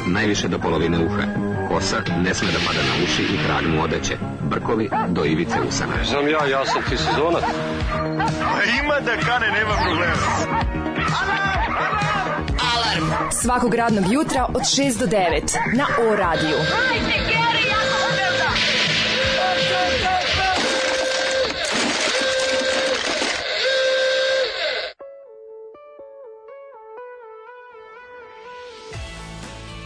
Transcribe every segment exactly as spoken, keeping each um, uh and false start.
najviše do polovine uha. Kosa ne sme da pada na uši i trag mu odeće. Brkovi do ivice usana. Znam ja, ja sam ti sezonac. Ima da kane, nema problema. Alarm svakog radnog jutra od šest do devet na O radiju.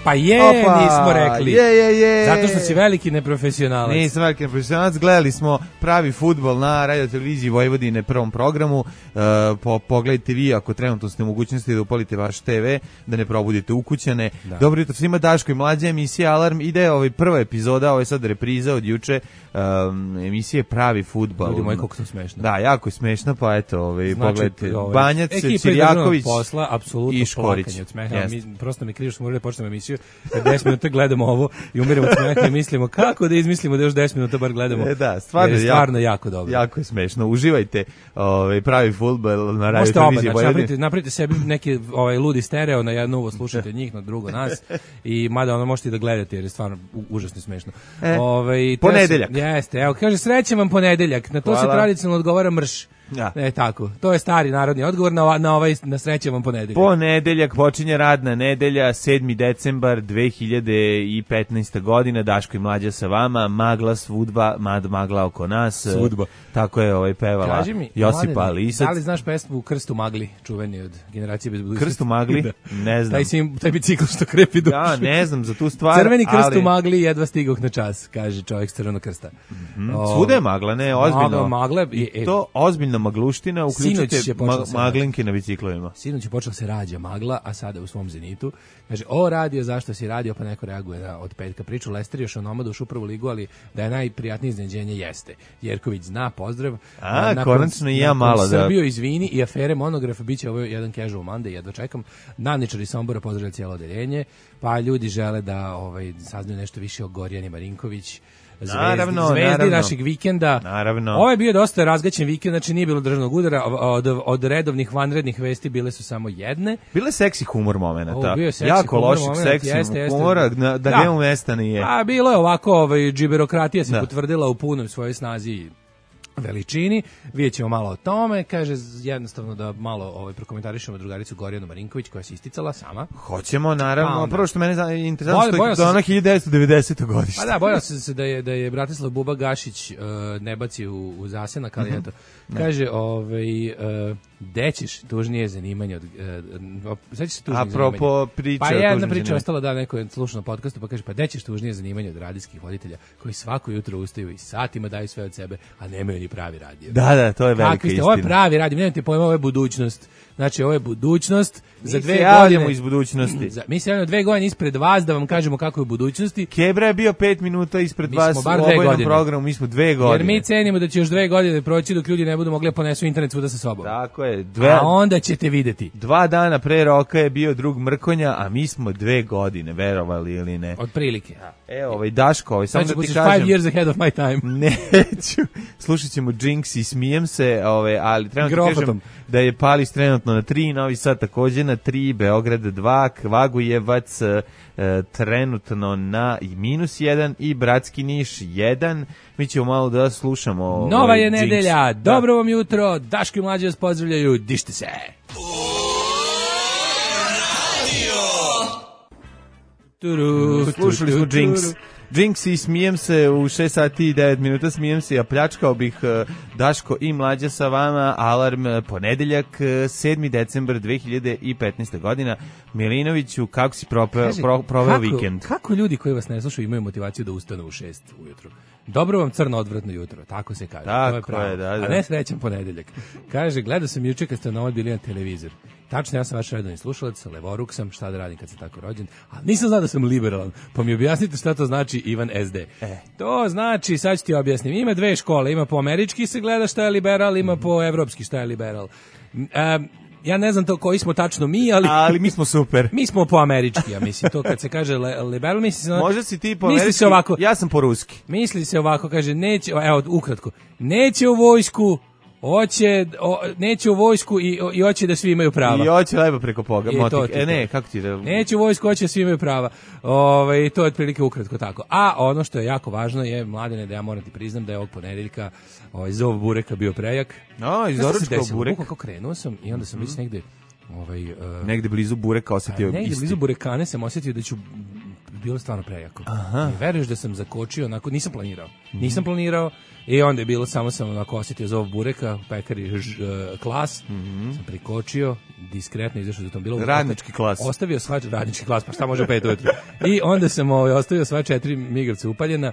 Pa je, Opa, nismo rekli. Je, je, je. Zato što si veliki neprofesionalac. Nisam veliki neprofesionalac. Gledali smo pravi fudbal na radio televiziji Vojvodine prvom programu. Uh, po, pogledajte vi ako trenutno ste u mogućnosti da upalite vaš te ve, da ne probudite ukućane. Da. Dobro jutro svima, Daško i Mlađa, emisija Alarm. Ide ovaj prva epizoda, ovo je sad repriza od juče, um, emisije Pravi fudbal. Ljudi moji, koliko to smešno. Da, jako je smešno, pa eto, ovaj, znači, pogledajte. Ovaj, Banjac, Cirjaković posla, apsolutno i Škorić. Plakanje od smeha. Mi, prosto mi krivo što smo morali da počnemo emisiju. deset minuta gledamo ovo i umiramo od smeha i mislimo kako da izmislimo da još deset minuta bar gledamo. E da, stvarno, je stvarno jako, jako dobro. Jako je smešno. Uživajte ovaj pravi fudbal na radio televiziji Vojvodine. Napravite, napravite sebi neki ovaj ludi stereo, na jedno uvo slušajte njih, na drugo nas. I mada ono možete i da gledate jer je stvarno užasno smešno. E, ovaj ponedeljak. Se, jeste, evo kaže srećan vam ponedeljak. Na to Hvala. Se tradicionalno odgovara mrš. Ja. E tako, to je stari narodni odgovor na, na ovaj na srećan vam ponedeljak. Ponedeljak počinje radna nedelja, sedmi decembar dve hiljade petnaeste. godina, Daško i Mlađa sa vama, magla svudba, mad magla oko nas. Svudba. Tako je ovaj pevala mi, Josipa Mladene, Lisac. Da li znaš pesmu Krstu magli, čuveni od Generacije bez budućnosti? Krstu magli? Da. Ne znam. Taj, sim, taj bicikl što krepi dušu. Ja ne znam za tu stvar. Crveni krst ali... u magli jedva stigoh na čas, kaže čovjek s Crvenog krsta. Mm-hmm. O, svuda je magla, ne, ozbiljno. Magle, I e, to ozbiljna magluština, uključite ma, maglinke na biciklovima. Sinoć je počela se rađa magla, a sada u svom zenitu. Kaže, o radio, zašto si radio, pa neko reaguje na, od petka. Priču Lester još o nomadu u prvu ligu, ali da je najprijatnije iznenađenje jeste. Jerković zna, pozdrav. A, nakon, konačno i ja malo da. Srbiju izvini i afere Monograf, bit će ovo jedan casual Monday, jedva čekam. Navničari Sombora pozdravlja cijelo odeljenje, pa ljudi žele da ovaj, saznaju nešto više o Gorjani Marinković, Zvezdi, naravno, zvezdi naravno. našeg vikenda. Naravno. Ovo je bio dosta razgaćen vikend, znači nije bilo državnog udara, od, od redovnih vanrednih vesti bile su samo jedne. Bile seksi humor momenata. Seksi jako humor loših moment, seksi jeste, humora, jeste. da, da njemu mesta nije. A bilo je ovako, ovaj, džiberokratija se da. potvrdila u punoj svojoj snazi veličini, vidjet ćemo malo o tome, kaže jednostavno da malo ovaj, prokomentarišemo drugaricu Gorjanu Marinković koja se isticala sama. Hoćemo, naravno, pa, prvo što mene je interesantno što je ona hiljadu devetsto devedesete. godište. Pa da, bojao sam se da je, da je Bratislav Buba Gašić uh, ne baci u, u zasenak, ali eto, kaže, ovaj, uh, dećeš tužnije zanimanje od... Uh, sećaš se tužnije zanimanje? Apropo priče pa o jedna tužnije priča ostala, da, neko je slušao na podcastu, pa kaže, pa dećeš tužnije zanimanje od radijskih voditelja koji svako jutro ustaju i satima daju sve od sebe, a nemaju ni pravi radio. Da, da, to je velika Kakvi ste, istina. ovo je pravi radio, nemate pojma, ovo je budućnost. Znači, ovo je budućnost. Mi za dve se javljamo godine, iz budućnosti. Za, mi se javljamo dve godine ispred vas da vam kažemo kako je u budućnosti. Kebra je bio pet minuta ispred mi vas u obojnom programu, mi smo dve godine. Jer mi cenimo da će još dve godine proći dok ljudi ne budu mogli ponesu internet svuda sa sobom. Tako je. Dve, a onda ćete videti. Dva dana pre roka je bio drug Mrkonja, a mi smo dve godine, verovali ili ne. Od prilike. Evo, ovaj Daško, ovaj, samo znači, da ti kažem. Five years ahead of my time. Neću. Slušat ćemo Jinx i smijem se, ovaj, ali trenutno kažem da je Palis trenutno na tri, Novi Sad također na tri, Beograd dva, Kvagujevac e, trenutno na minus jedan i Bratski Niš jedan. Mi ćemo malo da slušamo. Ovaj, Nova je Jinx. nedelja, dobro da. Vam jutro, Daško i Mlađa vas pozdravljaju, dište se. Turu, slušali smo Jinx. Jinx i smijem se u šest sati i devet minuta, smijem se, ja pljačkao bih uh, Daško i Mlađa sa vama, Alarm ponedeljak, uh, sedmi decembar dve hiljade petnaeste. godina. Milinoviću, kako si propeo, Kaži, pro, proveo kako, vikend? Kako ljudi koji vas ne slušaju imaju motivaciju da ustanu u šest ujutru? Dobro vam crno odvratno jutro, tako se kaže. Tako to je, je, da, da. A ne srećan ponedeljak. Kaže, gledao sam juče kad ste na bili na televizor. Tačno, ja sam vaš redovni slušalac, levoruk sam, šta da radim kad sam tako rođen, ali nisam znao da sam liberalan, pa mi objasnite šta to znači Ivan es de. E. To znači, sad ću ti objasnim, ima dve škole, ima po američki se gleda šta je liberal, ima po evropski šta je liberal. Um, ja ne znam to koji smo tačno mi, ali... Ali mi smo super. Mi smo po američki, ja mislim, to kad se kaže le, liberal, misli se... Možda si ti po američki, se ovako, ja sam po ruski. Misli se ovako, kaže, neće, evo, ukratko, neće u vojsku Hoće, o, neće u vojsku i, i hoće da svi imaju prava. I hoće lepo preko poga. I motik. to ti E ne, to. kako ti da... Neće u vojsku, hoće da svi imaju prava. Ove, to je otprilike ukratko tako. A ono što je jako važno je, Mladene, da ja moram ti priznam da je ovog ponedeljka ovaj, zov bureka bio prejak. A, iz doručkao burek. Kako krenuo sam i onda sam mm-hmm. već negde... Ovaj, uh, negde blizu bureka osetio isti. Negde blizu burekane sam osetio da ću bilo stvarno prejako. Aha. I veruješ da sam zakočio, onako, nisam planirao. Mm-hmm. Nisam planirao i onda je bilo, samo sam onako osetio zov bureka, pekari ž, uh, klas, mm-hmm. sam prikočio, diskretno izašao za tom bilo. Radnički klas. Ostavio sva, radnički klas, pa šta može u pet ujutru. I onda sam ovaj, ostavio sva četiri migavca upaljena,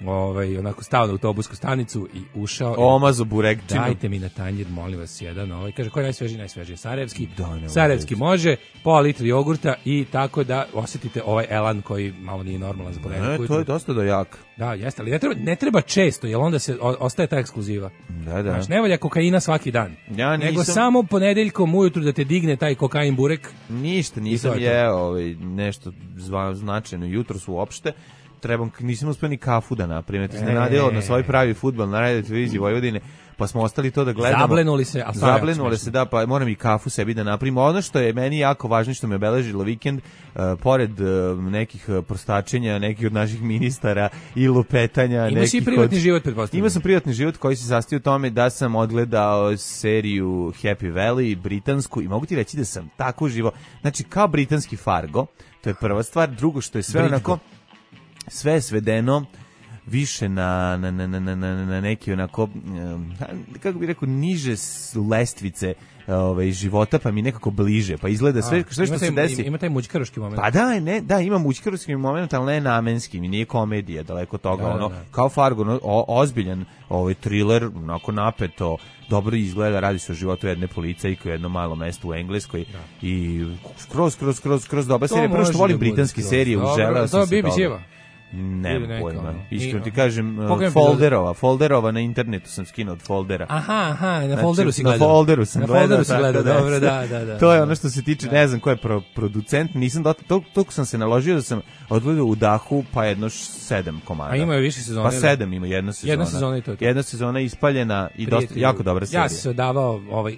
ovaj, onako stao na autobusku stanicu i ušao. Omazo burekčinu. Dajte mi na tanjir, molim vas, jedan. Ovaj. Kaže, koji je najsvežiji? Najsvežiji Sarajevski. Da, Sarajevski može, pola litra jogurta i tako da osetite ovaj elan koji malo nije normalan za ponedeljak. Ne, to je dosta dojak. Da, jeste, ali ne treba, ne treba često, jer onda se o, ostaje ta ekskluziva. Da, da. Znaš, ne valja kokaina svaki dan. Ja nisam... Nego samo ponedeljkom ujutru da te digne taj kokain burek. Ništa, nisam jeo ovaj, nešto zva, značajno jutros uopšte. Trebam, nisam uspio ni kafu da napravim. To se ne nadjelo na svoj pravi fudbal na radio televiziji Vojvodine, pa smo ostali to da gledamo. Zablenuli se, a Zablenuli se, da, pa moram i kafu sebi da napravim. Ono što je meni jako važno, što me obeležilo vikend, uh, pored uh, nekih prostačenja, nekih od naših ministara i lupetanja. Imaš i privatni od... život, pretpostavljam. Imao sam privatni život koji se sastoji u tome da sam odgledao seriju Happy Valley, britansku, i mogu ti reći da sam tako živo, znači kao britanski Fargo, to je prva stvar. Drugo što je sve Britko. onako... sve je svedeno više na, na, na, na, na, na neki onako, kako bih rekao, niže lestvice ovaj, života, pa mi nekako bliže, pa izgleda sve, A, sve što taj, se desi. Ima taj mućkaroški moment. Pa da, ne, da, ima mućkaroški moment, ali ne namenski, mi nije komedija, daleko toga, da, ono, da, da. Kao Fargo, no, o, ozbiljan ovaj, thriller, onako napeto, dobro izgleda, radi se o životu jedne policajke u jednom malom mestu u Engleskoj, da. I skroz, skroz, skroz, skroz dobra serija. Prvo što volim britanske serije, uželeo sam se toga. Nemam pojma. Iskreno ti kažem, uh, folderova, folderova na internetu sam skinuo od foldera. Aha, aha, na folderu znači, si gledao. Na folderu sam na gledao. folderu si gledao, da, dobro, da, da, da. To je ono što se tiče, da. Ne znam ko je pro, producent, nisam do to, to sam se naložio da sam odgledao u dahu, pa jedno sedam komada. A ima je više sezona. Pa sedam ima, jedna sezona. Jedna sezona i to je to. Jedna sezona ispaljena i dosta, jako dobra serija. Ja sam se odavao ovaj,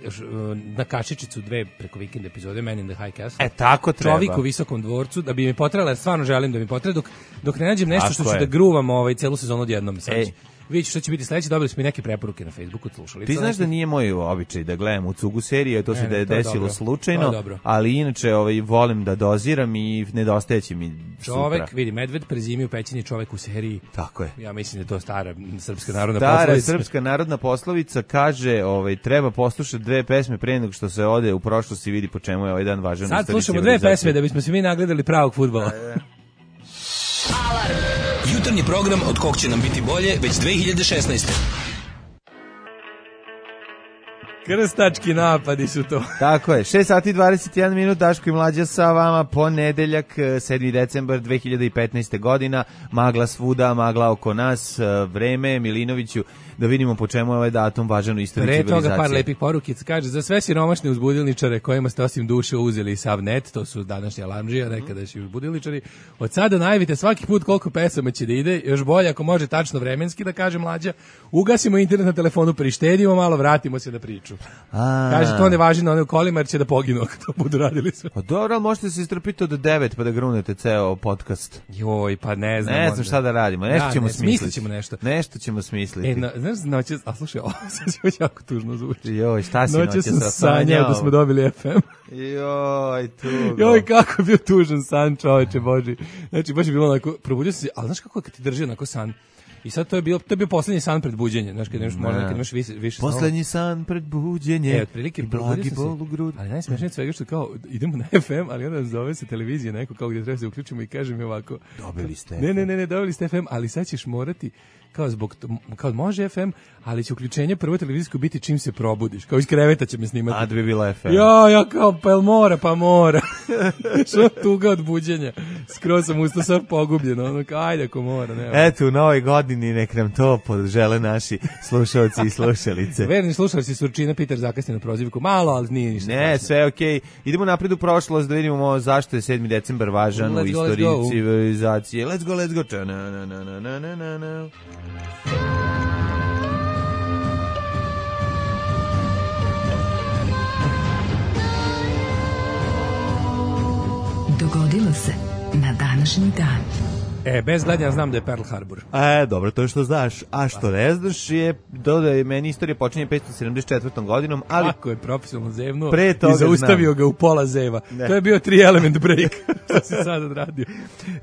na kašičicu dve preko vikend epizode Man in the High Castle. E, tako treba. Čovjek u visokom dvorcu, da bi mi potrebalo, stvarno želim da mi potrebe, dok, dok ne nađem nešto što ću da gruvam ovaj, celu sezonu odjednom. Ej. Vidite što će biti sledeće, dobili smo i neke preporuke na Facebooku od slušalica. Ti znaš da nije moj običaj da gledam u cugu serije, to ne, se da je desilo dobro. Slučajno, ali inače ovaj, volim da doziram i nedostajeće mi čovek, supra. vidi, medved prezimi u pećini, čovek u seriji. Tako je. Ja mislim da je to stara srpska narodna stara poslovica. Stara srpska narodna poslovica kaže, ovaj, treba poslušati dve pesme pre nego što se ode u prošlost i vidi po čemu je ovaj dan važan. Sad slušamo dve pesme da bismo se mi nagledali pravog fudbala. Alarm. Jutarnji program od kog će nam biti bolje već dve hiljade šesnaeste. Krstački napadi su to. Tako je, šest sati i dvadeset jedan minut, Daško i Mlađa sa vama, ponedeljak, sedmi decembar dve hiljade petnaeste godina, magla svuda, magla oko nas, vreme, Milinoviću, da vidimo po čemu je ovaj datum važan u istoriji civilizacije. Pre toga par lepih porukica, kaže, za sve siromašne uzbudilničare kojima ste osim duše uzeli sav net, to su današnji alarmđija, nekadašnji uzbudilničari, od sada najavite svaki put koliko pesama će da ide, još bolje ako može tačno vremenski da kaže Mlađa, ugasimo internet na telefonu, prištedimo malo, vratimo se na priču. A. Kaže, to ne važi na one kolima jer će da poginu ako to budu radili sve. Pa dobro, ali možete se istrpiti od devet pa da grunete ceo podcast. Joj, pa ne znam. Ne znam šta da radimo, nešto da, ćemo ne, smisliti. ćemo nešto. Nešto ćemo smisliti. E, no, znaš, noće, a slušaj, ovo sad će već jako tužno zvuči. Joj, šta si noće noće sam sanjao da smo dobili F M. Joj, tugo. Joj, kako je bio tužan san, čoveče Boži. Znači, baš je bilo onako, probudio se, ali znaš kako je kad ti drži onako san? I sad to je bio to je bio poslednji san pred buđenjem, znači kad imaš možda kad imaš više više poslednji san pred buđenjem. E, otprilike blagi bol u grudi. Ali najsmešnije svega što kao idemo na F M, ali onda zove se televizija neko kao gdje treba se uključimo i kaže mi ovako. Dobili ste. Ne, ne, ne, ne, dobili ste F M, ali sad ćeš morati kao zbog kao može F M, ali će uključenje prvo televizijsko biti čim se probudiš. Kao iz kreveta će me snimati. A da bi bila F M. Ja, ja kao pa mora, pa mora. Što tuga od buđenja. Skroz sam ustao sad pogubljeno, ono kao ajde ako mora, ne. Eto, u novoj godini nek nam to podžele naši slušalci i slušalice. Verni slušalci Surčina Peter zakasnije na prozivku. Malo, ali nije ništa. Ne, strašno. Sve okej. Okay. Idemo napred u prošlost da vidimo zašto je sedmi decembar važan let's u istoriji go, civilizacije. Let's go, let's go. Na, na, na, na, na, na, na. dogodilo se na današnji dan. E, bez gledanja znam da je Pearl Harbor. E, dobro, to je što znaš. A što ne znaš je, dodaje meni istorija počinje petsto sedamdeset četvrtom godinom, ali... Kako je profesionalno zevnuo pre toga i zaustavio znam. ga u pola zeva. Ne. To je bio tri element break. To si sad odradio.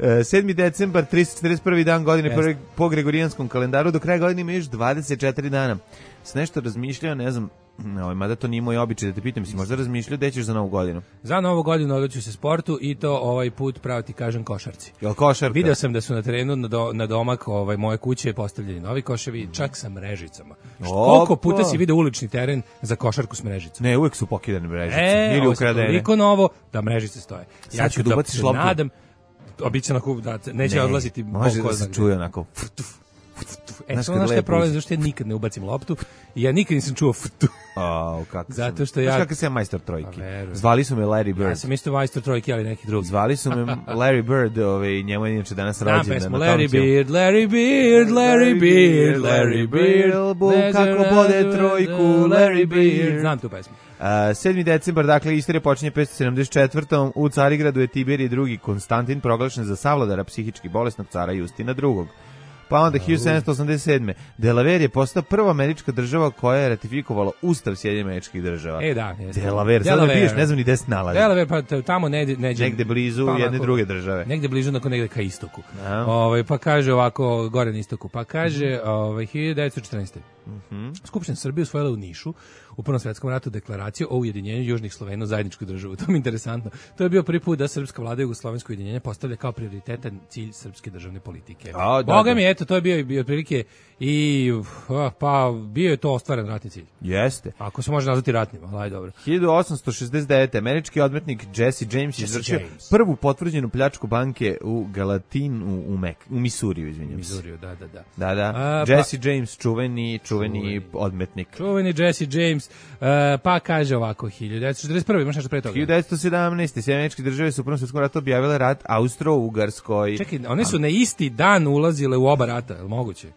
E, sedmi decembar, tristo četrdeset prvi dan godine Jeste. prvi, po Gregorijanskom kalendaru, do kraja godine ima još dvadeset četiri dana. S nešto razmišljao, ne znam, no, mada to nije moj običaj da te pitam, si možda razmišljao gde ćeš za novu godinu? Za novu godinu odlučio se sportu i to ovaj put, pravo ti kažem, košarci. Jel košarka? Video sam da su na terenu na, do, na domak ovaj, moje kuće postavljeni novi koševi, čak sa mrežicama. Što, koliko puta si video ulični teren za košarku s mrežicom? Ne, uvek su pokidane mrežice. E, ili ovo se ukradene. toliko novo da mrežice stoje. Sad Ja ću kad da ubaciš se loptu- nadam, obično da neće Ne, odlaziti. može bok da se oznak. čuje onako. E, Znaš samo kad znaš šta je lepo problem, uđe. zašto ja nikad ne ubacim loptu i ja nikad nisam čuo ftu. Au, kako Zato sam- što ja- Znaš kakav sam ja majstor trojke? Pa, verujem. Zvali su me Larry Bird. Ja sam isto majstor trojke, ali neki drugi. Zvali su me Larry Bird, ovaj, njemu je inače danas Znam rođendan. pesmu na Larry Tomciju. Beard, Larry Beard, Larry Beard, Larry Beard, Bum, kako bode trojku, Larry Beard. Znam tu pesmu. Uh, sedmi decembar, dakle, istorija počinje petsto sedamdeset četvrtom U Carigradu je Tiberije drugi Konstantin proglašen za savladara psihički bolesnog cara Justina drugog. Pa onda hiljadu sedamsto osamdeset sedme Delaware je postao prva američka država koja je ratifikovala Ustav Sjedinjenih Američkih Država. E, da. jeste. Delaware, sad ne piješ, ne znam ni gde se nalazi. Delaware, pa t- tamo negde, negde, Negde blizu pa jedne onako- druge države. Negde blizu, nakon negde ka istoku. Da. Ovaj, pa kaže ovako, gore na istoku, pa kaže ovaj, hiljadu devetsto četrnaeste Skupština Srbije usvojila u Nišu u Prvom svetskom ratu deklaraciju o ujedinjenju južnih Slovena u zajedničku državu. To mi je interesantno. To je bio prvi put da srpska vlada jugoslovensko ujedinjenje postavlja kao prioritetan cilj srpske državne politike. A, da, Boga da. mi, eto, to je bio, bio otprilike i uf, pa bio je to ostvaren ratni cilj. Jeste. Ako se može nazvati ratnim, ali ajde, dobro. hiljadu osamsto šezdeset devete američki odmetnik Jesse James Jesse izvršio James. prvu potvrđenu pljačku banke u Galatinu u Mek, u Misuriju, izvinjavam se. Mizuriju, da, da, da. Da, da. A, pa- Jesse James, čuveni, čuveni odmetnik. Čuveni Jesse James, uh, pa kaže ovako, hiljadu devetsto četrdeset prve imaš nešto pre toga? hiljadu devetsto sedamnaeste Sjedinjene Američke Države su u Prvom svjetskom ratu objavile rat Austro-Ugarskoj. Čekaj, one su na isti dan ulazile u oba rata, je li moguće?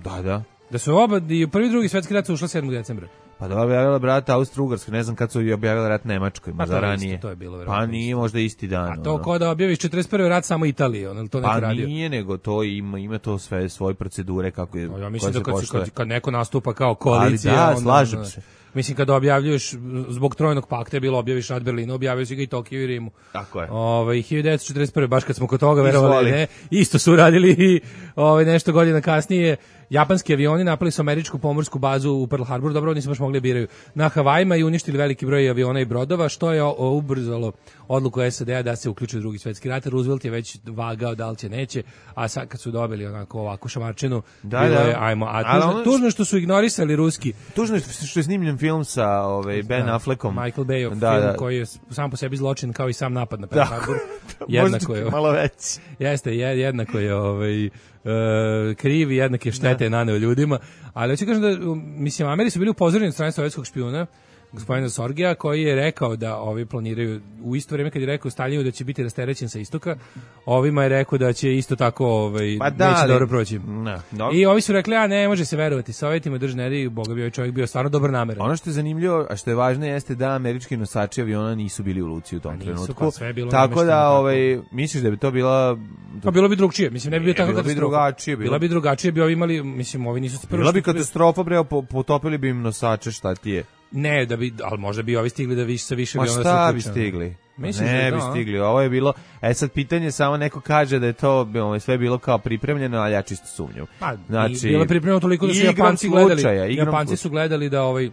Da, da. Da su oba, i prvi i drugi svetski rat su ušla sedmog decembra. Pa da objavila brata Austro-Ugarskoj, ne znam kad su objavili rat Nemačkoj, Pa možda to je ranije. isto, to je bilo Pa verovatno nije isto. možda isti dan. A to ono. ko da objaviš četrdeset prve rat samo Italije, on je li to neko Pa radio? nije, nego to ima, ima to sve svoje procedure kako je, No, ja koje mislim se da kad, se, poštuje. kad, kad neko nastupa kao koalicija... Ali da, onda- slažem onda- se. Mislim, kada objavljuješ, zbog trojnog pakta je bilo objaviš rat Berlina, objavio si ga i Tokiju i Rimu. Tako je. Ovaj hiljadu devetsto četrdeset prve baš kad smo kod toga verovali, Izvoli. ne, isto su radili i ovaj nešto godina kasnije. Japanski avioni napali su američku pomorsku bazu u Pearl Harboru, dobro, nisu baš mogli da biraju, na Havajima i uništili veliki broj aviona i brodova, što je o- ubrzalo odluku S A D-a da se uključi u drugi svetski rat. Roosevelt je već vagao da li će, neće, a sad kad su dobili onako ovakvu šamarčinu, Da, bilo da. je, ajmo, a Ali tužno, ono- tužno je što su ignorisali ruski Tužno je što što je snimljen film sa ovaj, Ben da, Affleckom. Michael Bay Da, film da. koji je sam po sebi zločin kao i sam napad na Pearl Da. Harbor. Možda Jednako je. malo veći. Jeste, je, jednako je ovaj, uh, kriv i jednake štete naneo ljudima, ali hoću kažem da, um, mislim, Ameri su bili upozoreni od strane sovjetskog špijuna, gospodina Sorgija, koji je rekao da ovi planiraju, u isto vrijeme kad je rekao Staljinu da će biti rasterećen sa istoka, ovima je rekao da će isto tako ovaj, Pa da, neće ali- dobro proći. Da, dobro. I ovi su rekli, a ne može se verovati Sovjetima, držneri, boga bi ovaj čovjek bio stvarno dobar nameran. Ono što je zanimljivo, a što je važno jeste da američki nosači aviona nisu bili u luci u tom nisu, trenutku. pa sve je bilo tako namešteno da, tako. ovaj, misliš da bi to bila... Pa bilo bi drugčije, mislim, ne bi bio Ne, tako bilo bi katastrofa. drugačije, bilo- Bila bi drugačije, bi ovi imali, mislim, ovi nisu prvo Bila bi što- katastrofa, bre, po- potopili bi im nosače, šta ti je? Ne, da bi, ali možda bi ovi stigli da više sa više Ma bi onda šta se bi uključeno. stigli? Misliš ne da je bi to, a? stigli, ovo je bilo, e sad pitanje, samo neko kaže da je to ovaj, sve bilo kao pripremljeno, ali ja čisto sumnjam. Pa, Znači, bilo je pripremljeno toliko da su igrom Japanci gledali. slučaja, igrom Japanci slučaja. su gledali da ovaj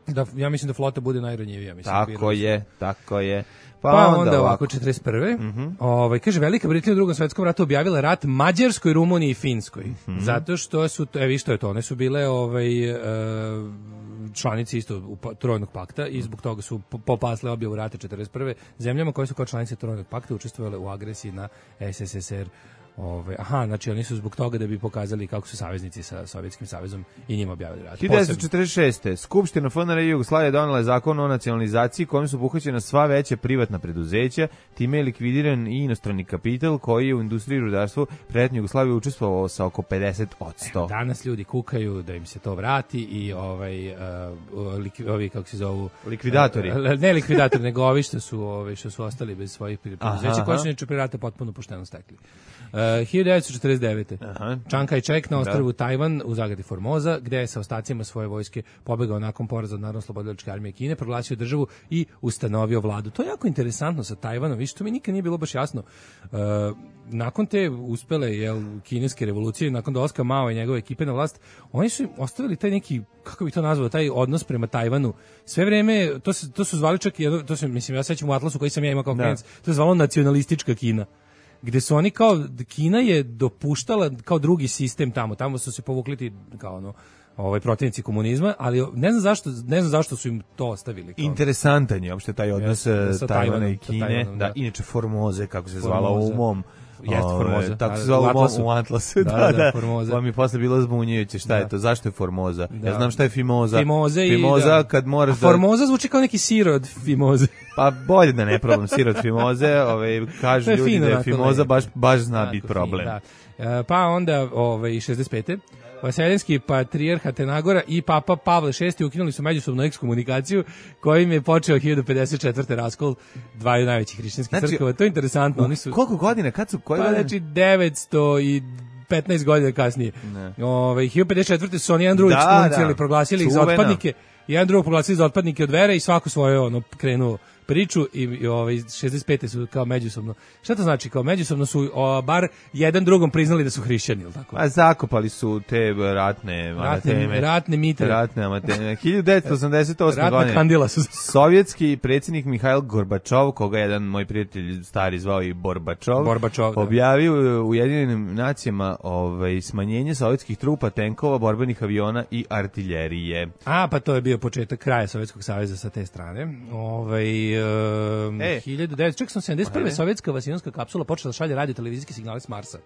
da ja mislim da flota bude najranjivija, mislim. Tako birali su. je, tako je. Pa, Pa, onda, onda, ovako ovako. četrdeset prve Ovaj kaže Velika Britanija u Drugom svetskom ratu objavila rat Mađarskoj, Rumuniji i Finskoj. Zato što su to, evi što je to, one su bile ovaj e, članice isto u pa- Trojnog pakta i zbog toga su po- popasle objavu rata četrdeset prve zemljama koje su kao članice Trojnog pakta učestvovale u agresiji na S S S R Ove, aha, znači oni su zbog toga da bi pokazali kako su saveznici sa Sovjetskim savezom i njima objavili rat. hiljadu devetsto četrdeset šeste. Skupština F N R Jugoslavije donela je zakon o nacionalizaciji kojim su obuhvaćena sva veća privatna preduzeća, time je likvidiran i inostrani kapital koji je u industriji i rudarstvu prednje Jugoslavije učestvovao sa oko pedeset posto. Danas ljudi kukaju da im se to vrati i ovaj uh, lik, ovi kako se zovu likvidatori. Uh, ne likvidatori, nego ovi što su ovi što su ostali bez svojih preduzeća koji su neče pre rata potpuno pošteno stekli. Uh, hiljadu devetsto četrdeset devete. Aha. Chiang Kai-shek na ostrvu da. Tajvan u zagradi Formoza, gde je sa ostacima svoje vojske pobegao nakon poraza od Narodno-oslobodilačke armije Kine, proglasio državu i ustanovio vladu. To je jako interesantno sa Tajvanom, više to mi nikad nije bilo baš jasno. Uh, nakon te uspele jel, kineske revolucije, nakon dolaska Mao i njegove ekipe na vlast, oni su ostavili taj neki, kako bi to nazvao, taj odnos prema Tajvanu. Sve vreme, to, se, to su zvali čak, to se, mislim, ja sećam u Atlasu koji sam ja imao kao klinac, to je zvalo nacionalistička Kina. Gde su oni kao, Kina je dopuštala kao drugi sistem tamo, tamo su se povukli ti kao ono, ovaj protivnici komunizma, ali ne znam zašto, ne znam zašto su im to ostavili. Kao. Interesantan je uopšte taj odnos yes, Tajvana i Kine, Tajvanom, da. da, inače Formoze, kako se zvala u mom Jeste Formoza. Tako se zvala u Atlasu. U Atlasu, da, da, da, Formoza. Pa mi je posle bilo zbunjujuće, šta da. je to, zašto je Formoza? Da. Ja znam šta je Fimoza. Fimoze Fimoza i, da. kad moraš da... Formoza zvuči kao neki sir od Fimoze. Pa bolje da ne probam sir od Fimoze, ovaj, kažu ljudi fino, da je Fimoza baš, baš zna biti problem. Fin, da. E, pa onda ovaj, šezdeset pete. Vaseljenski patrijarh Atenagora i papa Pavle šesti ukinuli su međusobnu ekskomunikaciju kojim je počeo hiljadu pedeset četvrte raskol dvaju najvećih hrišćanskih znači, crkava. To je interesantno. Oni su, koliko godina? Kad su? Koje pa godine? znači devetsto petnaest godina kasnije. Ove, hiljadu pedeset četvrte su oni jedan drugog ekskomunicirali, proglasili ih za otpadnike. Jedan drugog proglasili za otpadnike od vere i svako svoje ono krenuo priču i, i ovaj šezdeset pete su kao međusobno. Šta to znači? Kao međusobno su o, bar jedan drugom priznali da su hrišćani, al tako. A zakopali su te ratne ratne ratne mitre. Ratne amateme. hiljadu devetsto osamdeset osme godine. Kandila su. Sovjetski predsjednik Mihail Gorbačov, koga jedan moj prijatelj stari zvao i Borbačov, Borbačov objavio u Ujedinjenim nacijama ovaj smanjenje sovjetskih trupa, tenkova, borbenih aviona i artiljerije. A pa to je bio početak kraja Sovjetskog saveza sa te strane. Ovaj Um, e, hiljadu devetsto sedamdeset prve. sovjetska vasiljonska kapsula počela da šalje radio televizijske signale s Marsa.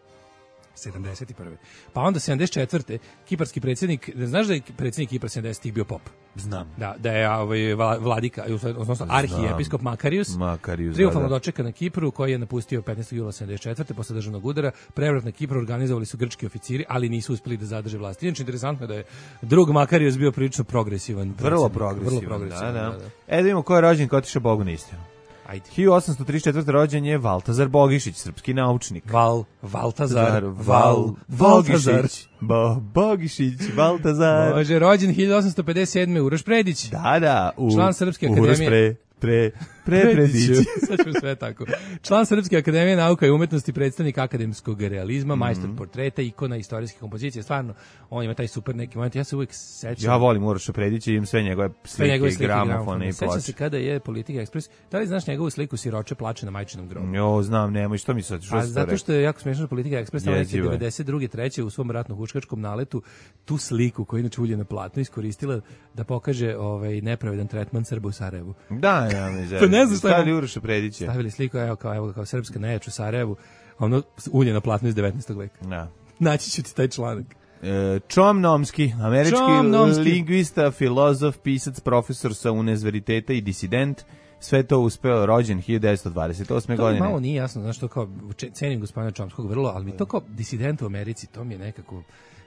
sedamdeset prve. Pa onda sedamdeset četvrte. kiparski predsjednik, znaš da je predsjednik Kipra sedamdesetih bio pop? Znam. Da, da je ovaj vladika, odnosno arhijepiskop Makarius, Makarius triumfalno dočeka na Kipru, koji je napustio petnaestog jula sedamdeset četvrte posle državnog udara. Prevrat na Kipru organizovali su grčki oficiri, ali nisu uspeli da zadrže vlast. Inače, interesantno je da je drug Makarius bio prilično progresivan. Vrlo progresivan, vrlo progresivan da, da. Da, da. E, da vidimo ko je rođen, ko otišao Bogu na istinu. Ajde. hiljadu osamsto trideset četvrte. rođen je Valtazar Bogišić, srpski naučnik. Val, Valtazar, Val, Bogišić. Bo, Bogišić, Valtazar. Može, rođen hiljadu osamsto pedeset sedme. Uroš Predić. Da, da. U, član Srpske akademije. Uroš Pre, pre, pre, Predić. Sad ću sve tako. Član Srpske akademije nauka i umetnosti, predstavnik akademskog realizma, mm. majstor portreta, ikona, istorijske kompozicije. Stvarno, on ima taj super neki moment. Ja se uvijek sećam. Ja volim Uroša Predića, imam sve njegove slike, njegove slike gramofone i ploče. Sećam se kada je Politika Ekspres. Da li znaš njegovu sliku Siroče plače na majčinom grobu? Jo, znam, nemoj, što mi sad? Što A zato što je jako smiješno Politika Ekspres, tamo neke devedeset druge treće u svom ratno-huškačkom naletu tu sliku koju inače ulje na platno iskoristila da pokaže ovaj nepravedan tretman Srba u Sarajevu. Da, ja mi pa ne znam šta stavili Uroša Predića. Stavili sliku evo kao evo kao srpska nejač u Sarajevu, ono ulje na platno iz devetnaestog veka. Da. Naći ću ti taj članak. E, Chomnomski, američki Chomnomski. lingvista, filozof, pisac, profesor sa univerziteta i disident. Sve to uspeo, rođen hiljadu devetsto dvadeset osme. To godine. To malo nije jasno, znaš, to kao, cenim gospodina Chomskog vrlo, ali mi to kao disident u Americi, to mi je nekako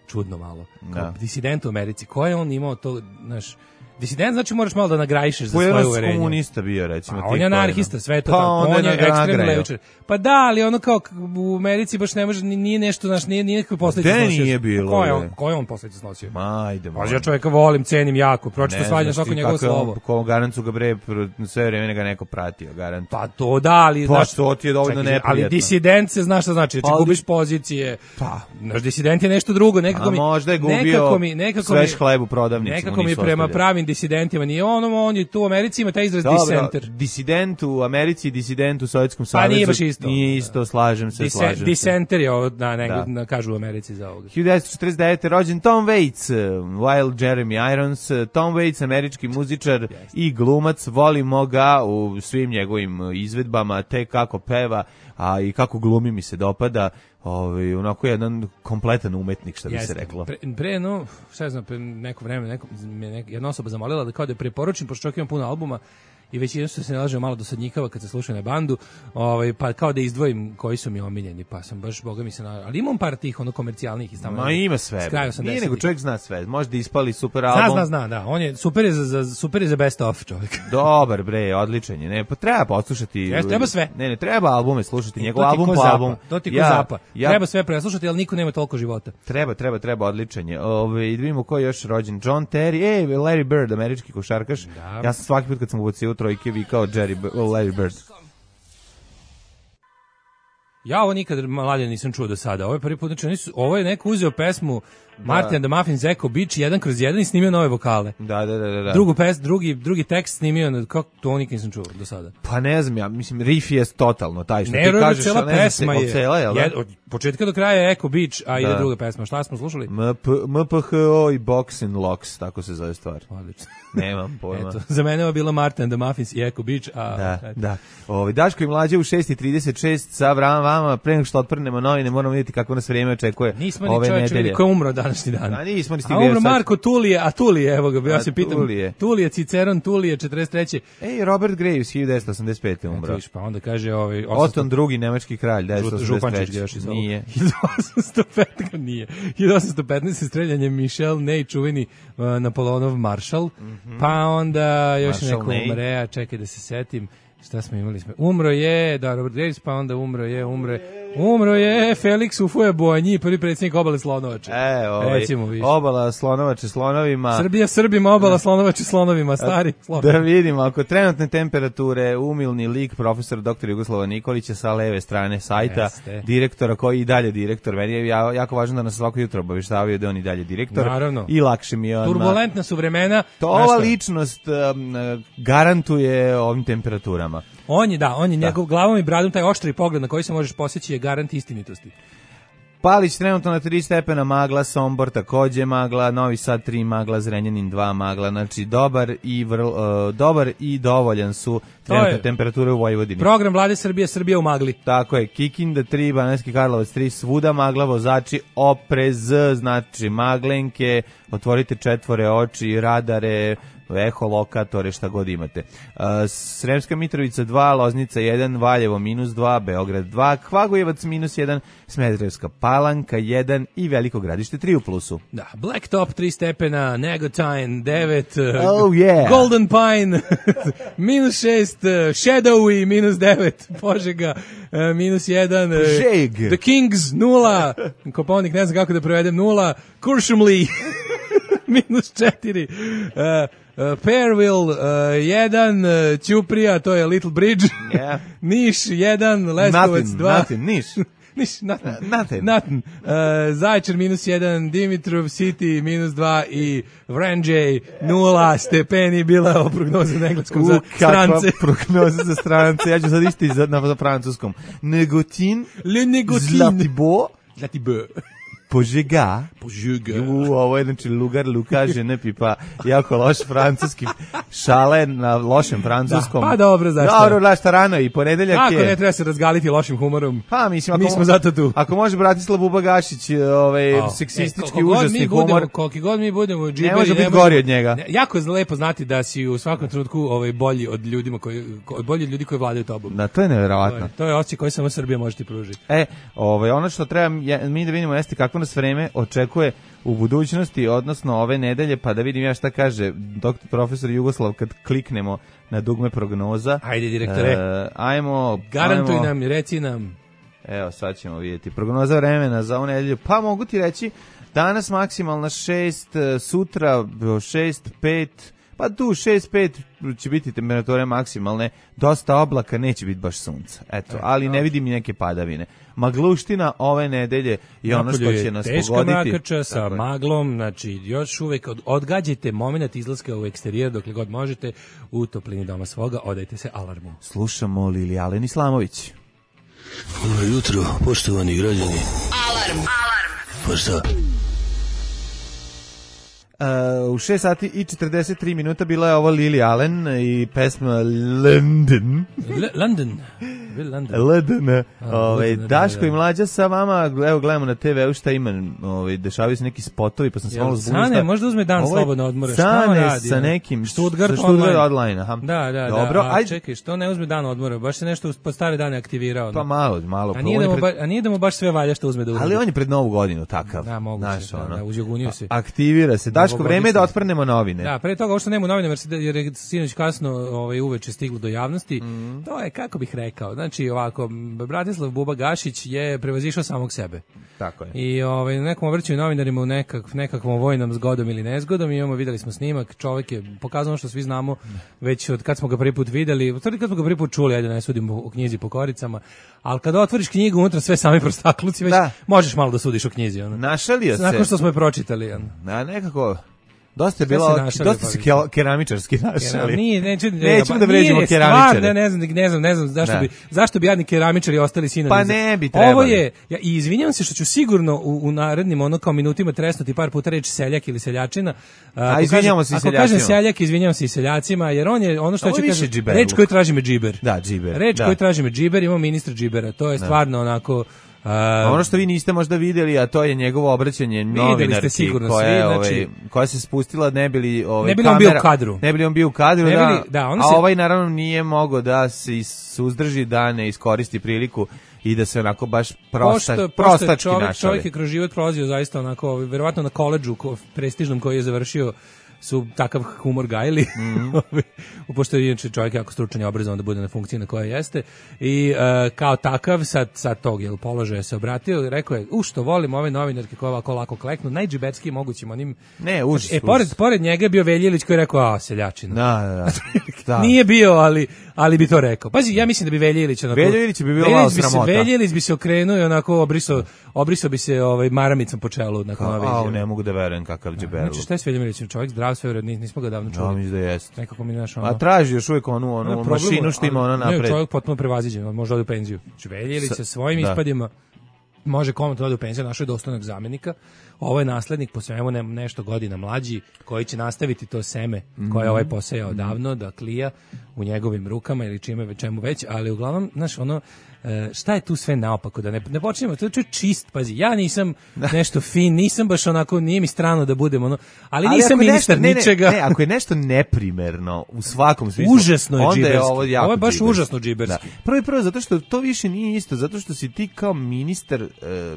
čudno malo. Kao da. Disident u Americi, ko je on imao to, znaš, disident znači moraš malo da nagrajišeš za svoje uverenje. Komunista bio, recimo. A on je anarhista, sve to pa tako. On je ekstremni levičar. Pa da, ali ono kao u Americi baš ne može, nije nešto, znaš, nije nikakve posledice snosio. Gde nije bilo? Ko je on, ko je on posledice snosio? Ma, ajde. Pa ja čovjeka volim, cenim jako, pročito svađam svako njegovo slovo. Ko garancu ga bre, sve vreme ga neko pratio, garant. Pa to da, ali pa znaš, to ti je dovoljno neprijatno. Ali disident se znaš šta znači, znači gubiš pozicije. Pa, naš disident je nešto drugo, nekako mi možda je gubio sveš hleb u prodavnici. Nekako mi prema pravim disidentima nije ono, on je tu u Americi ima taj izraz disenter. Disident u Americi, disident u Sovjetskom savezu. Pa nije baš isto. Nije isto, slažem se, slažem se. Disenter je, na, nego, na, kažu u Americi za ovoga. hiljadu devetsto četrdeset devete. rođen Tom Waits, Wild Jeremy Irons. Tom Waits, američki muzičar yes. i glumac. Volimo ga u svim njegovim izvedbama, te kako peva, a i kako glumi mi se dopada. ovaj, onako jedan kompletan umetnik, što bi Jeste. se reklo. Pre, pre no, šta znam, pre neko vreme, neko, me nek, jedna osoba zamolila da kao da je preporučim, pošto čovjek ima puno albuma, i već jednostavno se nalaže malo dosadnjikava kad se slušaju na bandu, ovaj, pa kao da izdvojim koji su mi omiljeni, pa sam baš, boga mi se na... Ali imam par tih ono komercijalnih iz tamo. Ma ima sve. Nije nego čovjek zna sve. Možda ispali super album. Zna, zna, zna, da. On je super je za, za super je za best of čovjek. Dobar bre, odličan je. Ne, pa treba poslušati. Jeste, treba sve. Ne, ne, treba albume slušati, njegov album po album. To ti ko ja, zapa. Ja, treba sve preslušati, ali niko nema toliko života. Treba, treba, treba, odličan je. Ove, i da vidimo ko je još rođen. John Terry, ej, Larry Bird, američki košarkaš. Da. Ja sam svaki put kad sam ubacio u trojke vikao Jerry, Larry Bird. Ja ovo nikad mlađe nisam čuo do sada. Ovo je prvi put, znači nisu, ovo je neko uzeo pesmu Martin and the Muffins Echo Beach jedan kroz jedan i snimio nove vokale. Da, da, da, da. Drugu pes, drugi drugi tekst snimio, kako to nikad nisam čuo do sada. Pa ne znam, ja mislim riff je totalno taj što ne, ti kažeš, cela ne, pesma je. Cela, je jed, od početka do kraja je Echo Beach, a da. Ide druga pesma. Šta smo slušali? M P H O i Box and Locks, tako se zove stvar. Odlično. Nemam pojma. Eto, za mene je bilo Martin and the Muffins i Echo Beach, a da, da. Ovi Daško i Mlađe u šest i trideset šest sa vram vama, pre nego što otprnemo novine, moramo vidjeti kako nas vrijeme očekuje. Nismo ni čovječe ko je umro današnji dan. A nismo ni stigli. A umro Marko Tulije, a Tulije, evo ga, ja se pitam. Tulije. Tulije, Ciceron, Tulije, četrdeset treće Ej, Robert Graves, hiljadu devetsto osamdeset pete umro. Viš, pa onda kaže ovaj Oton drugi nemački kralj, devetsto osamdeset treće još iz Nije. hiljadu osamsto petnaest nije. hiljadu osamsto petnaest streljanje Michel Ney, čuveni uh, Napoleonov maršal. Mm -hmm. Pa onda još Marshall neko Ney. Umre, a čekaj da se setim. Šta smo imali? Smo? Umro je, da, Robert Graves, pa onda umro je, umro je, umro je Felix Houphouët-Boigny, prvi predsjednik obale Slonovače. E, ovaj, Recimo, obala Slonovače slonovima. Srbija Srbima, obala Slonovače slonovima, stari slonovi. Da vidimo, ako trenutne temperature, umilni lik profesor doktor Jugoslava Nikolića sa leve strane sajta, Jeste. direktora koji i dalje direktor, meni je jako važno da nas svako jutro obaveštavaju da on i dalje direktor. Naravno. I lakše mi je on. Turbulentna su vremena. To ova ličnost um, garantuje ovim temperaturama. On je, da, on je da. Njegov glavom i bradom, taj oštri pogled na koji se možeš posjeći je garant istinitosti. Palić trenutno na tri stepena magla, Sombor takođe magla, Novi Sad tri magla, Zrenjanin dva magla, znači dobar i vrl, uh, dobar i dovoljan su trenutne temperature u Vojvodini. Program Vlade Srbije, Srbija u magli. Tako je, Kikinda tri, Banatski Karlovac tri, svuda magla, vozači oprez, znači maglenke, otvorite četvore oči, radare, eholokatore, šta god imate. Uh, Sremska Mitrovica dva, Loznica jedan, Valjevo minus dva, Beograd dva, Kvagojevac minus jedan, Smederevska Palanka jedan i Veliko Gradište tri u plusu. Da, Blacktop tri stepena, Negotin devet, oh, yeah. Golden Pine minus šest, Shadowy minus devet, Požega minus jedan, Požeg. The Kings nula, Koponik ne znam kako da prevedem, nula, Kuršumli minus četiri, uh, Uh, Perville jedan, uh, uh, Ćuprija, to je Little Bridge, yeah. Niš jedan, Leskovac dva. Nothing, Niš. Niš, nothing. Nothing. nothing. Uh, Zaječar minus jedan, Dimitrov City minus dva i Vranđej nula stepeni bila o prognoza na engleskom za strance. U, kakva prognoza za strance, ja ću sad isti za, na, za francuskom. Negotin, Le Negotin, Zlatibo, Zlatibo. Požega. Požega. U, ovo je znači lugar, luka, žene pipa, jako loš francuski šale na lošem francuskom. Da, pa dobro, zašto? Dobro, zašto rano i ponedeljak je. Ako ne treba se razgaliti lošim humorom. Pa, mislim, ako, mi smo zato tu. Ako može Bratislav Bubagašić, ovaj, oh, seksistički, e, užasni humor. Koliko god mi budemo džiberi, ne može biti gori od njega. Ne, jako je lepo znati da si u svakom trenutku ovaj, bolji od ljudima koji, od bolji od ljudi koji vladaju tobom. Da, to je nevjerovatno. To je, to je osjećaj koji samo Srbija može ti pružiti. E, ovaj, ono što treba je, mi da vidimo jeste kako nas vreme očekuje u budućnosti, odnosno ove nedelje, pa da vidim ja šta kaže doktor profesor Jugoslav kad kliknemo na dugme prognoza. Ajde, direktore. E, ajmo. Garantuj ajmo, nam, reci nam. Evo, sad ćemo vidjeti. Prognoza vremena za ovu nedelju. Pa mogu ti reći, danas maksimalna šest, sutra šest, pet, pa tu šest pet će biti temperature maksimalne, dosta oblaka, neće biti baš sunca. Eto, ali ne vidim neke padavine. Magluština ove nedelje je ono što će nas teška pogoditi. Teška mrakača sa tako maglom, znači još uvek od, odgađajte moment izlaska u eksterijer dokle god možete u toplini doma svoga, odajte se alarmu. Slušamo Lili Alen Islamović. Dobro jutro, poštovani građani. Alarm! Alarm! Pa šta? Uh, u šest sati i četrdeset tri minuta bila je ovo Lily Allen i pesma London. L- London. L D N. Ovaj Daško i Mlađa sa vama, evo gledamo na te veu šta ima, ovaj dešavaju se neki spotovi, pa sam se malo zbunio. Sane, možda uzme dan slobodno odmora, šta on radi? Sa nekim Stuttgart online, aha. Da, da, dobro, da. A čekaj, što ne uzme dan odmora? Baš se nešto po stare dane aktivirao. Pa malo, malo. A nije da mu baš, a nije da mu baš sve valja što uzme da uradi. Ali on je pred Novu godinu takav. Da, moguće, da, da, uzjogunio se. Aktivira se. Daško, vreme je da otprnemo novine. Da, pre toga što nema novine, jer je sinoć kasno ovaj uveče stiglo do javnosti. Mm. To je, kako bih rekao, znači ovako, Bratislav Buba Gašić je prevazišao samog sebe. Tako je. I ovaj, nekom obraćaju novinarima u nekak, nekakvom vojnom zgodom ili nezgodom, imamo, videli smo snimak, čovjek je pokazano što svi znamo, već od kad smo ga prvi put videli, od kad smo ga prvi put čuli, ajde ne sudimo u knjizi po koricama, ali kada otvoriš knjigu, unutra sve sami prostakluci, već da. Možeš malo da sudiš o knjizi. Ono. Našalio se. Nakon što smo je pročitali. Ono. Na, nekako... Dosta je bilo, dosta se ke, keramičarski našali. Nije, neću, nećemo da vređamo keramičare. Ne, ne znam, ne znam, ne znam zašto da. bi zašto bi jadni keramičari ostali sinovi. Pa ne bi trebali. Ovo je, ja i izvinjavam se što ću sigurno u, u narednim ono kao minutima tresnuti par puta reč seljak ili seljačina. A, a izvinjavamo se i seljacima. Ako kažem seljak, izvinjavam se i seljacima, jer on je ono što će kaže, reč koju traži me džiber. Da, džiber. Reč da. koju traži me džiber, imamo ministra džibera. To je da. stvarno onako Uh, ono što vi niste možda vidjeli, a to je njegovo obraćanje novinarki koja, ovaj, znači, koja se spustila, ne bili ovaj, ne bili kamera, on bio u kadru. Ne bili on bio u kadru, ne da, bili, da on a se, ovaj naravno nije mogao da se suzdrži, da ne iskoristi priliku i da se onako baš prosta, pošto, prostački pošto čovjek, našali. Čovjek je kroz život prolazio zaista onako, verovatno na koledžu prestižnom koji je završio su takav humor gajili, mm-hmm. pošto je inače čovjek jako stručan i obrazovan da bude na funkciji na kojoj jeste i uh, kao takav sad, sad tog jel, položaja se obratio i rekao je, u što volim ove novinarke koje ovako lako kleknu, najđiberskiji mogućim onim... Ne, užas, znači, e, pored, pored njega je bio Veljilić koji je rekao, a, seljačina. Da, da, da. da. Nije bio, ali, ali bi to rekao. Pazi, ja mislim da bi Veljilić onako... Veljilić bi bilo malo sramota. Veljilić bi se okrenuo i onako obrisao, obrisao bi se ovaj, maramicom po čelu. Nakon ove izjave. A, ne mogu da verujem kakav džiber. Znači, šta je s Veljilićem? Čovjek zdrav, sve vredno, nismo ga davno čuli. Ja mislim da jeste. Nekako mi znaš ono... A traži još uvijek onu, onu no, mašinu što ima ono napred. Ne, čovjek potpuno prevaziđen, on može ode u penziju. Znači, Veljilić sa svojim da. ispadima može komotno ode u penziju, našao je dostojnog zamjenika. Ovo je naslednik po svemu ne, nešto godina mlađi, koji će nastaviti to seme koje je ovaj posejao davno, da klija u njegovim rukama ili čime čemu već, ali uglavnom, znaš, ono, šta je tu sve naopako, da ne, ne počnemo, to je čist, pazi, ja nisam nešto fin, nisam baš onako, nije mi strano da budem ono, ali, ali nisam ministar nešto, ničega. Ne, ne, ako je nešto neprimerno u svakom smislu, užasno je onda je ovo, ovo je baš džiberski. Užasno džiberski. Da. Prvo i prvo, zato što to više nije isto, zato što si ti kao ministar... Eh,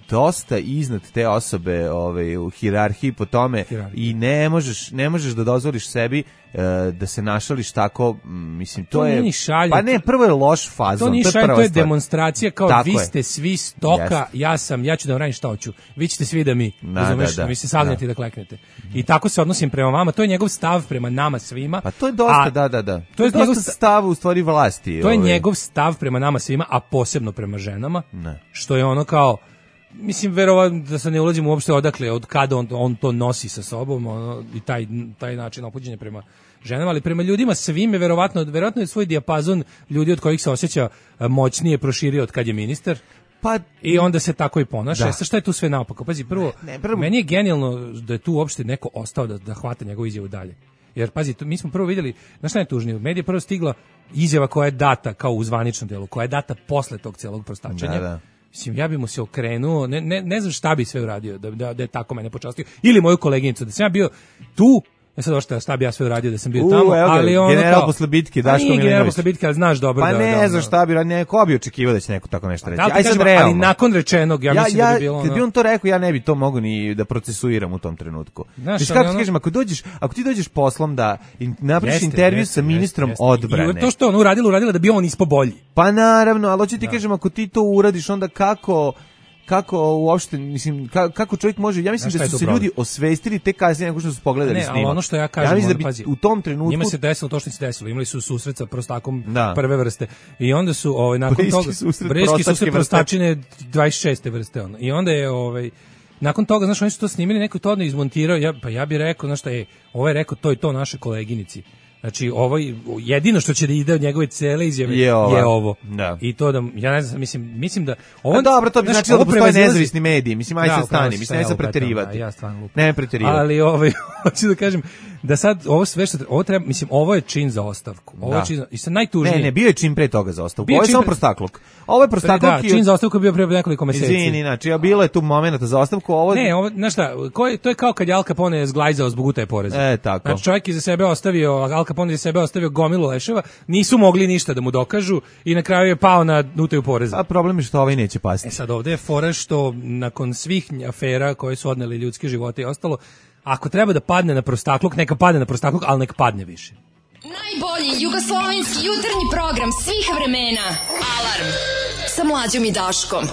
dosta iznad te osobe ovaj, u hijerarhiji po tome Hirarhija. I ne možeš, ne možeš da dozvoliš sebi uh, da se našališ tako, mislim, to, to je... Šalje, pa ne, prvo je loš fazon. To nije šalje, to, to je demonstracija kao tako vi ste je. Svi stoka, yes. ja sam, ja ću da vam radim šta hoću. Vi ćete svi da mi, da, razumeš, da, da. vi se sagnete da. da kleknete. I tako se odnosim prema vama, to je njegov stav prema nama svima. Pa to je dosta, a, da, da, da. To, to je dosta njegov stav u stvari vlasti. To je ovaj. njegov stav prema nama svima, a posebno prema ženama, ne. Što je ono kao... Mislim, verovatno da se ne ulazimo uopšte odakle, od kada on, on to nosi sa sobom ono, i taj, taj način ophođenja prema ženama, ali prema ljudima svim je verovatno, verovatno je svoj dijapazon ljudi od kojih se osjeća moćnije proširio od kad je ministar. Pa, i onda se tako i ponaša. Sa šta je tu sve naopako? Pazi, prvo, ne, prvo, meni je genijalno da je tu uopšte neko ostao da, da hvata njegovu izjavu dalje. Jer, pazi, mi smo prvo vidjeli, znaš šta je tužnije, medije je prvo stigla izjava koja je data kao u zvaničnom delu, koja je data posle tog celog prostačenja. Da, da. Mislim, ja bi mu se okrenuo, ne, ne, ne znam šta bi sve uradio da, da, da je tako mene počastio, ili moju koleginicu, da sam ja bio tu, ja sad ošte šta bi ja sve uradio da sam bio U, tamo, evo, ali ono general kao... posle bitke, Daško Milinović. Nije general posle bitke, ali znaš dobro pa da... Pa ne da, znam šta bi uradio, ko bi očekivao da će neko tako nešto reći. Da, Aj sad realno. Ali nakon rečenog, ja, ja mislim ja, da bi bilo ono... Kad bi on to rekao, ja ne bi to mogao ni da procesuiram u tom trenutku. Znaš, kako ti kažem, ako, dođeš, ako ti dođeš poslom da napraviš intervju jeste, sa ministrom jeste, jeste. odbrane... I to što on uradila, uradila da bi on ispo bolji. Pa naravno, ali hoću ti da. kažem, ako ti to uradiš, onda kako... kako uopšte, mislim, kako čovjek može, ja mislim da su se ljudi osvestili te kasnije nego što su pogledali ne, snimak. Ali ono što ja kažem, ja mislim ono, da bi pazi, u tom trenutku... Njima se desilo to što se desilo, imali su susret sa prostakom da. prve vrste i onda su, ovaj, nakon Briski toga, susret Briski susret prostačine dvadeset šeste vrste, ono. I onda je, ovaj, nakon toga, znaš, oni su to snimili, neko to odno izmontirao, ja, pa ja bih rekao, znaš šta je, ovo je rekao to i to naše koleginici. Znači, ovo, jedino što će da ide od njegove cele izjave je, je ovo. Da. I to da, ja ne znam, mislim, mislim da... Ovo, A dobro, to bi znaš, znači da postoje prevazilazi... nezavisni mediji. Mislim, aj da, se stani, mislim, aj se preterivati. Ja stvarno lupa. Ne preterivati. Ali, ovaj, hoću da kažem, da sad ovo sve što ovo treba, mislim, ovo je čin za ostavku. Ovo da. je čin za, i sad najtužnije. Ne, ne, bio je čin pre toga za ostavku. Bio Ovo je samo pre... prostakluk. Ovo je prostakluk. Da, čin za ostavku je bio pre nekoliko meseci. Izvini, znači, a bilo je tu momenata za ostavku, ovo... Ne, ovo, znaš šta, ko je, to je kao kad je Al Capone zglajzao zbog utaje poreza. E, tako. Znači, čovjek je za sebe ostavio, Al Capone je za sebe ostavio gomilu leševa, nisu mogli ništa da mu dokažu i na kraju je pao na utaju poreza. A problem je što ovaj neće pasti. E sad, ovde je fora što nakon svih afera koje su odneli ljudske živote i ostalo, ako treba da padne na prostakluk, neka padne na prostakluk, ali neka padne više. Najbolji jugoslovenski jutarnji program svih vremena. Alarm sa Mlađom i Daškom.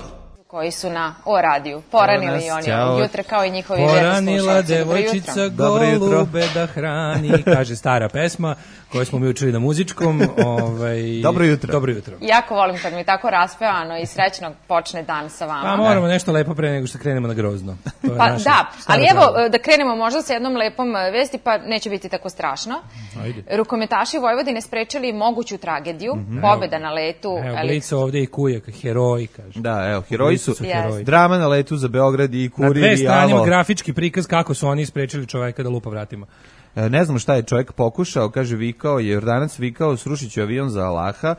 Koji su na O radiju. Poranili i oni od jutra kao i njihovi verni slušalci. Poranila devojčica golube da hrani, kaže stara pesma koju smo mi učili na muzičkom. Ovaj, dobro jutro. Dobro jutro. Jako volim kad mi tako raspevano i srećno počne dan sa vama. Pa moramo nešto lepo pre nego što krenemo na grozno. Pa da, ali evo pravo. Da krenemo možda sa jednom lepom vesti, pa neće biti tako strašno. Ajde. Rukometaši Vojvodine sprečili moguću tragediju, mm-hmm. pobeda na letu. Evo, Blica ovde i Kujak, heroji, kaže. Da, evo, heroji su, su heroji. Drama na letu za Beograd i Kurir i Na dve strane Alo. Grafički prikaz kako su oni sprečili čoveka da lupa vratima. Ne znam šta je čovjek pokušao, kaže vikao, je Jordanac vikao, srušit ću avion za Allaha,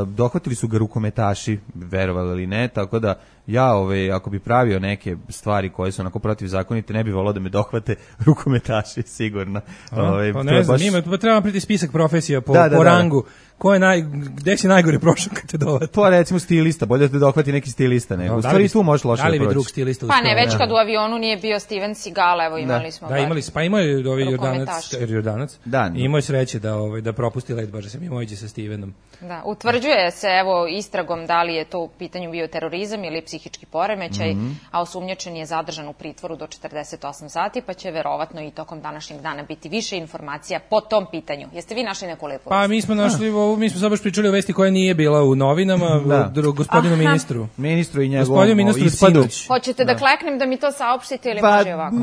dohvatili su ga rukometaši, verovali ili ne, tako da ja, ove, ako bi pravio neke stvari koje su onako protivzakonite, ne bi volao da me dohvate rukometaši, sigurno. A, ove, pa ne znam, baš... ima, treba priti spisak profesija po, da, da, po da, rangu. Ko je naj, gde si najgore prošao kad te dohvati? Pa recimo stilista, bolje da te dohvati neki stilista. Nego. U stvari tu možeš loše da proći. Da li bi drug stilista uspio? Pa ne, već kad u avionu nije bio Steven Seagal, evo imali da. smo. Da, imali smo, pa imao je ovaj Jordanac, Jordanac. Da, imao je sreće da, ovaj, da propusti let, baš da se mimoiđe sa Stevenom. Da, utvrđuje se evo istragom da li je to u pitanju bio terorizam ili psihički poremećaj, mm-hmm. a osumnjičen je zadržan u pritvoru do četrdeset osam sati, pa će verovatno i tokom današnjeg dana biti više informacija po tom pitanju. Jeste vi našli neku lepu? Pa mi smo našli, ovo, mi smo sad baš pričali o vesti koja nije bila u novinama, da. gospodinu Aha. ministru. Ministru i njegovom Gospodinu ministru Ciduć. Hoćete da. da kleknem da mi to saopštite ili pa, može ovako?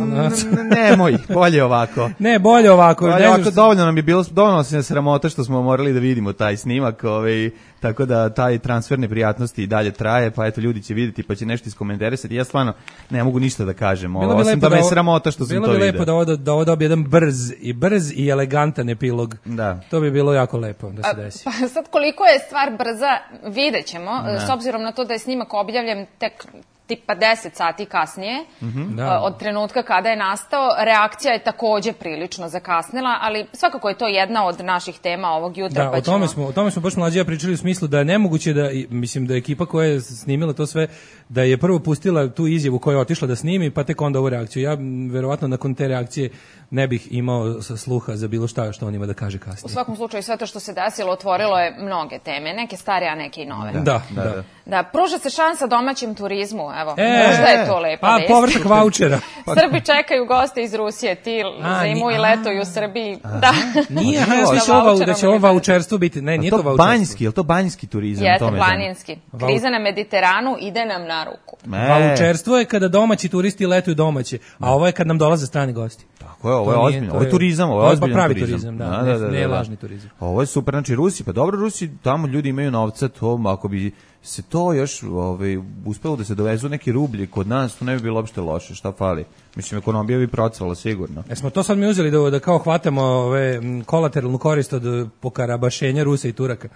Nemoj, bolje ovako. Ne, bolje ovako. Bolje ne ovako, što... dovoljno nam je bilo, dovoljno se sramota što smo morali da vidimo taj snimak, ovaj, tako da taj transfer neprijatnosti i dalje traje, pa eto ljudi će vidjeti pa će nešto iskomentarisati. Ja stvarno ne mogu ništa da kažem, ovo, osim da me je sramota što sam to vidio. Bilo bi lepo da ovo, da ovo dobije jedan brz i brz i elegantan epilog. Da. To bi bilo jako lepo da se desi. A, pa sad koliko je stvar brza, vidjet ćemo, s obzirom na to da je snimak objavljen tek tipa deset sati kasnije, mm-hmm. da. od trenutka kada je nastao, reakcija je takođe prilično zakasnila, ali svakako je to jedna od naših tema ovog jutra. Da, pa o, tome ćemo... smo, o tome smo baš mlađija pričali u smislu da je nemoguće da, mislim da je ekipa koja je snimila to sve, da je prvo pustila tu izjavu koja je otišla da snimi, pa tek onda ovu reakciju. Ja verovatno nakon te reakcije ne bih imao sluha za bilo šta što on ima da kaže kasnije. U svakom slučaju sve to što se desilo otvorilo je mnoge teme, neke stare, a neke i nove. Da, da. da. da. da pruža se šansa domaćem turizmu, evo, e, možda je to lepa a, vest. A, povrtak vaučera. Srbi čekaju goste iz Rusije, ti a, zimu i letuju u Srbiji. A, da. Nije, ja da, ovo, da će ovo vaučerstvo biti, ne, nije to, to vaučerstvo. Banjski, je li to banjski turizam? Jeste, planinski. Kriza na Mediteranu ide nam na ruku. E. Vaučerstvo je kada domaći turisti letuju domaće, a ovo je kad nam dolaze strani gosti. Tako je, ovo je ozbiljno, ovo je turizam, ovo je ozbiljan pravi turizam. turizam, da, da, da, da, ne, ne lažni turizam. Ovo je super, znači Rusi, pa dobro Rusi, tamo ljudi imaju novca, to ako bi se to još ovaj, uspelo da se dovezu neki rublji kod nas, to ne bi bilo uopšte loše, šta fali? Mislim, ekonomija bi procvala sigurno. E smo to sad mi uzeli da, da kao hvatamo ove kolateralnu korist od pokarabašenja Rusa i Turaka.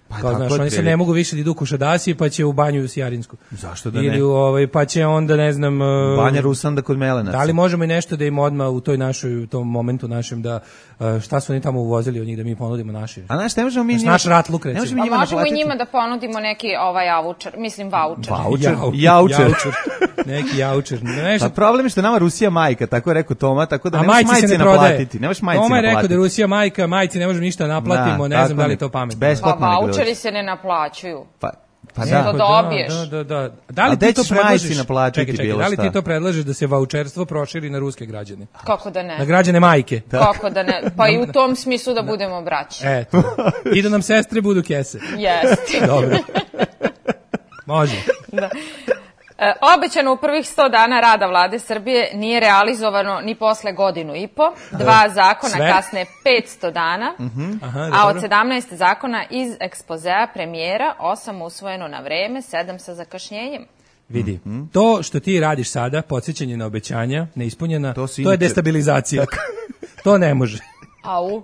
Pa kao, znaš, oni se ne mogu više da idu u Kušadasi, pa će u banju u Sjarinsku. Zašto da ne? Ili ovaj, pa će onda, ne znam... Banja Rusanda kod Melenaca. Da li možemo i nešto da im odmah u toj našoj, u tom momentu našem, da šta su oni tamo uvozili od njih, da mi ponudimo naši? A znaš, ne možemo mi... Naš, naš rat luk, recimo. Ne možemo, možemo i njima da ponudimo neki ovaj avučer, mislim vaučer. Vaučer? Jaučer. Neki jaučer. Pa problem je što nama Rusija majka, tako je rekao Toma, tako da ne možeš majci naplatiti. Ne možeš majci naplatiti. Toma je rekao da Rusija majka, majci ne možemo ništa naplatimo, ne znam da li je to pametno. Vaučeri se ne naplaćuju. Pa pa da, da dobiješ. Da, da, da. Da li ti to predlažeš? Čekaj, čekaj, da li ti to predlažeš da se vaučerstvo proširi na ruske građane? Kako da ne? Na građane majke. Kako da ne? Pa i u tom smislu da budemo braći. Eto. I da nam sestre budu kese. Jeste. Dobro. Može. Da. E, obećano u prvih sto dana rada vlade Srbije nije realizovano ni posle godinu i po. Dva zakona Sve? kasne petsto dana, uh-huh. Aha, a od sedamnaest zakona iz ekspozea premijera, osam usvojeno na vreme, sedam sa zakašnjenjem. Vidi, mm-hmm. to što ti radiš sada, podsjećanje na obećanja, neispunjena, to, to je destabilizacija. To ne može. Au.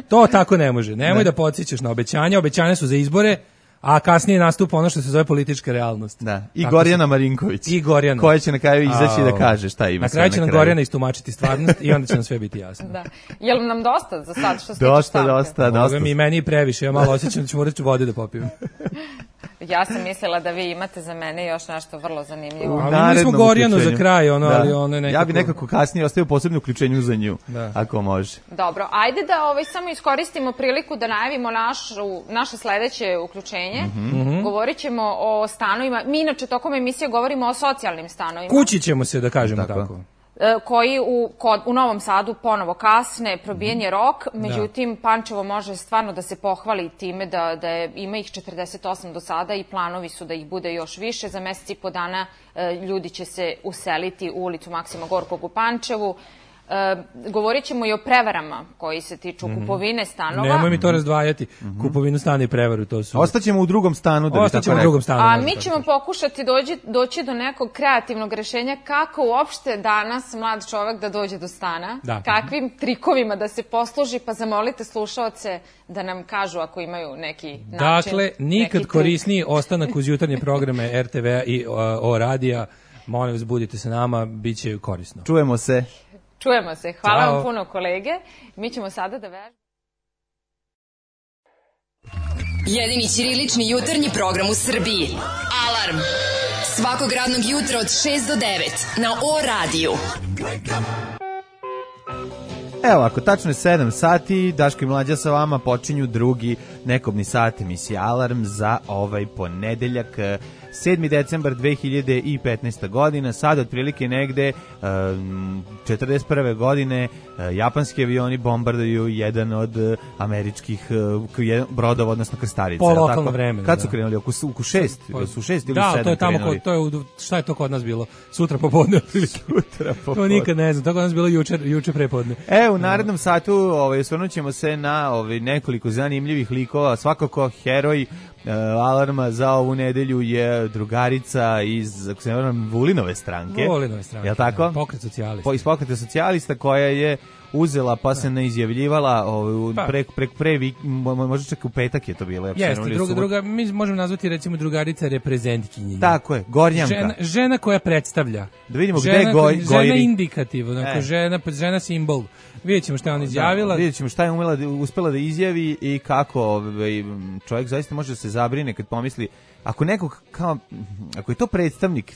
To tako ne može. Nemoj ne. da podsjećaš na obećanja, obećanja su za izbore, a kasnije nastupa ono što se zove politička realnost. Da. I tako Gorjana Marinković. I Gorjana. Koja će na kraju izaći da kaže šta ima. Na kraju će nam Gorjana istumačiti stvarnost i onda će nam sve biti jasno. Da. Je li nam dosta za sad što se dosta, tiče dosta, dosta. Ovo mi meni previše, ja malo osjećam da ću morati vode da popijem. Ja sam mislila da vi imate za mene još nešto vrlo zanimljivo. A mi smo Gorjanu za kraj, ono, da. ali ono je nekako... Ja bi nekako kasnije ostavio posebno uključenju za nju, da. ako može. Dobro, ajde da ovaj, samo iskoristimo priliku da najavimo našu, naše sledeće uključenje. Mm-hmm. Govorit ćemo o stanovima. Mi inače tokom emisije govorimo o socijalnim stanovima. Kući ćemo se, da kažemo tako. tako. Koji u, kod, u Novom Sadu ponovo kasne, probijen je rok, međutim, da. Pančevo može stvarno da se pohvali time da, da je, ima ih četrdeset osam do sada i planovi su da ih bude još više. Za mesec i po dana e, ljudi će se useliti u ulicu Maksima Gorkog u Pančevu. E, govorit ćemo i o prevarama koji se tiču mm-hmm. kupovine stanova. Nemoj mi to razdvajati, mm-hmm. kupovinu stana i prevaru, to su... Ostaćemo u drugom stanu. Da Ostaćemo u drugom stanu. A mi ćemo tako. pokušati dođi, doći do nekog kreativnog rešenja kako uopšte danas mlad čovek da dođe do stana, da. kakvim trikovima da se posluži, pa zamolite slušaoce da nam kažu ako imaju neki način. Dakle, nikad neki korisniji ostanak uz jutarnje programe er te ve-a i o, o radija. Molim vas, budite sa nama, bit će korisno. Čujemo se. Čujemo se. Hvala Ćao. vam puno, kolege. Mi ćemo sada da vežemo. Jedini ćirilični jutarnji program u Srbiji. Alarm. Svakog radnog jutra od šest do devet na O radiju. Evo, ako tačno je sedam sati, Daško i Mlađa sa vama počinju drugi nekobni sat emisije Alarm za ovaj ponedeljak, sedmi decembar dve hiljade petnaeste. godina. Sad otprilike negde četrdeset prve. godine japanski avioni bombarduju jedan od američkih brodova, odnosno krstarica. Po lokalno vreme. Kad su krenuli? Oko, oko šest? Po, su šest ili da, sedam to je tamo, krenuli? To je, šta je to kod nas bilo? Sutra popodne. Sutra popodne. To nikad ne znam, to kod nas bilo juče, juče prepodne. E, u narednom satu ovaj, osvrnut ćemo se na ovaj, nekoliko zanimljivih likova. Svakako heroj Uh, Alarma za ovu nedelju je drugarica iz, ako se ne varam, Vulinove stranke. Vulinove stranke, je tako? Da, pokret socijalista. Po, iz pokreta socijalista koja je uzela pa se ne izjavljivala ovaj, pa. prek, prek pre, možda čak u petak je to bilo. Jeste, druga, druga, mi možemo nazvati recimo drugarica reprezentkinje. Tako je, Gornjanka. Žena, žena koja predstavlja. Da vidimo žena, gde je goj, žena Gojri. Žena indikativ, onako, e. žena, žena simbol. Vidjet ćemo šta je ona izjavila. Da, vidjet ćemo šta je umela, uspela da izjavi i kako ovaj, čovjek zaista može da se zabrine kad pomisli, ako nekog, kao, ako je to predstavnik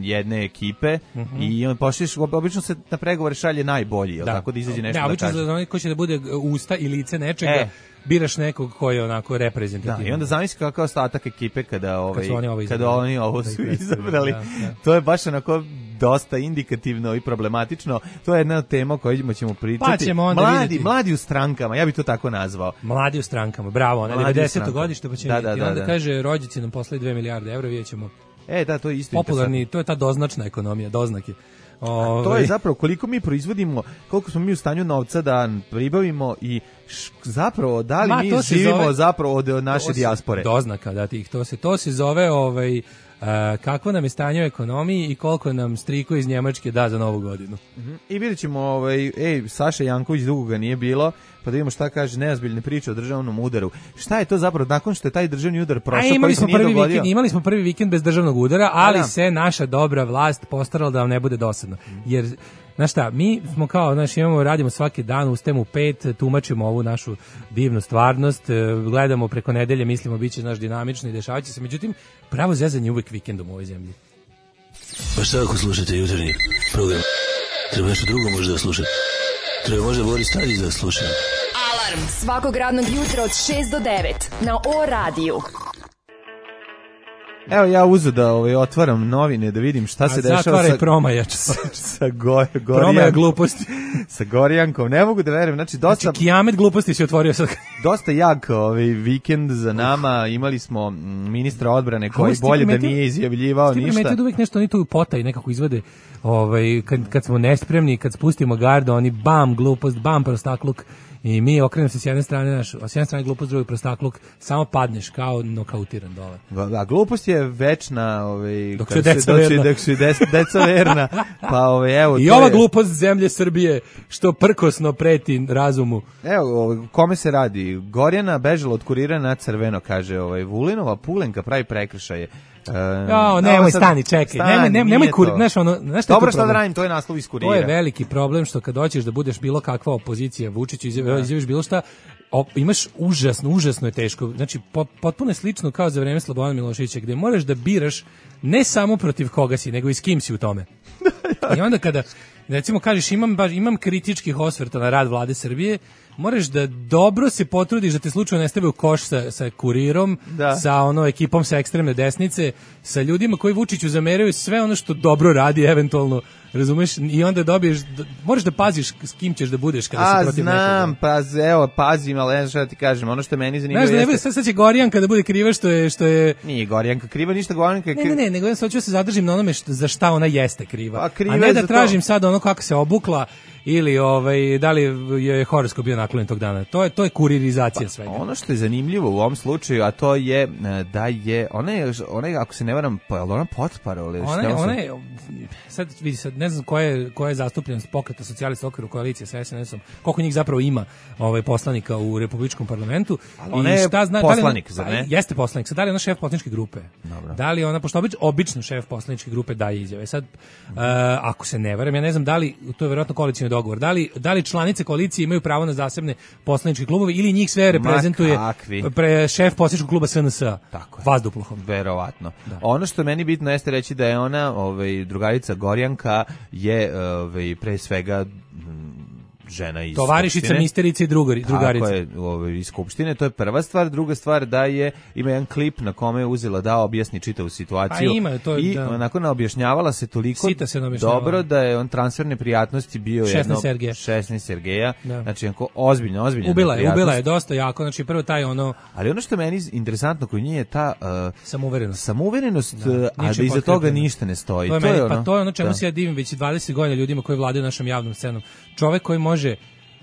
jedne ekipe mm-hmm. i on pošliš, obično se na pregovore šalje najbolji, da. tako da izađe nešto da, da kaže. Da, obično ko će da bude usta i lice nečega, e. biraš nekog koji je onako reprezentativan. Da, i onda zamisli kakav ostatak ekipe kada, ovaj, kad oni ovo, kada oni ovo su izabrali. Da, da. To je baš onako dosta indikativno i problematično. To je jedna tema o kojoj ćemo pričati. Pa ćemo onda mladi, vidjeti. Mladi u strankama, ja bih to tako nazvao. Mladi u strankama, bravo. Ne, devedeseto godište, pa ćemo da, vidjeti. Da, da, onda da. kaže, rođaci nam poslali dve milijarde evra, vidjet ćemo. E, da, to je isto popularni, to je ta doznačna ekonomija, doznake. O, to je zapravo koliko mi proizvodimo, koliko smo mi u stanju novca da pribavimo i š, zapravo da li Ma, mi živimo zove, zapravo od, od naše dijaspore. Doznaka, da tih, to se to se zove ovaj Uh, kakvo nam je stanje u ekonomiji i koliko nam striko iz Njemačke da za novu godinu. Uh-huh. I vidjet ćemo, ovaj, ej, Saša Janković dugo ga nije bilo, pa da vidimo šta kaže neozbiljne priče o državnom udaru. Šta je to zapravo, nakon što je taj državni udar prošao, imali koji se nije dogodio? Vikend, imali smo prvi vikend bez državnog udara, ali da. se naša dobra vlast postarala da vam ne bude dosadno. Jer znaš šta, mi smo kao, znaš, imamo, radimo svaki dan, ustajemo u pet, tumačimo ovu našu divnu stvarnost, gledamo preko nedelje, mislimo bit će naš dinamično i dešavat će se, međutim, pravo zezanje uvek vikendom u ovoj zemlji. Pa šta ako slušate jutarnji program? Treba nešto drugo možda da slušate? Treba možda Boris Tadić da sluša? Alarm svakog radnog jutra od šest do devet na O radiju. Evo ja uzu da ovaj, otvaram novine da vidim šta se dešava zatvaraj sa... promajač. sa, sa go, Promaja gluposti. Sa Gorjankom. Ne mogu da verujem. Znači, dosta... Znači, kijamet gluposti se otvorio sad. Dosta jak ovaj vikend za nama. Imali smo ministra odbrane koji bolje da nije izjavljivao ništa. Stipe da uvijek nešto oni tu potaj nekako izvode. Ovaj, kad, kad smo nespremni, kad spustimo gardu, oni bam, glupost, bam, prostakluk. I mi okrenemo se s jedne strane, naš, s jedne strane glupost, s druge prostakluk, samo padneš kao nokautiran dole. Da, glupost je večna, ovaj, dok su deca verna. Dok su deca verna, pa ovaj, evo... I ova je... glupost zemlje Srbije, što prkosno preti razumu. Evo, ovaj, kome se radi? Gorjana bežala od kurira na crveno, kaže ovaj, Vulinova Pulenka pravi prekršaje. Uh, ja, nemoj stani, čekaj. Stani, nemoj nemoj, nemoj kur, znaš ono, znaš šta dobro, šta da radim, to je naslov iz kurira. To je veliki problem što kad hoćeš da budeš bilo kakva opozicija Vučiću, izjaviš bilo šta, op, imaš užasno, užasno je teško. Znači po, potpuno je slično kao za vreme Slobodana Miloševića, gde moraš da biraš ne samo protiv koga si, nego i s kim si u tome. I onda kada recimo kažeš imam baš imam kritičkih osvrta na rad vlade Srbije, moraš da dobro se potrudiš da te slučajno ne stave u koš sa, sa kurirom, da. Sa ono ekipom sa ekstremne desnice, sa ljudima koji Vučiću zameraju sve ono što dobro radi eventualno, razumeš? I onda dobiješ, moraš da paziš s kim ćeš da budeš kada A, se protiv nekoga. A znam, pa evo, pazim, ali ne šta ti kažem, ono što meni zanimljivo jeste... Znaš da ne bude, sad će Gorjanka da bude kriva što je... Što je... Nije Gorjanka kriva, ništa Gorjanka je kriva. Ne, ne, ne, nego ja sad ću da se zadržim na onome što, za šta ona jeste kriva. A, kriva A ne da tražim to. Sad ono kako se obukla, ili ovaj da li je horoskop bio naklonjen tog dana. To je to je kuririzacija pa, svega. Ono što je zanimljivo u ovom slučaju, a to je da je ona je ona je, ako se ne varam, pa ona potparole. Ona je, ona je sad vidi sad ne znam koja je koja je zastupljenost Pokreta socijalista u okviru koalicije sa S N S-om. Koliko njih zapravo ima ovaj poslanika u republičkom parlamentu i šta zna poslanik, da li ona, ne? Jeste poslanik. Sad da li ona šef poslaničke grupe? Dobro. Da li ona pošto obično, obično šef poslaničke grupe daje izjave. Sad uh, ako se ne varam, ja ne znam da li to je verovatno koalicioni dogovor. Da li, da li članice koalicije imaju pravo na zasebne poslaničke klubove ili njih sve reprezentuje pre šef poslaničkog kluba S N S-a? Tako je. Vazduplahom. Verovatno. Da. Ono što meni bitno jeste reći da je ona, ovaj, drugarica Gorjanka, je ovaj, pre svega žena iz tovarišica, Skupštine. misterica i drugari, drugarica. Tako je, ovaj, iz Skupštine, to je prva stvar. Druga stvar da je, ima jedan klip na kome je uzela da objasni čitavu situaciju. A ima, to je, i da. onako naobjašnjavala se toliko se dobro da je on transfer neprijatnosti bio šesnaest Sergeja. šesnaest Sergeja. Da. Znači, onako ozbiljno, ozbiljno. Ubila je, ubila je dosta jako, znači prvo taj ono... Ali ono što je meni interesantno kod nje je ta... Uh, samouverenost. Samouverenost, da, a da iza toga ništa ne stoji. To je, to meni, je ono, pa to je ono čemu da. se ja divim već dvadeset godina ljudima koji vladaju našom javnom scenom. Čovek koji može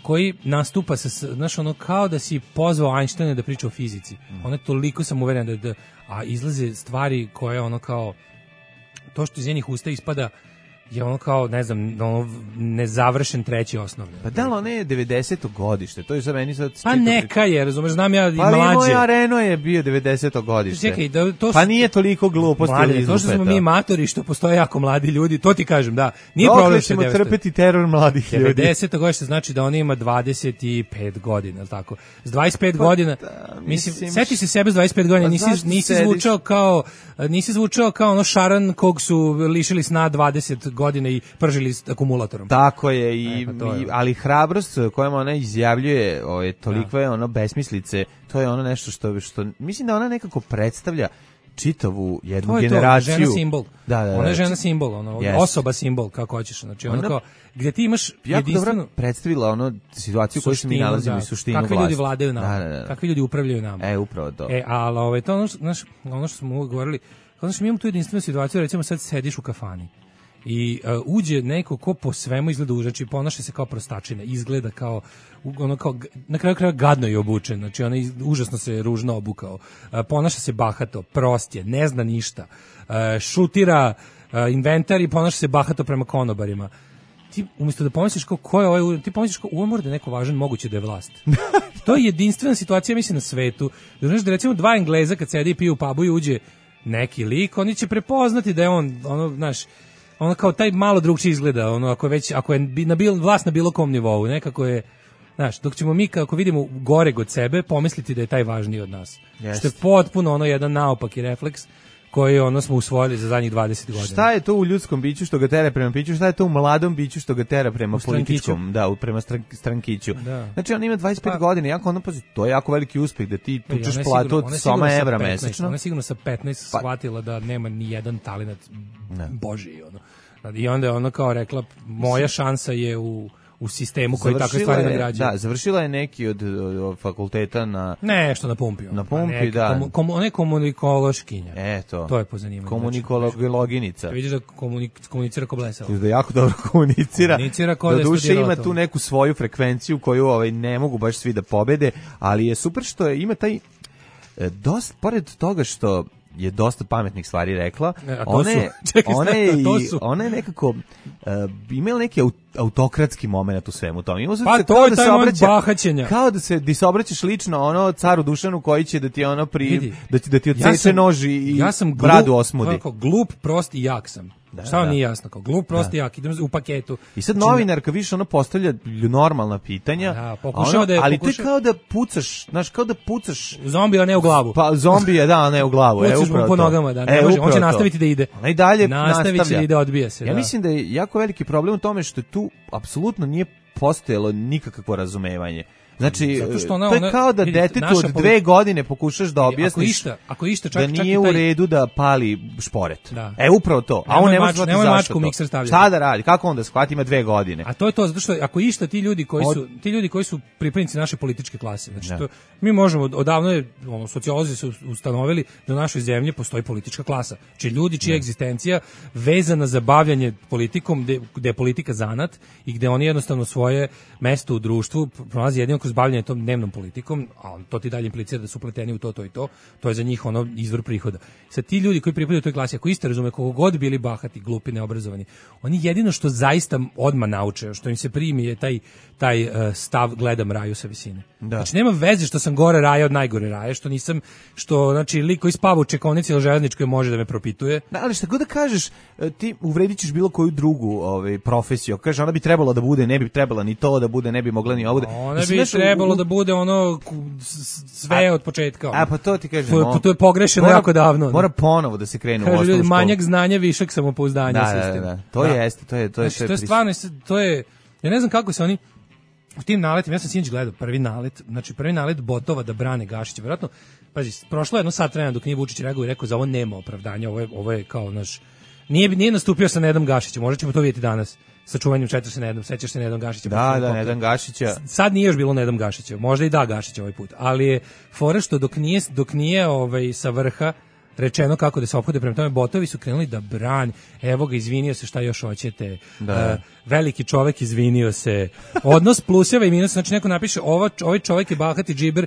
koji nastupa sa, znaš, ono, kao da si pozvao Einsteina da priča o fizici. Mm. Ono je toliko sam uveren da, da, a izlaze stvari koje, ono, kao, to što iz njenih usta ispada je ono kao, ne znam, ono, nezavršen treći osnovni. Pa da li ono je devedeseto godište? To je za meni sad... Pa neka je, razumeš, znam ja i pa mlađe. Pa moj Areno je bio devedeseto godište. Čekaj, da, to su, pa nije toliko gluposti. Mlade, to što smo mi matori, što postoje jako mladi ljudi, to ti kažem, da. Nije Dokle problem ćemo trpeti teror mladih ljudi. devedeseto godište znači da on ima dvadeset pet godina, al tako. S dvadeset pet pa, godina, da, mislim, mislim, seti se sebe s dvadeset pet godina, pa nisi, nisi zvučao kao, nisi zvučao kao ono šaran kog su lišili sna dvadeset godina i pržili s akumulatorom. Tako je, i, e, pa je. I, ali hrabrost kojom ona izjavljuje o, toliko je ono besmislice, to je ono nešto što, što mislim da ona nekako predstavlja čitavu jednu to je generaciju. To, žena simbol. Da, da, da. Ona je žena simbol, ono, yes. osoba simbol, kako hoćeš. Znači, ono kao, gdje ti imaš jedinstveno... Jako predstavila ono situaciju u kojoj se mi nalazimo i suštinu vlasti. Kakvi ljudi vladaju nama, da, da, da. Kakvi ljudi upravljaju nama. E, upravo to. E, ali ovaj, to ono, znaš, ono što smo uvijek govorili, znači, mi imamo tu jedinstvenu situaciju, recimo sad sediš u kafani i uh, uđe neko ko po svemu izgleda užasno, znači ponaša se kao prostačina, izgleda kao ono kao na kraju kraja gadno je obučen, znači ona iz, užasno se ružno obukao, uh, ponaša se bahato, prost je, ne zna ništa, uh, šutira uh, inventar i ponaša se bahato prema konobarima. Ti umjesto da pomisliš kao ko je ovaj, ti pomisliš kao ovo mora da je neko važan, moguće da je vlast. To je jedinstvena situacija, mislim, na svetu. Da znaš da recimo dva Engleza kad sedi i piju u pubu i uđe neki lik, oni će prepoznati da je on, ono, znaš, ono kao taj malo drugčije izgleda, ono ako je već ako je na bil, vlast na bilo kom nivou, nekako je, znaš, dok ćemo mi kako vidimo gore od sebe pomisliti da je taj važniji od nas. Yes. Što je potpuno ono jedan naopaki refleks koji ono smo usvojili za zadnjih dvadeset godina. Šta je to u ljudskom biću što ga tera prema piću, šta je to u mladom biću što ga tera prema u političkom, da, prema strankiću. Da. Znači on ima dvadeset pet pa, godina, jako ono, pazi, to je jako veliki uspeh da ti tučeš platu od soma evra mesečno. Ona je sigurno sa petnaest pa, shvatila da nema ni jedan talenat božji, ono. I onda je ona kao rekla, moja šansa je u u sistemu koji takve stvari nagrađuje. Da, završila je neki od, od, od fakulteta na... Nešto na pumpi. Na pumpi, neka, da. Komu, komu, ona je komunikološkinja. Eto. To je po zanimanju. Komunikologinica. Znači, vidiš da komunik, komunicira ko blesao. Da jako dobro komunicira. Komunicira ko da je duše ima to. Tu neku svoju frekvenciju koju ovaj, ne mogu baš svi da pobede, ali je super što je, ima taj... Dosta, pored toga što je dosta pametnih stvari rekla. E, ona je, Čekaj, ona je, to su. ona je nekako uh, imala neki autokratski moment u svemu tome. Ima pa to je da taj moment bahaćenja. Kao da se, da se obraćaš lično ono caru Dušanu koji će da ti ono pri, Vidi, da ti, da ti odseče ja nož i ja sam bradu osmudi. Glup, glup, prost i jak sam. Da, šta vam da. Nije jasno, kao glup, prost i jak, idem u paketu. I sad novinarka više ono postavlja normalna pitanja, da, pokušao ono, da je, ali pokušao... to je kao da pucaš, znaš, kao da pucaš... Zombija, ne u glavu. Pa zombije, da, ne u glavu. Pucaš mu po nogama, da, ne e, može, on će nastaviti da ide. Ona i dalje nastavit će da ide, odbija se. Ja da. mislim da je jako veliki problem u tome što tu apsolutno nije postojalo nikakvo razumevanje. Znači, ona, to je kao da detetu od dve godine pokušaš da objasniš išta, ako išta, čak, da nije čak taj... u redu da pali šporet. Da. E, upravo to. A on ne može shvatiti zašto to. Mikser stavljati. Šta da radi? Kako on da shvati? Ima dve godine. A to je to, zato što ako išta ti ljudi koji su, ti ljudi koji su pripadnici naše političke klase, znači to, mi možemo, odavno je, ono, sociolozi su ustanovili da u našoj zemlji postoji politička klasa. Znači ljudi čija egzistencija vezana za bavljanje politikom, gde, gde je politika zanat i gde oni jednostavno svoje mesto u društvu pronalazi jedino kroz bavljanje tom dnevnom politikom, a to ti dalje implicira da su upleteni u to, to i to, to je za njih ono izvor prihoda. Sad ti ljudi koji pripadaju toj klasi, ako isto razume, koliko god bili bahati, glupi, neobrazovani, oni jedino što zaista odmah nauče, što im se primi je taj, taj uh, stav gledam raju sa visine. Da. Znači nema veze što sam gore raja od najgore raje, što nisam, što znači lik koji spava u čekonici ili železničkoj može da me propituje. Da, ali šta god da kažeš, ti uvredit ćeš bilo koju drugu ovaj, profesiju. Kaže, ona bi trebala da bude, ne bi trebala ni to da bude, ne bi mogla ni ovo da... Ona bi trebalo u... da bude ono sve a, od početka. Ono. A pa to ti kažem. To, to je pogrešeno mora, jako davno. Mora ponovo da se krene Kaže, u osnovnu školu. Manjak znanja, višak samopouzdanja da, sistem. Da, da, to da. Jeste, to je to je znači, to je stvarno, to je, ja ne znam kako se oni u tim naletima, ja sam sinoć gledao prvi nalet, znači prvi nalet botova da brane Gašića, verovatno, pazi, prošlo je jedno sat vremena dok nije Vučić reagovao i rekao za ovo nema opravdanja, ovo je, ovo je kao naš, nije, nije nastupio sa Nedom Gašićem, možda ćemo to vidjeti danas, sa čuvanjem četiri Nedom, sećaš se Nedom Gašića? Da, da, Nedom Gašića. Sad nije još bilo Nedom Gašića, možda i da Gašića ovaj put, ali je fora što dok nije, dok nije ovaj, sa vrha rečeno kako da se ophode prema tome, botovi su krenuli da brani, evo ga, izvinio se, šta još hoćete, da. Uh, veliki čovek izvinio se, odnos pluseva i minusa, znači neko napiše, ovo, ovaj čovek je bahati džiber,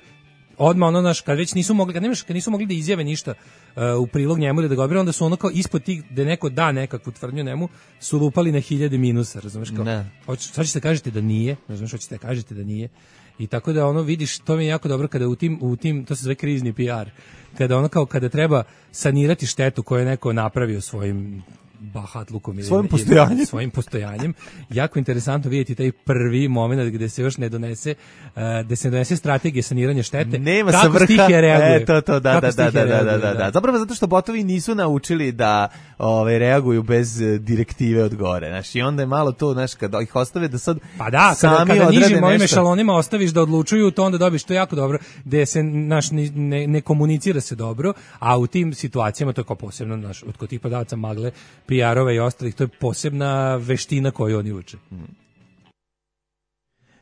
odmah ono naš, kad već nisu mogli, kad nemaš, kad nisu mogli da izjave ništa uh, u prilog njemu ili da ga odbrane, onda su ono kao ispod tih, da neko da nekakvu tvrdnju njemu, su lupali na hiljade minusa, razumeš kao, ne. Hoć, sad ćete kažete da nije, razumeš, hoćete da kažete da nije, i tako da ono vidiš, to mi je jako dobro kada u tim, u tim, to se zove krizni P R, kada ono kao kada treba sanirati štetu koju je neko napravio svojim bahatlukom ili svojim postojanjem. svojim postojanjem. Jako interesantno vidjeti taj prvi moment gde se još ne donese, uh, gde se ne donese strategija saniranja štete. Nema kako sa vrha. Stihija reaguje. E, to, to, da, da, da, da, reaguje, da, da, da. Zapravo zato što botovi nisu naučili da ovaj, reaguju bez direktive od gore. Znaš, i onda je malo to, znaš, kada ih ostave da sad pa da, sami kada, kada nižim ovim nešto. Ešalonima ostaviš da odlučuju, to onda dobiš, to je jako dobro, gde se naš, ne, ne komunicira se dobro, a u tim situacijama, to je kao posebno, naš, od kod tih podavaca magle, P R-ova i ostalih, to je posebna veština koju oni uče.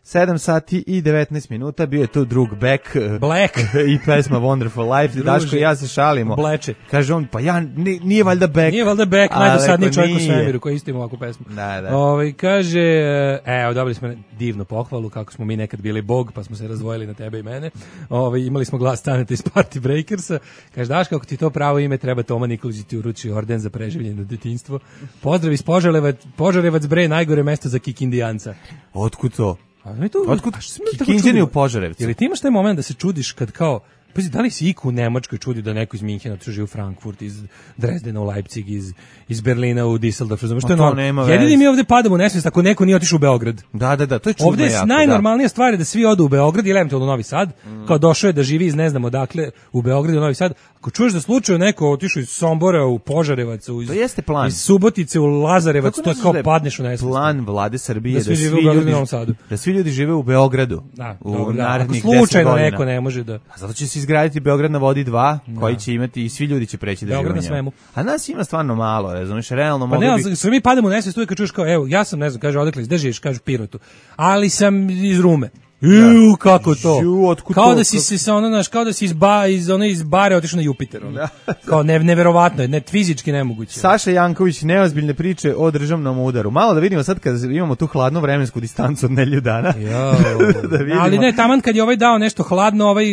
sedam sati i devetnaest minuta, bio je tu drug Beck Black i pesma Wonderful Life. Daško i ja se šalimo. Bleče. Kaže on, pa ja, nije, nije valjda Beck. Nije valjda Beck, najdosadniji čovjek u svemiru koji isto ima ovakvu pesmu. Da, da. Ove, kaže, evo, dobili smo divnu pohvalu, kako smo mi nekad bili bog, pa smo se razdvojili na tebe i mene. Ove, imali smo glas Staneta iz Party Breakersa. Kaže, Daško, kako ti to pravo ime, treba Toma Nikolić ti uruči orden za preživljeno detinjstvo. Pozdrav iz Požarevac, Požarevac bre, najgore mesto za kikindijanca. Otkud to? To, otkud Kikinđani u Požarevcu? Jel ti imaš taj moment da se čudiš kad kao, pa da li si iku u Nemačkoj čudio da neko iz Minhena otišao u Frankfurt, iz Dresdena u Leipzig, iz, iz Berlina u Düsseldorf, razumiješ, to je normalno. Jedini mi ovde padamo u nesvijest ako neko nije otišao u Beograd. Da, da, da, to je čudno. Ovde je jako, najnormalnija da. stvar je da svi odu u Beograd ili eventualno u Novi Sad, mm. kao došao je da živi iz ne znam odakle u Beogradu u Novi Sad, Ako čuješ da slučajno neko otišao iz Sombora u Požarevac, u iz, to jeste plan. Iz Subotice u Lazarevac, to je kao padneš u nesvest. Plan vlade Srbije da da svi, svi, žive ljudi, u da svi ljudi žive u Beogradu. Da, u dobro, da. narednih Ako deset slučajno godina. neko ne može da... A zato će se izgraditi Beograd na vodi dva, da. koji će imati i svi ljudi će preći da Beograd žive u njemu. na svemu. A nas ima stvarno malo, razumiješ, realno Pa mogli ne, bi... sve mi padamo u nesvest uvijek kad čuješ kao, evo, ja sam, ne znam, kaže, odakle, gde živiš, kažu Pirotu, ali sam iz Rume. Ju, kako to? Ju, kao to? da si se sa ono, znaš, kao da si iz ba iz one iz bare otišao na Jupiter. Ono. Kao ne, neverovatno je, ne fizički nemoguće. Saša Janković, neozbiljne priče o državnom udaru. Malo da vidimo sad kad imamo tu hladnu vremensku distancu od nedelju dana. da vidimo. Ali ne, taman kad je ovaj dao nešto hladno, ovaj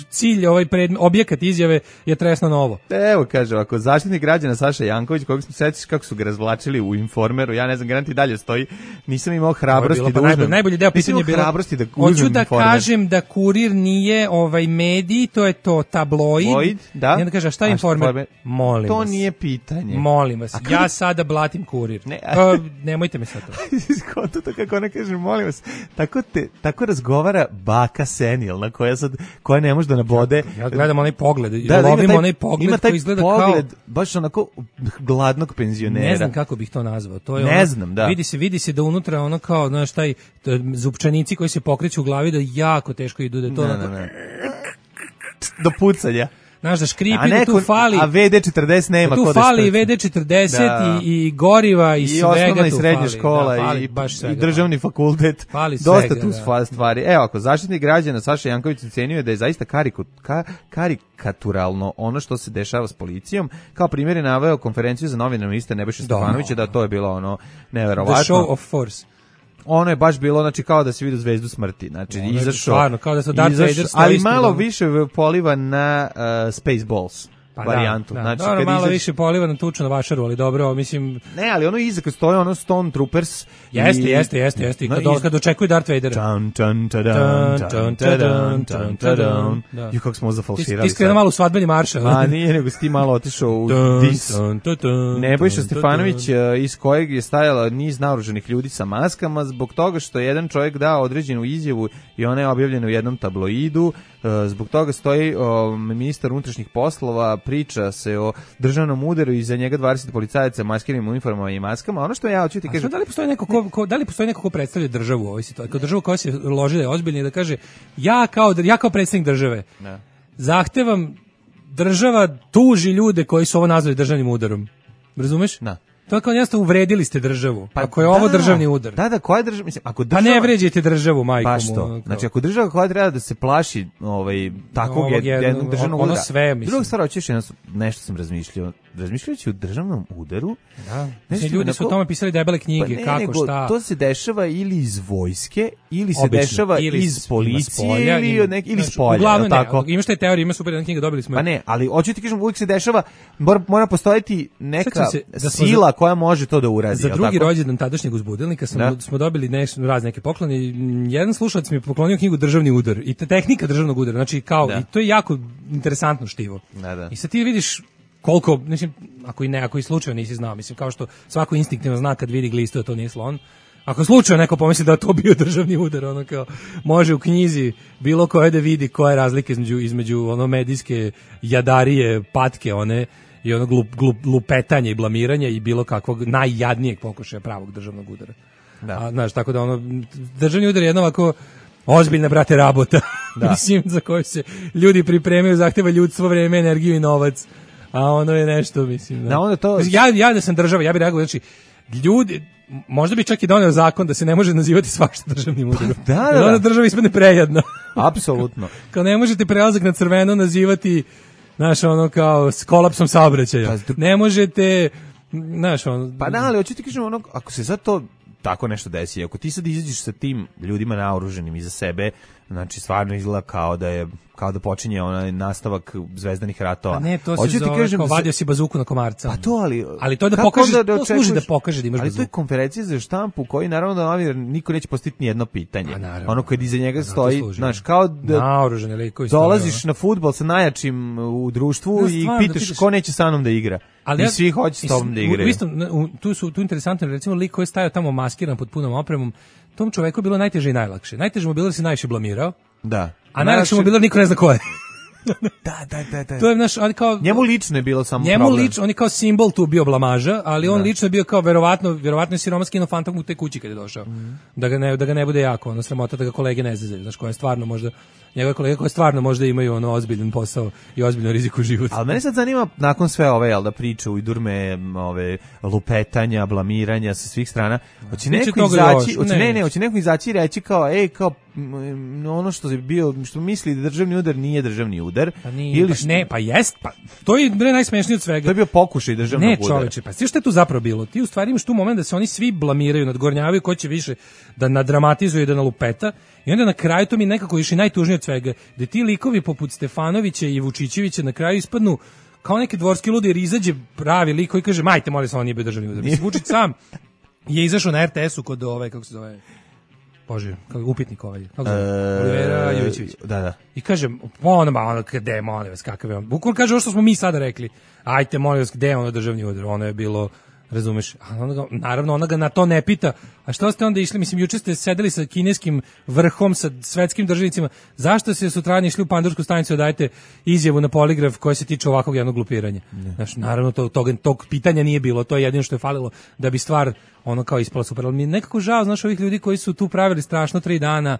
cilj, ovaj pred, objekat izjave je tresno novo. Evo, kaže, ako zaštitnik građana Saša Janković, kojeg smo sećaš kako su ga razvlačili u Informeru, ja ne znam, garanti dalje stoji, nisam imao hrabrosti bilo, da pa uzmem. Najbolji deo pitanja je bilo, hrabrosti da hoću da informer. Kažem da Kurir nije ovaj medij, to je to tabloid. Void, da. I onda kaže, a šta je Informer? Informer? Molim to vas. To nije pitanje. Molim vas. Kada... Ja sada blatim Kurir. Ne, a... nemojte me sad to. to kako ona kaže, molim vas. Tako, te, tako razgovara baka senilna koja, sad, koja ne može da nabode. Ja, ja gledam onaj pogled. Da, da, lovim taj, onaj pogled koji izgleda pogled, kao... baš onako gladnog penzionera. Ne znam kako bih to nazvao. To je ne ono, znam, da. Vidi se, vidi se da unutra ono kao, znaš, taj zupčanici koji se pokreću u glavi da jako teško idu, da je to ne, onako... Ne, ne. Do pucanja. Znaš da škripi, da tu fali... A ve de četrdeset nema tu ko da fali ve de četrdeset da. i, i goriva i, I svega osnovna tu i srednja fali. škola da, fali, i, baš svega, i državni fakultet. Fali Dosta svega, tu da. stvari. Evo, ako zaštitnik građana Saša Janković ocenjuje da je zaista kariku, ka, karikaturalno ono što se dešava s policijom, kao primjer je naveo konferenciju za novinare ministra Nebojše Stefanovića, da to je bilo ono neverovatno. The show of force. Ono je baš bilo, znači kao da se vidi zvezdu smrti, znači ono izašao, stvarno, kao da su Darth Vader, ali malo više poliva na uh, Spaceballs. Pa varijantu. Da, da. Znači, dobro, kad malo izaš... više poliva na tuču na vašaru, ali dobro, mislim... Ne, ali ono iza kad stoje ono Stone Troopers... Jeste, i... jeste, jeste, jeste. I kad, no, iz... kad očekuju Darth Vadera. Čan, čan, čadan, čan, čadan, čan, čadan. Ju, kako smo zafalširali. Ti, ti skrena malo u svadbeni maršal. A nije, nego si ti malo otišao u dis. Nebojša Stefanović, iz kojeg je stajala niz naoružanih ljudi sa maskama, zbog toga što je jedan čovjek dao određenu izjavu i ona je objavljena u jednom tabloidu. Zbog toga stoji o, ministar unutrašnjih poslova, priča se o državnom udaru i za njega dvadeset policajaca maskiranim uniformama i maskama. Ono što ja hoću ti kažem, da li postoji neko ko, ko da li postoji neko ko predstavlja državu u ovoj situaciji, kao državu koja se loži da je ozbiljna i da kaže ja kao ja kao predstavnik države. Ne. Zahtevam država tuži ljude koji su ovo nazvali državnim udarom. Razumeš? Da. To je kao jednostavno uvredili ste državu. Pa ako je ovo da, državni udar. Da, da, koja je država? Mislim, ako država... Pa ne vređajte državu, majku mu. Pa što? Znači, ako država koja treba da se plaši ovaj, takvog no, jednog državnog udara. Ono sve, mislim. Druga stvar, hoćeš jedno, nešto sam razmišljao. Razmišljajući o državnom udaru. Da. Mislim, ljudi su o tome pisali debele knjige, pa ne, kako, nego, šta. To se dešava ili iz vojske, ili se Obično. dešava ili iz policije, spolja, ili, ili, nek, ili iz polja. Uglavnom tako. Ne, imaš te teorije, ima super jedna knjiga, dobili smo. Pa ne, ali hoću ti kažem, uvijek se dešava, mora, mora postojati neka se, da sila koja može to da uradi. Za drugi rođendan tadašnjeg uzbudilnika smo, da. smo dobili neš, razne neke poklone. Jedan slušalac mi je poklonio knjigu Državni udar i te tehnika državnog udara. Znači, kao, da. i to je jako interesantno štivo. Da, da. I sad ti vidiš koliko, mislim, ako i ne, ako i slučajno nisi znao, mislim, kao što svako instinktivno zna kad vidi glistu, to nije slon. Ako slučajno neko pomisli da to bio državni udar, ono kao, može u knjizi bilo koje da vidi koja je razlika između, između ono medijske jadarije, patke, one, i ono glup, glup, lupetanja i blamiranja i bilo kakvog najjadnijeg pokušaja pravog državnog udara. Da. A, znaš, tako da ono, državni udar je jedno ovako ozbiljna, brate, rabota, da. Mislim, za koju se ljudi pripremaju, zahteva ljudstvo, vreme, energiju i novac. A ono je nešto, mislim. Da. Da, onda to... ja, ja da sam država, ja bih reagovao, znači, ljudi, možda bi čak i doneo zakon da se ne može nazivati svašta državnim udarom. Da, da, da. Onda država ispadne prejedno. Apsolutno. Kao ne možete prelazak na crveno nazivati, znaš, ono kao s kolapsom saobraćaja. Ne možete, znaš, ono... Pa da, ali hoću ti kažem, ono, ako se zato tako nešto desi, ako ti sad izađeš sa tim ljudima naoruženim iza sebe, znači stvarno izgleda kao da je kao da počinje onaj nastavak zvezdanih ratova. A ne, to se Hoću zove, kažem, kao vadio si bazuku na komarca. Pa to, ali... Ali to je da pokaže, da, da to služi da pokaže da imaš ali bazuku. Ali to je konferencija za štampu koji naravno da novinar niko neće postaviti ni jedno pitanje. Ono koje iza njega stoji, znaš, kao da naoružani likovi dolaziš na fudbal sa najjačim u društvu no, i pitaš da pitaš... ko neće sa mnom da igra. Ali I ja, svi hoće s tobom da igraju. Isto, tu su tu interesantno, recimo lik koji je stajao tamo maskiran pod punom opremom, tom čoveku je bilo najteže i najlakše. Najteže mu bilo da se najviše blamirao. Da. A najlakše mu bilo niko ne zna ko je. Da, da, da, da. To je naš, ali kao njemu lično je bilo samo njemu problem. Njemu lično, on je kao simbol tu bio blamaža, ali on da. lično je bio kao verovatno, verovatno je siroma skinuo fantom u te kući kad je došao. Mm. Da ga ne da ga ne bude jako, ono sramota da ga kolege ne zezaju, znaš, koje stvarno možda njegove kolege koje stvarno možda imaju ono ozbiljan posao i ozbiljno rizik u životu. Ali mene sad zanima nakon sve ove jel da priče u idurme, ove lupetanja, blamiranja sa svih strana, hoće neko izaći, hoće ne, ne, hoće neko izaći i reći kao ej, kao ono što je bio, što misli da državni udar nije državni udar. Pa nije, ili što... ne, pa jest, pa to je bre najsmešnije od svega. To je bio pokušaj državnog udara. Ne, čoveče, pa sve što je tu zapravo bilo? Ti u stvari imaš tu moment da se oni svi blamiraju, nadgornjavaju ko će više da nadramatizuje i da nalupeta. I onda na kraju to mi nekako još i najtužnije od svega, da ti likovi poput Stefanovića i Vučićevića na kraju ispadnu kao neki dvorski ludi jer izađe pravi lik koji kaže majte molim se on nije bio državni udar. Mislim, Vučić sam je izašao na er te esu kod ove, kako se zove, Bože, kako upitnik ovaj, kako se zove, Olivera Jovićević. Da, da. I kažem, ono, ono, gde, molim vas, kakav je on. Bukvalno kaže ovo što smo mi sada rekli, ajte, molim vas, gde je ono državni udar, ono je bilo... Razumeš? A ona ga, naravno, ona ga na to ne pita. A što ste onda išli? Mislim, juče ste sedeli sa kineskim vrhom, sa svetskim državnicima. Zašto ste sutradan išli u Pandursku stanicu da dajete izjavu na poligraf koja se tiče ovakvog jednog glupiranja? Znaš, naravno, to, tog, tog pitanja nije bilo. To je jedino što je falilo da bi stvar ono kao ispala super. Ali mi je nekako žao, znaš, ovih ljudi koji su tu pravili strašno tri dana,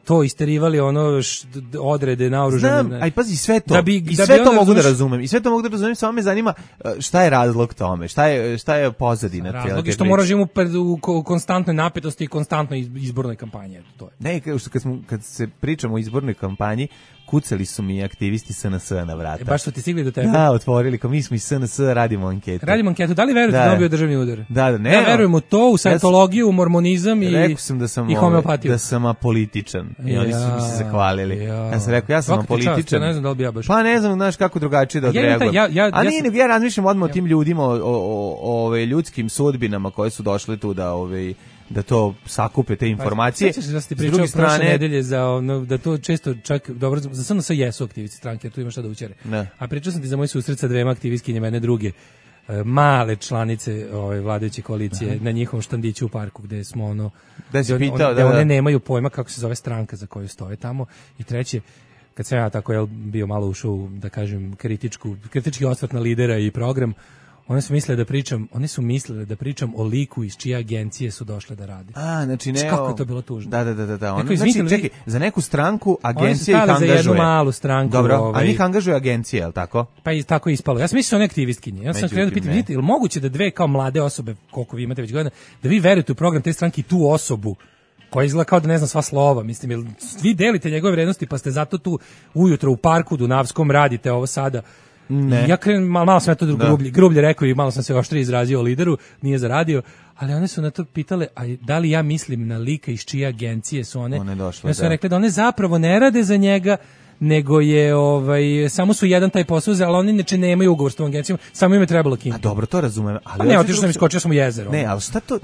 to isterivali ono š, odrede naoružane. Znam, aj pazi sve to. Da bi, I da sve bi to mogu da razumem. I sve to mogu da razumem, samo me zanima šta je razlog tome, šta je šta je pozadina te. Razlog je što mora živimo u, u konstantnoj napetosti i konstantnoj izbornoj kampanji, to je. Ne, kad smo kad se pričamo o izbornoj kampanji, kucali su mi aktivisti es en es na vrata. E, baš su ti stigli do tebe? Da, otvorili, kao mi smo iz es en es, radimo anketu. Radimo anketu, da li verujete da, da on bio državni udar? Da, da, ne. Ja verujem u to, u sajtologiju, u mormonizam i, rekao sam da sam, i homeopatiju. Da sam apolitičan i ja, oni su mi se zahvalili. Ja, ja sam rekao, ja sam apolitičan. Ja ne znam da li bi ja baš. Pa ne znam, znaš kako drugačije da odreagujem. Ja, ja, ja, A nije, ja razmišljam odmah o tim ljudima, o, o, o, o ljudskim sudbinama koje su došle tu da ove da to sakupe te informacije. Sećaš se da ste pričali prošle nedelje za ono, da to često čak dobro za samo sa jesu aktivisti stranke, tu ima šta da učere. Ne. A pričao sam ti za moj susret sa dvema aktivistkinjama jedne druge male članice ove vladajuće koalicije. Aha. Na njihovom štandiću u parku gde smo ono da se pitao da, da one nemaju pojma kako se zove stranka za koju stoje tamo. I treće, kad sam ja tako jel bio malo ušao, da kažem, kritičku kritički osvrt na lidera i program, One su mislile da pričam, one su mislile da pričam o liku iz čije agencije su došle da rade. A, znači ne. Kako je to bilo tužno. Da, da, da, da. Ono, znači, čekaj, za neku stranku agencija ih angažuje. Za jednu malu stranku. Dobro, ovaj, a njih angažuje agencija, je li tako? Pa i tako je ispalo. Ja sam mislio one aktivistkinje. Ja sam Međutim, krenuo da pitam, vidite, je li moguće da dve kao mlade osobe, koliko vi imate već godina, da vi verujete u program te stranke i tu osobu koja izgleda kao da ne zna sva slova, mislim, jer vi delite njegove vrednosti, pa ste zato tu ujutro u parku Dunavskom radite ovo sada. Ne. Ja krenem, malo, malo sam ja to grublje, grublje rekao i malo sam se oštrije izrazio o lideru, nije zaradio, ali one su na to pitale, a da li ja mislim na lika iz čije agencije su one, one došle, ja su da. rekli da one zapravo ne rade za njega, nego je ovaj samo su jedan taj posao, ali oni neče nemaju ugovor s tom agencijom, samo im je trebalo kinti. A dobro, to razumem, ali a ne, otišao sam iskočio sam u jezero. Ne, ali šta to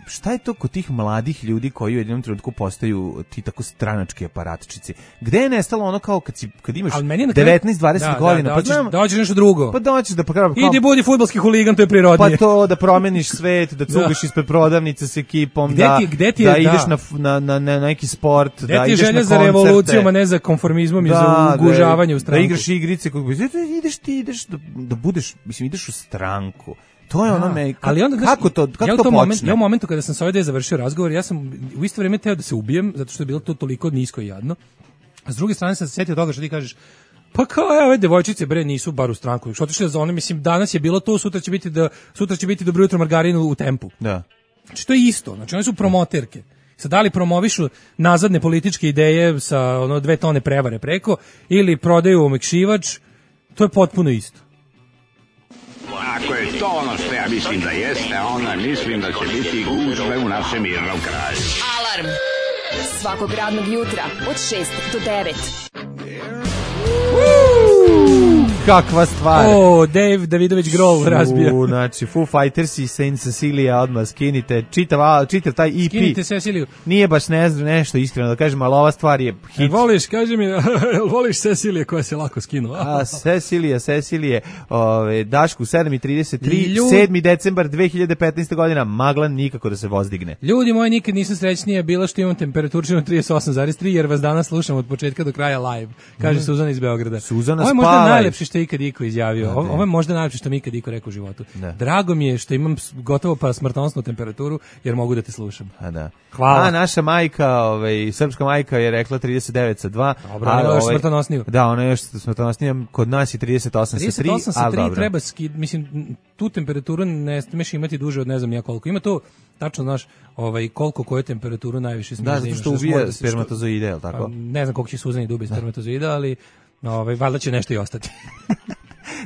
šta je to kod tih mladih ljudi koji u jednom trenutku postaju ti tako stranački aparatčici? Gde je nestalo ono kao kad si kad imaš devetnaest dvadeset da, godina, da, pa znam, da hoćeš nešto drugo. Pa doćeš da pa kao, idi budi fudbalski huligan, to je prirodnije. Pa to da promeniš svet, da cugaš ispred prodavnice s ekipom, gde da ti, gde ti da je, ideš da. na, na, na neki sport, gde da ti ideš na koncerte. Želja za revolucijom, a ne za konformizmom da, i za ugužavanje u stranku. Da igraš igrice, kako ideš ti ideš da, da budeš, mislim ideš u stranku. To je ono da, me, ali onda, kako to, kako ja to počne? Moment, ja u momentu kada sam sa ovdje završio razgovor, ja sam u isto vrijeme teo da se ubijem, zato što je bilo to toliko nisko i jadno. A s druge strane sam se sjetio toga što ti kažeš, pa kao, evo, ove devojčice, bre, nisu bar u stranku. Što otišli za one, mislim, danas je bilo to, sutra će biti da, sutra će biti dobro jutro margarinu u Tempu. Da. Znači, to je isto, znači, one su promoterke. Sad, da li promovišu nazadne političke ideje sa ono dve tone prevare preko, ili prodaju omekšivač, to je potpuno isto. Ako je to ono što ja mislim da jeste, onda mislim da će biti gužve u našem mirnom kraju. Alarm svakog radnog jutra od šest do devet. kakva stvar. O, Dave Davidović Grohl razbija. U, znači, Foo Fighters i Saint Cecilia odmah skinite. Čitav, čitav taj E P. Skinite Ceciliju. Nije baš ne znam nešto iskreno da kažem, ali ova stvar je hit. E, voliš, kaži mi, voliš Cecilije koja se lako skinula? A, Cecilija, Cecilije, ove, Dašku, sedam i trideset tri, Ljud... sedmi decembar dve hiljade petnaeste godina, maglan nikako da se vozdigne. Ljudi moji, nikad nisam srećnija bila što imam temperaturu trideset osam zarez tri, jer vas danas slušam od početka do kraja live, kaže mm. Suzana iz Beograda. Suzana, ovo je spavaj. možda najlepše što je ikad iko izjavio. Ovo, ovo je možda najlepše što mi ikad iko rekao u životu. Da. Drago mi je što imam gotovo pa smrtonosnu temperaturu, jer mogu da te slušam. A da. Hvala. A naša majka, ovaj, srpska majka je rekla trideset devet sa dva. Dobro, ali još smrtonosniju. Da, ona je još smrtonosnija, kod nas je trideset osam sa tri. trideset osam sa tri treba skid, mislim, tu temperaturu ne smeš imati duže od ne znam ja koliko. Ima to tačno, znaš, ovaj, koliko koju temperaturu najviše smiješ da imaš. Da, zato što ubija spermatozoide, je li tako? Ne znam koliko će Suzani da ubije spermatozoide, ali ovaj, valjda će nešto i ostati.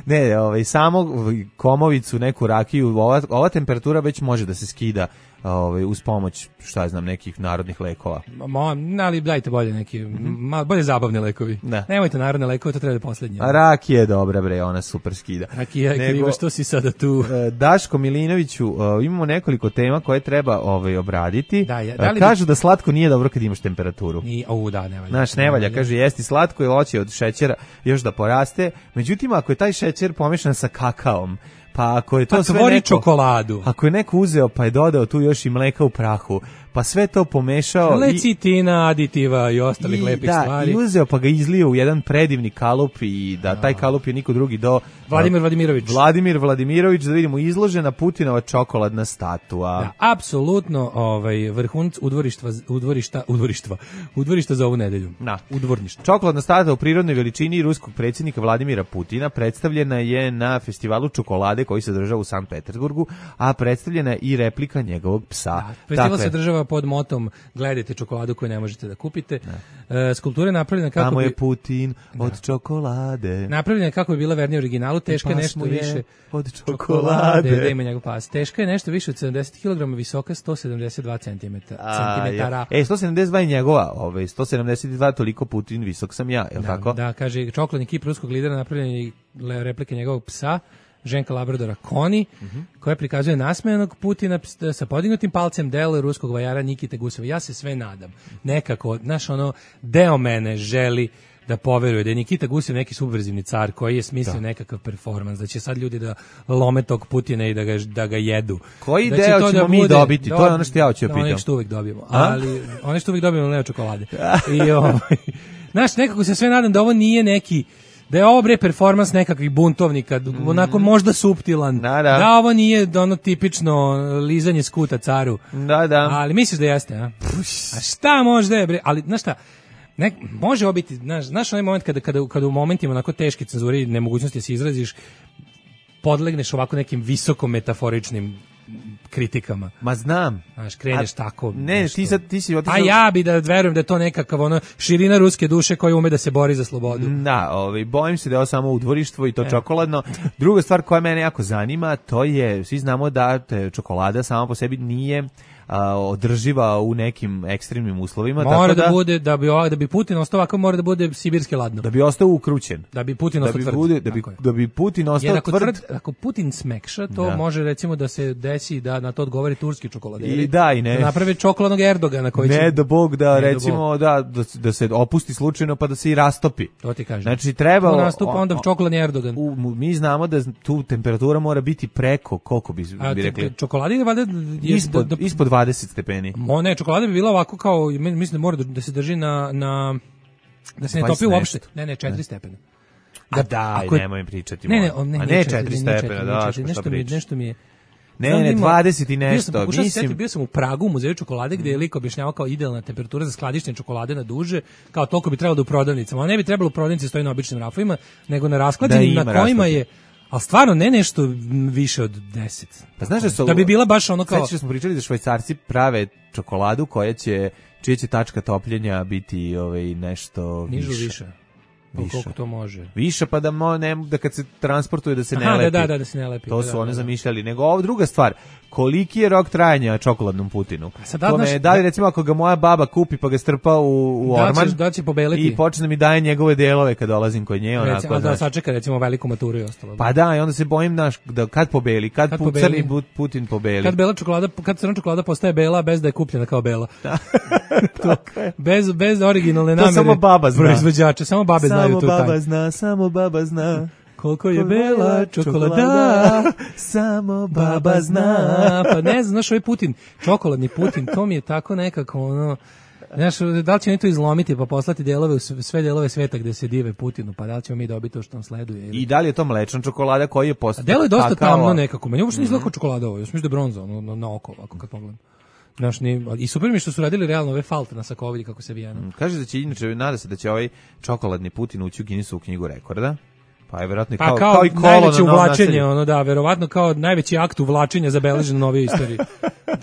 Ne, ovaj, samo komovicu, neku rakiju, ova, ova temperatura već može da se skida ovaj, uz pomoć, šta ja znam, nekih narodnih lekova. Ma, ali dajte bolje neki, mm-hmm. bolje zabavni lekovi. Ne. Nemojte narodne lekove, to treba da poslednje. A rakija je dobra, bre, ona super skida. Rakija je kriva, što si sada tu? Daško Milinoviću, imamo nekoliko tema koje treba ovaj, obraditi. Da, ja, da li kažu bi... da slatko nije dobro kad imaš temperaturu. Ni, o, da, ne valja. Znaš, ne valja, kaže, jesti slatko i hoće od šećera još da poraste. Međutim, ako je taj šećer pomešan sa kakaom, pa ako je to pa sve tvori neko, čokoladu. Ako je neko uzeo pa je dodao tu još i mleka u prahu, pa sve to pomešao lecitina, aditiva i ostalih i, lepih da, stvari. I uzeo pa ga izlio u jedan predivni kalup i da taj kalup je niko drugi do Vladimir Vladimirović. Vladimir Vladimirović, da vidimo, izložena Putinova čokoladna statua. Da, apsolutno, ovaj vrhunac udvorištva udvorišta udvorištva udvorišta za ovu nedelju. Da. Udvorništvo. Čokoladna statua u prirodnoj veličini ruskog predsjednika Vladimira Putina predstavljena je na festivalu čokolade koji se održava u Sankt Petersburgu, a predstavljena je i replika njegovog psa. Da, festival se održava pod motom gledajte čokoladu koju ne možete da kupite. E, skulptura je napravljena kako Tamo bi... je Putin od da. čokolade. Napravljena je kako bi bila vernija originalu, teška je nešto više od čokolade. Da ima njegov pas. Teška je nešto više od sedamdeset kilograma, visoka sto sedamdeset dva centimetara. E, sto sedamdeset dva je njegova, ovaj, sto sedamdeset dva toliko Putin, visok sam ja, je li da, tako? Da, kaže, čokoladni kip ruskog lidera napravljen je replike njegovog psa, ženka Labradora Koni, uh-huh. koja prikazuje nasmejanog Putina sa podignutim palcem, delo ruskog vajara Nikite Guseva. Ja se sve nadam. Nekako, znaš, ono, deo mene želi da poveruje da je Nikita Gusev neki subverzivni car koji je smislio da. nekakav performans, da će sad ljudi da lome tog Putina i da ga, da ga jedu. Koji da deo ćemo da mi dobiti? Do, to je ono što ja hoću da pitam. One što uvijek dobijemo. Ali, one što uvijek dobijemo, ne od čokolade. I, ovaj, znaš, nekako se sve nadam da ovo nije neki da je ovo bre performans nekakvih buntovnika, mm. onako možda suptilan, da, da. da ovo nije ono tipično lizanje skuta caru, da, da. ali misliš da jeste, a? A šta možda je bre, ali znaš šta, nek, može obiti, znaš, znaš onaj moment kada, kada, kada u momentima onako teške cenzure i nemogućnosti da se izraziš, podlegneš ovako nekim visoko metaforičnim kritikama. Ma znam. Znaš, kreneš A, tako. Ne, nešto. ti sad ti si otišao. A ja bi da verujem da je to nekakav ono širina ruske duše koja ume da se bori za slobodu. Da, ovaj bojim se da je ovo samo udvorištvo i to e. čokoladno. Druga stvar koja mene jako zanima, to je, svi znamo da te čokolada sama po sebi nije a, održiva u nekim ekstremnim uslovima. Mora tako da, da bude, da bi, da bi Putin ostao ovako, mora da bude sibirski ladno. Da bi ostao ukrućen. Da bi Putin ostao da bi tvrd. Bude, da, bi, da bi Putin ostao Jer ako tvrd. tvrd. Ako Putin smekša, to da. može recimo da se desi da na to odgovori turski čokoladeri. I da, i ne. Da naprave čokoladnog Erdogana koji će... Ne da Bog da, recimo, Bog. Da, da, da se opusti slučajno pa da se i rastopi. To ti kažem. Znači, treba... Tu nastupa onda čokoladni Erdogan. U, mi znamo da tu temperatura mora biti preko, koliko bi, A, bi rekli? Čokoladi je valjda... Ispod, da, da, ispod dvadeset stepeni. Mo, ne, čokolada bi bila ovako kao, mislim da mora da se drži na... na da se ne topi uopšte. Ne, ne, četiri stepena. Da, A daj, ako, nemoj pričati. Ne, ne, on, ne, A ne, četiri stepena, da, nešto mi, nešto mi je... Ne, ne, dvadeset i nešto. Bio sam, mislim... bio sam u Pragu u muzeju čokolade gdje je lik objašnjavao kao idealna temperatura za skladištenje čokolade na duže, kao toliko bi trebalo da u prodavnicama. A ne bi trebalo u prodavnici stoji na običnim rafovima, nego na rasklađenim na kojima rasklađen. je, ali stvarno ne nešto više od deset. Pa znaš da, su, da bi bila baš ono kao... Sveći smo pričali da Švajcarci prave čokoladu koja će, čija će tačka topljenja biti ovaj, nešto nižu više. više. Više. Koliko to može? Više, pa da, mo, ne, da kad se transportuje da se ne Aha, lepi. Da, da, da se ne lepi. To da, su da, one da. zamišljali. Nego ovo druga stvar, koliki je rok trajanja čokoladnom Putinu? Sad, da, Kome, naš, da li recimo ako ga moja baba kupi pa ga strpa u, u da orman će, da će pobeliti. i počne mi daje njegove delove kad dolazim kod nje. Onako, recimo, da sačeka recimo veliku maturu i ostalo. Pa da, i onda se bojim naš, da kad pobeli, kad, kad pu, pobeli, crni Putin pobeli. Kad bela čokolada, kad crna čokolada postaje bela bez da je kupljena kao bela. to, bez, bez originalne namere. To samo baba zna. Proizvođača, samo babe samo znaju tu taj. Samo baba zna, samo baba zna. Koliko je bela čokolada, samo baba zna. Pa ne znam, znaš, ovaj Putin, čokoladni Putin, to mi je tako nekako, ono, znaš, da li će oni to izlomiti pa poslati delove u sve delove sveta gde se dive Putinu, pa da li ćemo mi dobiti to što nam sleduje? Ili? I da li je to mlečna čokolada koji je postao? Delo je dosta kakao tamno nekako, meni uopšte nije izgleda čokolada ovo, još mislim da je bronza, ono, na, na oko, ovako kad pogledam. Znaš, ni, i super mi što su radili realno ove falte na sakovilji kako se vijena. Mm, kaže da će, inače, nada se da će ovaj čokoladni Putin ući u Guinnessovu knjigu rekorda. Pa je verovatno pa kao, kao, kao i kolo najveće na uvlačenje, ono da, verovatno kao najveći akt uvlačenja zabeležen u novijoj istoriji.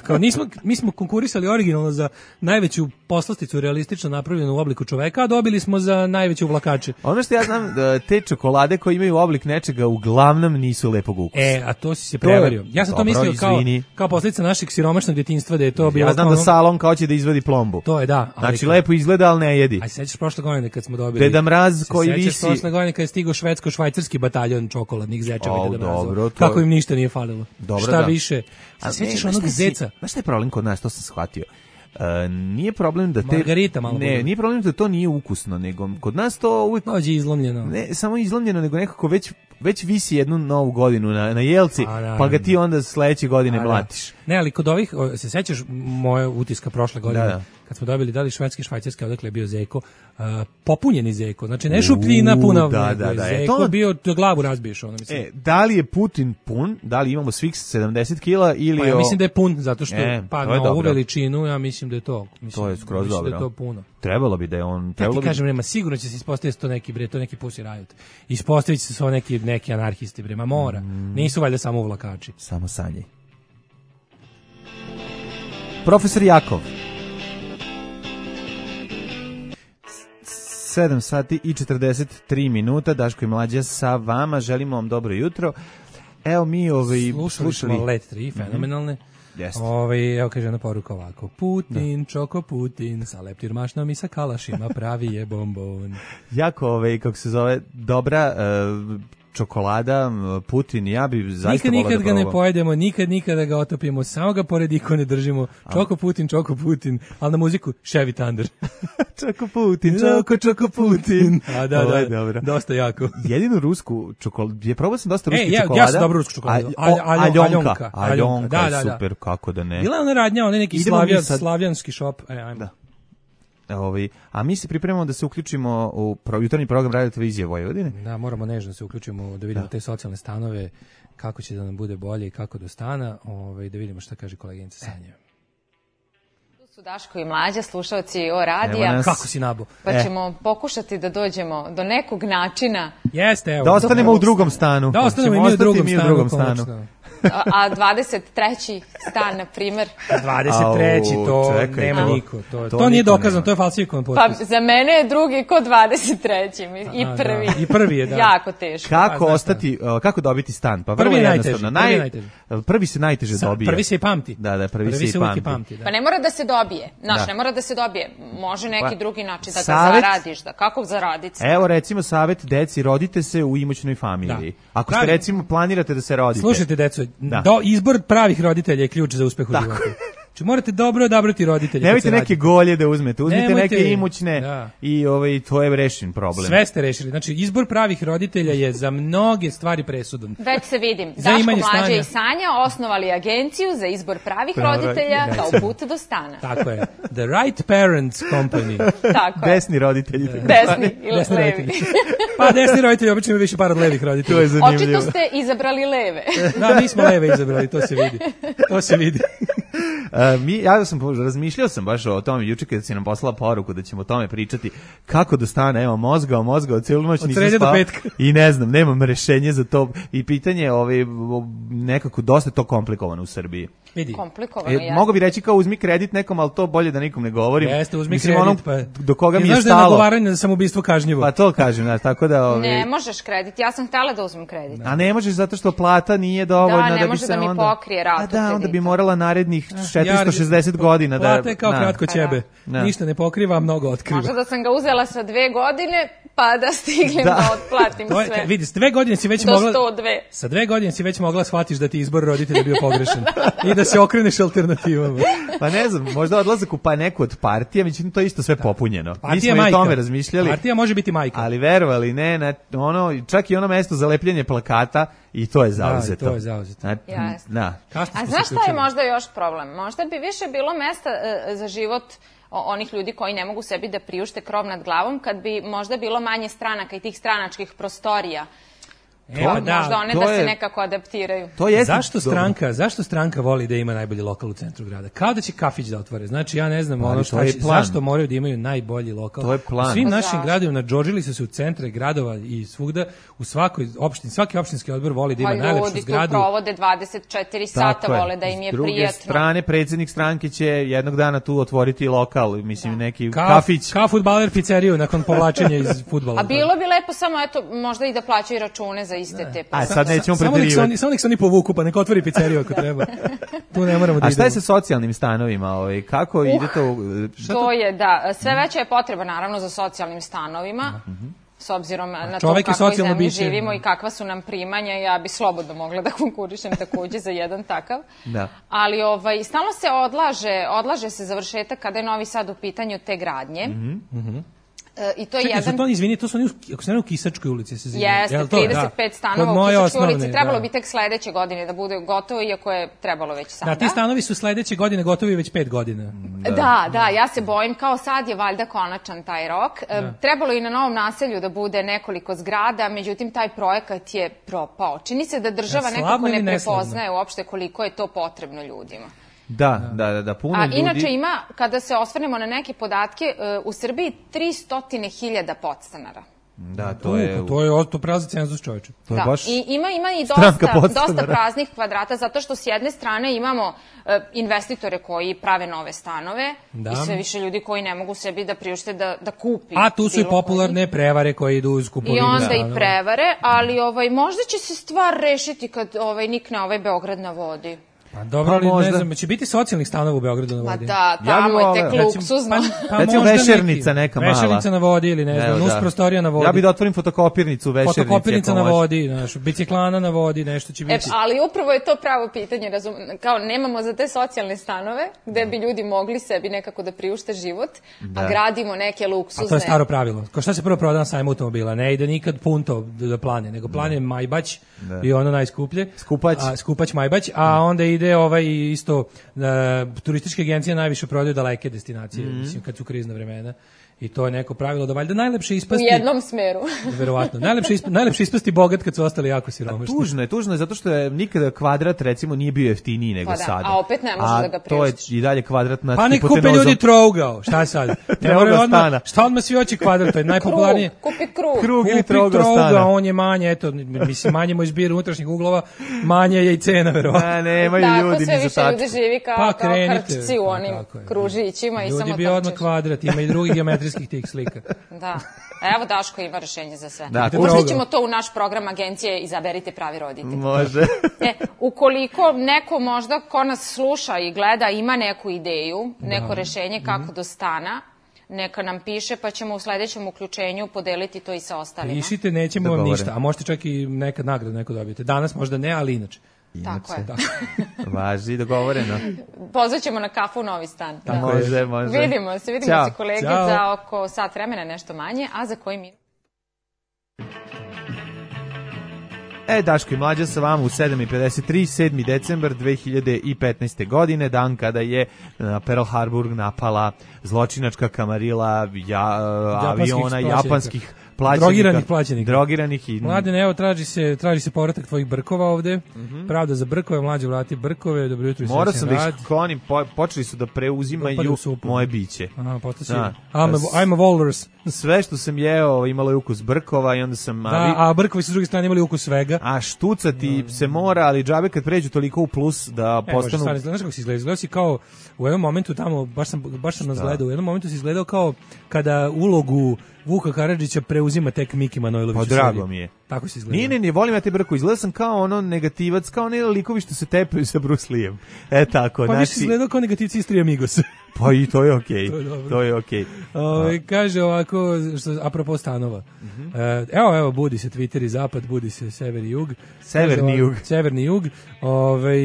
Kao nismo, mi smo konkurisali originalno za najveću poslasticu realistično napravljenu u obliku čoveka, a dobili smo za najveće uvlakače. Ono što ja znam, te čokolade koje imaju oblik nečega uglavnom nisu lepog ukusa. E, a to si se prevario. Ja sam dobro, to mislio kao, izvini. kao posljedica našeg siromašnog djetinjstva da je to bilo. Ja znam ono, da salon kao će da izvadi plombu. To je da. Ali znači kao, lepo izgleda, ali ne jedi. Aj sećaš prošle godine kad smo dobili. Deda Mraz koji se visi. Prošle godine kad je stigao švedsko-švajcarski bataljon čokoladnih zečeva oh, Deda Mraza. Dobro, to... Kako im ništa nije falilo. Dobro, šta da. više? Se sećaš onog zeca? Znaš šta je problem kod nas, to sam shvatio. Uh, nije problem da te Margarita malo ne, bude. Nije problem da to nije ukusno, nego kod nas to uvijek dođe izlomljeno. Ne, samo izlomljeno, nego nekako već već visi jednu novu godinu na, na jelci, a, da, pa ga ti onda sledeće godine a, mlatiš. Da. Ne, ali kod ovih, se sećaš moje utiska prošle godine, da, da. kad smo dobili da li švedski, švajcarski, odakle je bio zeko, uh, popunjeni zeko, znači ne šupljina puna, da, da, da, zeko to... bio, glavu razbiješ, ono mislim. E, da li je Putin pun, da li imamo svih sedamdeset kila ili... Pa ja o... mislim da je pun, zato što e, pa na ovu veličinu, ja mislim da je to. Mislim, to je skroz dobro. Da je to puno. Trebalo bi da je on... Ja ti bi... kažem, nema, sigurno će se ispostaviti to neki, bre, to neki Pussy Riot. Ispostavit će se svo neki, neki anarhisti, bre, ma mora. Mm. Nisu valjda samo uvlakači. Samo sanje. Profesor Jakov. sedam sati i četrdeset tri minuta, Daško i Mlađa sa vama, želimo vam dobro jutro. Evo mi ovaj slušali, slušali smo Let tri, fenomenalne. Jeste. Ovaj, evo kaže jedna poruka ovako. Putin, da. Čoko Putin, sa leptirmašnom i sa kalašima pravi je bombon. Jako, ovaj, kako se zove, dobra uh, čokolada, Putin, ja bi zaista nikad, volao da nikad ga ne pojedemo, nikad, nikada ga otopimo, samo ga pored ikone držimo. Čoko Putin, Čoko Putin, ali na muziku Chevy Thunder. Čoko Putin, Čoko, Čoko Putin. A da, da, dobro. Dosta jako. Jedinu rusku čokoladu, je probao sam dosta ruskih e, ja, čokolada. Ja sam dobro rusku čokoladu. Al, al, aljonka. Aljonka, aljonka da, da, da. super, kako da ne. Bila je ona radnja, ona neki slavjan, sad... slavljanski šop. E, ajmo. Da. Ovi, a mi se pripremamo da se uključimo u jutarnji program Radio Televizije Vojvodine. Da, moramo nežno da se uključimo da vidimo da. te socijalne stanove, kako će da nam bude bolje i kako do stana, ovaj, da vidimo šta kaže koleginica Sanja. Tu su Daško i Mlađa, slušalci o radija. Kako si nabo? Pa e. ćemo pokušati da dođemo do nekog načina. Jeste, evo. Da ostanemo u drugom stanu. Da ostanemo i mi u drugom stanu. Drugom stanu. A, a dvadeset treći stan, na primer. dvadeset treći to čekaj, nema to, niko. To, to, to nije dokazano, nema. To je falsifikovan potpis. Pa za mene je drugi ko dvadeset treći i prvi. Da. I prvi je, da. Jako teško. Kako pa, ostati, uh, kako dobiti stan? Pa prvi je najteži. Naj, najteži. Prvi se najteže Sa, dobije. Prvi se i pamti. Da, da, prvi, prvi se i pamti. pamti da. Pa ne mora da se dobije. Znaš, da. ne mora da se dobije. Može neki pa, drugi način da ga savet, zaradiš. Da. Kako zaraditi? Evo recimo savjet deci, rodite se u imućnoj familiji. Da. Ako ste recimo planirate da se rodite. Slušajte deco, do izbor pravih roditelja je ključ za uspeh u životu. Znači morate dobro odabrati roditelje. Nemojte neke golje da uzmete, uzmite Nemojte, neke imućne da. i ovaj, to je rešen problem. Sve ste rešili. Znači izbor pravih roditelja je za mnoge stvari presudan. Već se vidim. Daško, Mlađa i Sanja osnovali agenciju za izbor pravih Pravi, roditelja da, kao put do stana. Tako je. The Right Parents Company. Tako je. Desni roditelji. Desni ili desni levi. Roditelji. Pa desni roditelji obično imaju više par od levih roditelja. To je zanimljivo. Očito ste izabrali leve. Da, mi smo leve izabrali, to se vidi. To se vidi. Uh, mi, ja sam, razmišljao sam baš o tome juče kada si nam poslala poruku da ćemo o tome pričati kako do stana, evo, mozgao, mozgao, cijelu noć nisam spao i ne znam, nemam rešenje za to i pitanje ovaj, nekako dosta to komplikovano u Srbiji. Vidi. Komplikovano je. E, mogu bi reći kao uzmi kredit nekom, ali to bolje da nikom ne govorim. Jeste, uzmi Mislim, kredit, onom, pa... do koga ti mi je znaš stalo. Da je nagovaranje za samoubistvo kažnjivo. Pa to kažem, znaš, tako da... Ove... Ne možeš kredit, ja sam htjela da uzmem kredit. A ne možeš zato što plata nije dovoljna da, da, ne bi može se da mi onda... pokrije ratu A da, kredita. onda bi morala narednih četiristo šezdeset godina da... Plata je kao kratko ćebe. Da. Ništa ne pokriva, mnogo otkriva. Možda da sam ga uzela sa dve godine, pa da stignem da, da otplatim to je, sve. Vidi, s dve godine si već do mogla... sto dva. Sa dve godine si već mogla shvatiš da ti izbor roditelja bio pogrešan. I da se okreneš alternativama. Pa ne znam, možda odlazak u pa neku od partija, međutim to je isto sve popunjeno. Partija Mi smo majka. i o tome razmišljali. Partija može biti majka. Ali verovali, ne, na, ono, čak i ono mesto za lepljenje plakata i to je zauzeto. Da, to je zauzeto. Na, da. A znaš šta je možda još problem? Možda bi više bilo mesta uh, za život onih ljudi koji ne mogu sebi da priušte krov nad glavom, kad bi možda bilo manje stranaka i tih stranačkih prostorija. E, pa da, možda one da je, se nekako adaptiraju. To je zašto stranka, zašto stranka voli da ima najbolji lokal u centru grada? Kao da će kafić da otvore. Znači ja ne znam ono šta će, zašto moraju da imaju najbolji lokal. To je plan. U svim pa našim zašto? gradovima nadžordžili su se u centre gradova i svugda, u svakoj opštini, svaki opštinski odbor voli da ima pa najlepšu ljudi zgradu. Tu provode dvadeset četiri sata, vole da im je S druge prijatno. strane, predsjednik stranke će jednog dana tu otvoriti lokal, mislim da. neki Ka, kafić. Kao fudbaler pizzeriju nakon povlačenja iz fudbala. A bilo bi lepo samo, eto, možda i da plaćaju račune za iste te A sad nećemo samo preterivati. Samo nek se oni povuku, pa nek otvori pizzeriju ako treba. Tu ne moramo da idemo. A šta je sa socijalnim stanovima? Ovaj? Kako uh, ide to? Šta to, to je, da. Sve veća je potreba, naravno, za socijalnim stanovima. Uh-huh. S obzirom na to kako zemlji biće. živimo i kakva su nam primanja, ja bi slobodno mogla da konkurišem takođe za jedan takav. Da. Ali ovaj, stalno se odlaže, odlaže se završetak kada je Novi Sad u pitanju te gradnje. Mhm. E, I to je Čekaj, jedan... su to, izvini, to su oni, ako se ne u Kisačkoj ulici se zivaju. Jeste, trideset pet da. stanova u Kisačkoj osnovne, ulici. Trebalo da. bi tek sledeće godine da bude gotovo, iako je trebalo već sada. Da, ti stanovi su sledeće godine gotovi već pet godina. Da, da, da, ja se bojim, kao sad je valjda konačan taj rok. Da. Trebalo i na Novom naselju da bude nekoliko zgrada, međutim taj projekat je propao. Čini se da država ja, nekako ne prepoznaje uopšte koliko je to potrebno ljudima. Da, da, da, da, puno A ljudi... inače ima, kada se osvrnemo na neke podatke, u Srbiji tristo hiljada podstanara. Da, to je... Uh, to je to prazni cenzus, čoveče. To da, je baš i ima, ima i dosta, dosta praznih kvadrata, zato što s jedne strane imamo uh, investitore koji prave nove stanove da. I sve više ljudi koji ne mogu sebi da priušte da, da kupi. A tu su i popularne koji. prevare koje idu uz kupovinu. I onda stanova. I prevare, ali ovaj, možda će se stvar rešiti kad ovaj, nikne ovaj Beograd na vodi. Pa dobro, ali možda. Ne znam, će biti socijalnih stanova u Beogradu na vodi? Pa da, tamo ja je tek luksuzno. Pa, pa recimo vešernica neka mala. Vešernica na vodi ili ne znam, nus prostorija na vodi. Ja bih da otvorim fotokopirnicu u vešernici. Fotokopirnica na vodi, znaš, biciklana na vodi, nešto će biti. E, ali upravo je to pravo pitanje, razum, kao nemamo za te socijalne stanove, gde bi ljudi mogli sebi nekako da priušte život, da. A gradimo neke luksuzne... A to je staro pravilo. Ko šta se prvo proda na sajmu automobila? Ne ide nikad punto do plane, nego plan je Majbać da. I ono najskuplje. Skupać. A, skupać Majbać, a onda ide ovaj isto uh, turističke agencije najviše prodaju daleke destinacije, mm. mislim, kad su krizna vremena. I to je neko pravilo da valjda najlepše ispasti... U jednom smeru. Verovatno. Najlepše, isp, najlepše ispasti bogat kad su ostali jako siromašni. Tužno je, tužno je, zato što je nikada kvadrat, recimo, nije bio jeftiniji nego pa da, sada. A opet ne može a da ga priuštiš. To je i dalje kvadrat nad pa ne hipotenozom. kupe ljudi trougao, šta sad? Trougao stana. Šta odmah svi hoće kvadrat, to je najpopularnije. Krug, kupi krug. Krug ili trougao trougao stana. On je manje, eto, mislim, manje mu izbir unutrašnjih uglova, manje je i cena, verovatno. Ne, nemaju ljudi ni za tačku. Tako sve više ljudi živi kao, pa, kao krčci u onim kružićima i samo trčiš. Ljudi bi odmah kvadrat, ima i drugih geometrijskih tih slika. Da. Evo Daško ima rešenje za sve. Da, Možda ćemo to u naš program agencije Izaberite pravi roditelj. Može. E, ukoliko neko možda ko nas sluša i gleda ima neku ideju, neko da. Rešenje kako mm-hmm. do stana, neka nam piše pa ćemo u sledećem uključenju podeliti to i sa ostalima. Pišite, nećemo vam ništa, a možete čak i nekad nagradu neko dobijete. Danas možda ne, ali inače. Tako je. Važi, dogovoreno. Pozvaćemo na kafu u Novi stan. Da. Može, može. Vidimo se, vidimo Ćao. Se kolege Ćao. Za oko sat vremena, nešto manje, a za koji mi... E, Daško i Mlađa sa vama u sedam i pedeset tri, sedmi decembar dve hiljade petnaeste. godine, dan kada je na Pearl Harbor napala zločinačka kamarila ja, aviona japanskih plaćenika. Drogiranih plaćenika. Drogiranih i... Mladen, evo, traži se, traži se povratak tvojih brkova ovde. Mm-hmm. Pravda za brkove, mlađe vrati brkove, dobro jutro i srećan rad. Morao sam da ih klonim, po, počeli su da preuzimaju moje biće. Aha, postaći. Da. I'm, a, I'm a walrus. Sve što sam jeo imalo je ukus brkova i onda sam... Da, ali, a brkovi su s druge strane imali ukus svega. A štucati no. se mora, ali džabe kad pređu toliko u plus da e, postanu... Može, znaš kako si izgledao? Izgledao si kao u jednom momentu tamo, baš sam, baš sam nas gledao, u jednom momentu si izgledao kao kada ulogu Vuka Karadžića preuzima tek Miki Manojlović. Pa drago mi je. Tako si izgledao. Nije, ne, ne, volim ja te brko. Izgledao sam kao ono negativac, kao ne likovi što se tepaju sa Bruce Lee'em. E tako, pa znači... Pa više izgledao kao negativci iz Tri Amigos. Pa i to je okej. Okay. to je, to je okej. Okay. Uh, kaže ovako, što, apropo stanova. Uh-huh. Uh, evo, evo, budi se Twitter i zapad, budi se sever i jug. Severni jug. Severni jug. Ove,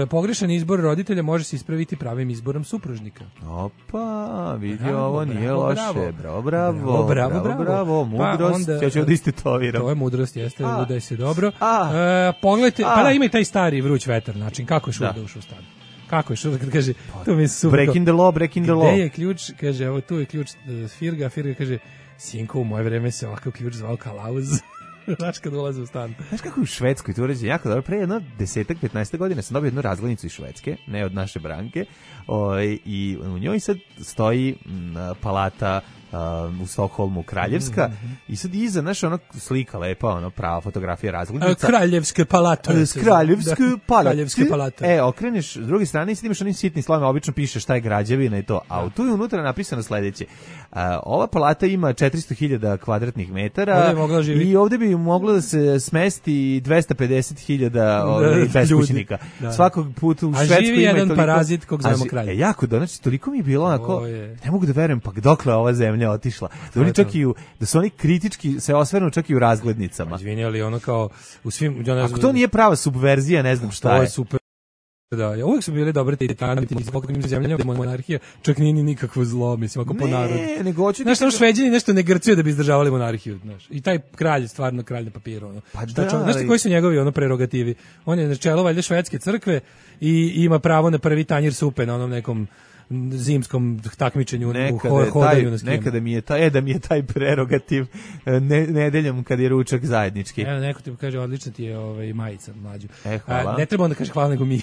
uh, pogrešan izbor roditelja može se ispraviti pravim izborom supružnika. Opa, vidi bravo, ovo nije bravo, loše. Bravo, bravo, bravo, bravo, bravo, bravo, bravo. Mudrost, pa onda, ja ću ovdje istetoviram. To je mudrost, jeste, udaj se dobro. A, uh, pogledajte, a. pa da ima i taj stari vruć vetar, način, kako je šuda da. ušao u stan. Kako je što kad kaže to mi je super. Breaking the law, breaking the law. Gde je ključ? Kaže, evo tu je ključ uh, Firga, Firga kaže sinko, u moje vreme se ovakav ključ zvao kalauz. Znaš kad ulaze u stan. Znaš kako u Švedskoj to uređe jako dobro. Pre jedno desetak, petnaest godine sam dobio jednu razglednicu iz Švedske, ne od naše Branke, o, i u njoj sad stoji m, palata Uh, u Stokholmu Kraljevska mm-hmm. i sad iza naša ona slika lepa, ono prava fotografija razglednica. Kraljevske palate. Uh, Kraljevske da, palate. Kraljevske palate. E, okreneš s druge strane i sad imaš onim sitnim slovima, obično piše šta je građevina i to. A u tu je unutra napisano sledeće. Uh, ova palata ima četiristo hiljada kvadratnih metara ovdje i ovdje bi moglo da se smesti dvesta pedeset hiljada beskućnika. Da. Svakog puta u Švedskoj ima živi jedan toliko, parazit kog zovemo kralj. E, jako, da, znači, toliko mi je bilo onako, ne mogu da verujem, pa dokle ova zemlja otišla. Da oni čak i u, da su oni kritički se osvrnu čak i u razglednicama. Izvini, ali ono kao u svim... Ono, ako to nije prava subverzija, ne znam šta je. To je super. Da, ja uvijek su bili dobre te titane, zbog njim zemljama, monarhija, čak nije ni nikakvo zlo, mislim, ako po narodu. Ne, nego hoću... Znaš, ono Šveđani nešto ne grcuju da bi izdržavali monarhiju, znaš. I taj kralj, stvarno kralj na papiru, ono. Pa da, znaš ti koji su njegovi, ono, prerogativi? On je na čelo, valjda, švedske crkve i ima pravo na prvi tanjir supe na onom nekom zimskom takmičenju nekada u hodanju na skijama. Nekada mi je taj, e, da mi je taj prerogativ ne, nedeljom kad je ručak zajednički. Evo, neko ti kaže, odlična ti je ovaj, majica mlađu. E, hvala. A, ne treba onda kaže hvala nego mi.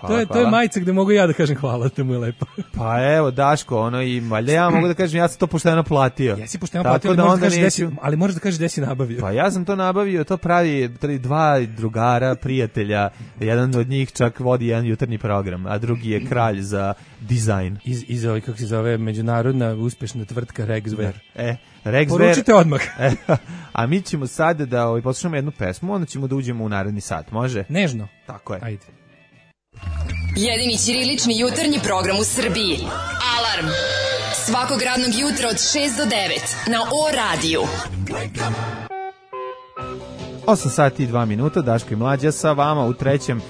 Hvala, to, je, to je majica gde mogu ja da kažem hvala, to mu je lepo. Pa evo, Daško, ono i valjda ja mogu da kažem, ja sam to pošteno platio. Jesi pošteno platio, ali, da možeš da kažeš neću... desi, ali možeš da kažeš gde si nabavio. Pa ja sam to nabavio, to pravi dva drugara, prijatelja, jedan od njih čak vodi jedan jutarnji program, a drugi je kralj za dizajn. Iz, iz ovaj, kako se zove, međunarodna uspešna tvrtka Rexver. E, Rexver. Poručite odmah. E, a mi ćemo sad da ovaj, poslušamo jednu pesmu, onda ćemo da uđemo u naredni sat, može? Nežno. Tako je. Ajde. Jedini ćirilični jutarnji program u Srbiji. Alarm! Svakog radnog jutra od šest do devet na O radiju. osam sati i dva minuta, Daško i Mlađa sa vama u trećem uh,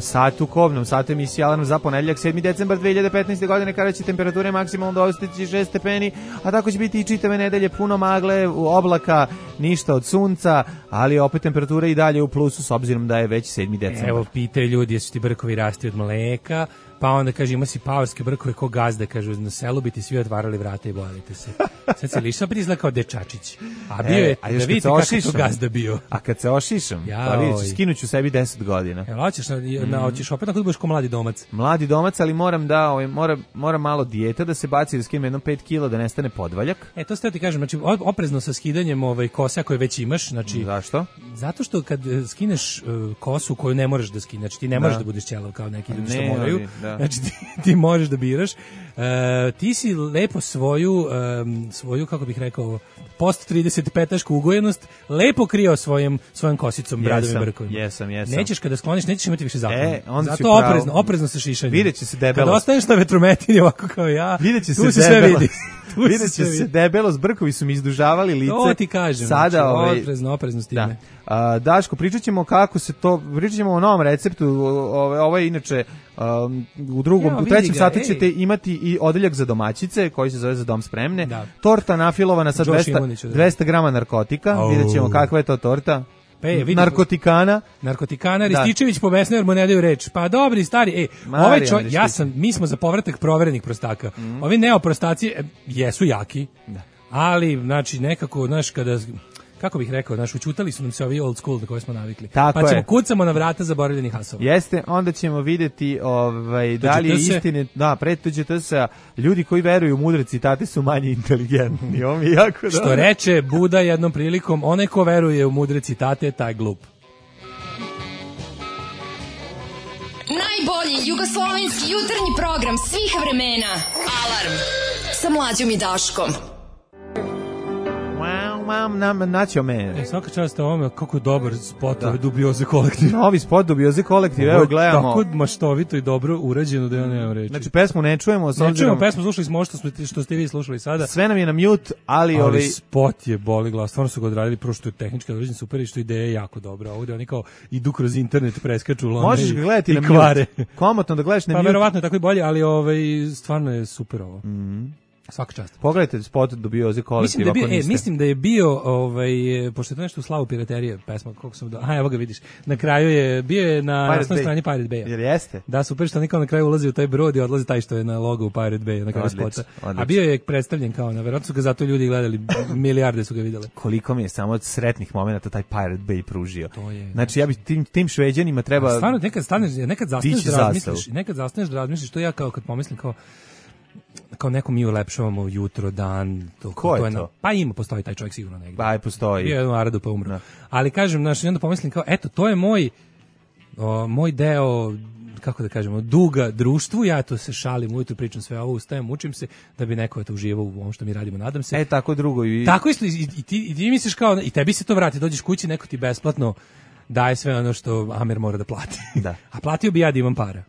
satu, kobnom satu emisije Alarm za ponedeljak sedmi decembar dve hiljade petnaeste. godine, kada će temperature maksimalno dostići šest stepeni, a tako će biti i čitave nedelje, puno magle, oblaka, ništa od sunca, ali opet temperatura i dalje u plusu s obzirom da je već sedmi decembar. Evo, pitaju ljudi, jesu ti brkovi rasti od mleka, pa onda kaže, ima si paorske brkove ko gazda, kaže, na selu bi ti svi otvarali vrata i bojite se. Sad se liša prizla kao dečačić. A bio je, e, da vidite kako to gazda bio. A kad se ošišam, ja, pa vidiš, skinuću sebi deset godina. Evo, hoćeš, na, na, hoćeš opet na kod budeš ko mladi domac. Mladi domac, ali moram da, ovaj, moram, moram malo dijeta da se baci, da skinem jedno pet kila, da nestane podvaljak. E, to ste ti kažem, znači, oprezno sa skidanjem ovaj, kosa koje već imaš. Znači, zašto? Zato što kad skineš uh, kosu koju ne možeš da skineš, znači ti ne možeš da, da budeš ćelav kao neki ljudi što moraju, da. Znači ti, ti možeš da biraš. Uh, ti si lepo svoju, um, svoju, kako bih rekao, post trideset petašku ugojenost lepo krio svojim, svojom kosicom, bradom i brkovima. Jesam, jesam. Nećeš kada skloniš, nećeš imati više zakona. E, zato oprezno, oprezno sa šišanjem. Vidjet će se debelost. Kada ostaneš na vetrometini ovako kao ja, vidjet će tu se, se sve vidi. Vidjet će se debelost, brkovi su mi izdužavali lice. To ti kažem, sada, znači, ovaj, oprezno, oprezno s time. Da. A, Daško, pričat ćemo kako se to, pričat ćemo o novom receptu, ovo, ovo je inače um, u drugom, ja, u trećem ga, satu ej. ćete imati i odeljak za domaćice koji se zove Za dom spremne, da. Torta nafilovana sa dvesta, dvesta grama narkotika, oh. Vidjet ćemo kakva je to torta. Pa je, vidim, narkotikana. Narkotikana, Rističević po besne jer mu ne daju reč. Pa dobri, stari, ej, ovaj čo, ja sam, mi smo za povratak proverenih prostaka. Mm. Ovi neoprostaci e, jesu jaki. Da. Ali, znači, nekako, znaš, kada... Kako bih rekao, znaš, učutali su nam se ovi old school na koje smo navikli. Tako pa ćemo je. kucamo na vrata zaboravljenih hasova. Jeste, onda ćemo vidjeti ovaj, da li je istine, da, pred T G T S-a, ljudi koji veruju u mudre citate su manje inteligentni. Ovo mi je jako dobro. Što reče Buda jednom prilikom, onaj ko veruje u mudre citate, taj glup. Najbolji jugoslovenski jutarnji program svih vremena. Alarm sa Mlađom i Daškom. Mam nam naćo me. E, svaka čast ovome, kako je dobar spot, ove Dubioze kolektiv. Novi spot Dubioze kolektiv, evo gledamo. Tako maštovito i dobro urađeno da ja nemam reći. Znači pesmu ne čujemo. Ne čujemo pesmu, slušali smo što, smo, što ste vi slušali sada. Sve nam je na mute, ali... Ali ovaj... spot je boli glas, stvarno su ga odradili, prvo što je tehnički određen super i što ideja je jako dobra. Ovdje oni kao idu kroz internet, preskaču lone možeš ga gledati i na kvare. Mute. Komotno da gledaš na pa, mute. Pa verovatno je tako i bolje, ali ovaj, stvarno je super ovo. Mhm. Svaka čast. Pogledajte spot Dubioze kolektiv. Mislim da, bio, e, mislim da je bio, ovaj, pošto je to nešto u slavu piraterije, pesma, koliko sam do... Aha, evo ga vidiš. Na kraju je, bio je na nasnoj strani Pirate Bay. Jer jeste? Da, super što nikao na kraju ulazi u taj brod i odlazi taj što je na logo u Pirate Bay, na kraju spota. A bio je predstavljen kao na, verovatno su ga zato ljudi gledali, milijarde su ga vidjeli. Koliko mi je samo od sretnih momenata taj Pirate Bay pružio. To je. Znači, ja bih tim, tim Šveđanima treba... A stvarno, nekad staneš, nekad zastaneš da razmisliš, nekad zastaneš da razmisliš, to ja kao kad pomislim kao kao neko mi ulepšavamo jutro, dan, to, ko je to? Je to? Na, pa ima, postoji taj čovjek sigurno negdje. Pa postoji. Bio je u Aradu pa umro. No. Ali kažem, znaš, onda pomislim kao, eto, to je moj, o, moj deo, kako da kažemo, duga društvu, ja to se šalim, ujutro pričam sve ovo, ustajem, učim se, da bi neko eto uživao u ovom što mi radimo, nadam se. E, tako drugo. I... Tako isto, i, i, ti, i ti misliš kao, i tebi se to vrati, dođeš kući, neko ti besplatno daje sve ono što Amer mora da plati. Da. A platio bi ja da imam para.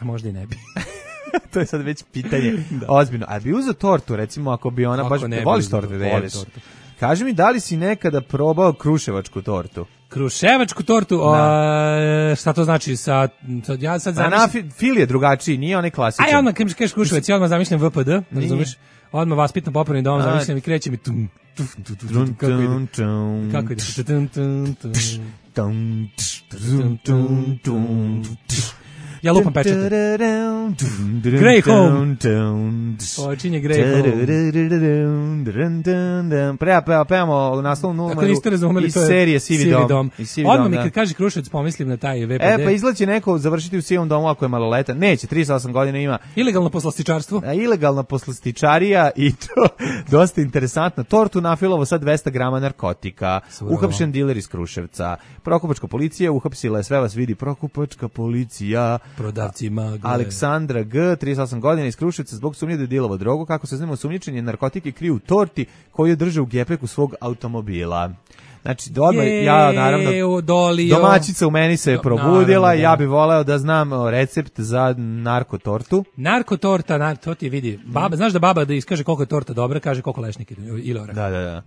A možda i ne bi. To je sad već pitanje. Ozbiljno. A bi uzeo tortu, recimo, ako bi ona... Kako baš ne, voliš tortu da jedeš? Kaži mi, da li si nekada probao kruševačku tortu? Kruševačku tortu? O, šta to znači? Sa, sa, ja sad zamišljam... A na fil je drugačiji, nije onaj klasičan. Aj, odmah kažeš Kruševac, ja odmah zamišljam V P D, razumiješ? Odmah vaspitno popravni dom, zamišljam i krećem i tum, tum, tum, tum, kako ide? Kako ide? Tum, tum, ja lupam pečete. Grey Home. Počinje Grey Home. Prema, prema, prema naslovnu numeru iz serije Sivi dom. Odmah mi kad kaže Kruševac pomislim na taj V P D. E, pa izlaće neko završiti u Sivom domu ako je maloletan. Neće, trideset osam godina ima. Ilegalno poslastičarstvo. A, ilegalna poslastičarija i to dosta interesantno. Tortu nafilovo sa dvesta grama narkotika. Uhapšen diler iz Kruševca. Prokupačka policija uhapsila je, sve vas vidi, Prokupačka policija. Prodavci magle. Aleksandra G, trideset osam godina iz Kruševca, zbog sumnje da je dilovo drogu, kako se znamo, osumnjičen je narkotike kriju u torti koju je držao u gepeku svog automobila. Znači, odmah, ja naravno, dolio. domaćica u meni se je probudila, naravno, ja bih voleo da znam recept za narkotortu. Narkotorta, nar, to ti vidi. Baba, znaš da baba da iskaže koliko je torta dobra, kaže koliko lešnik ili orah. Da, da, da.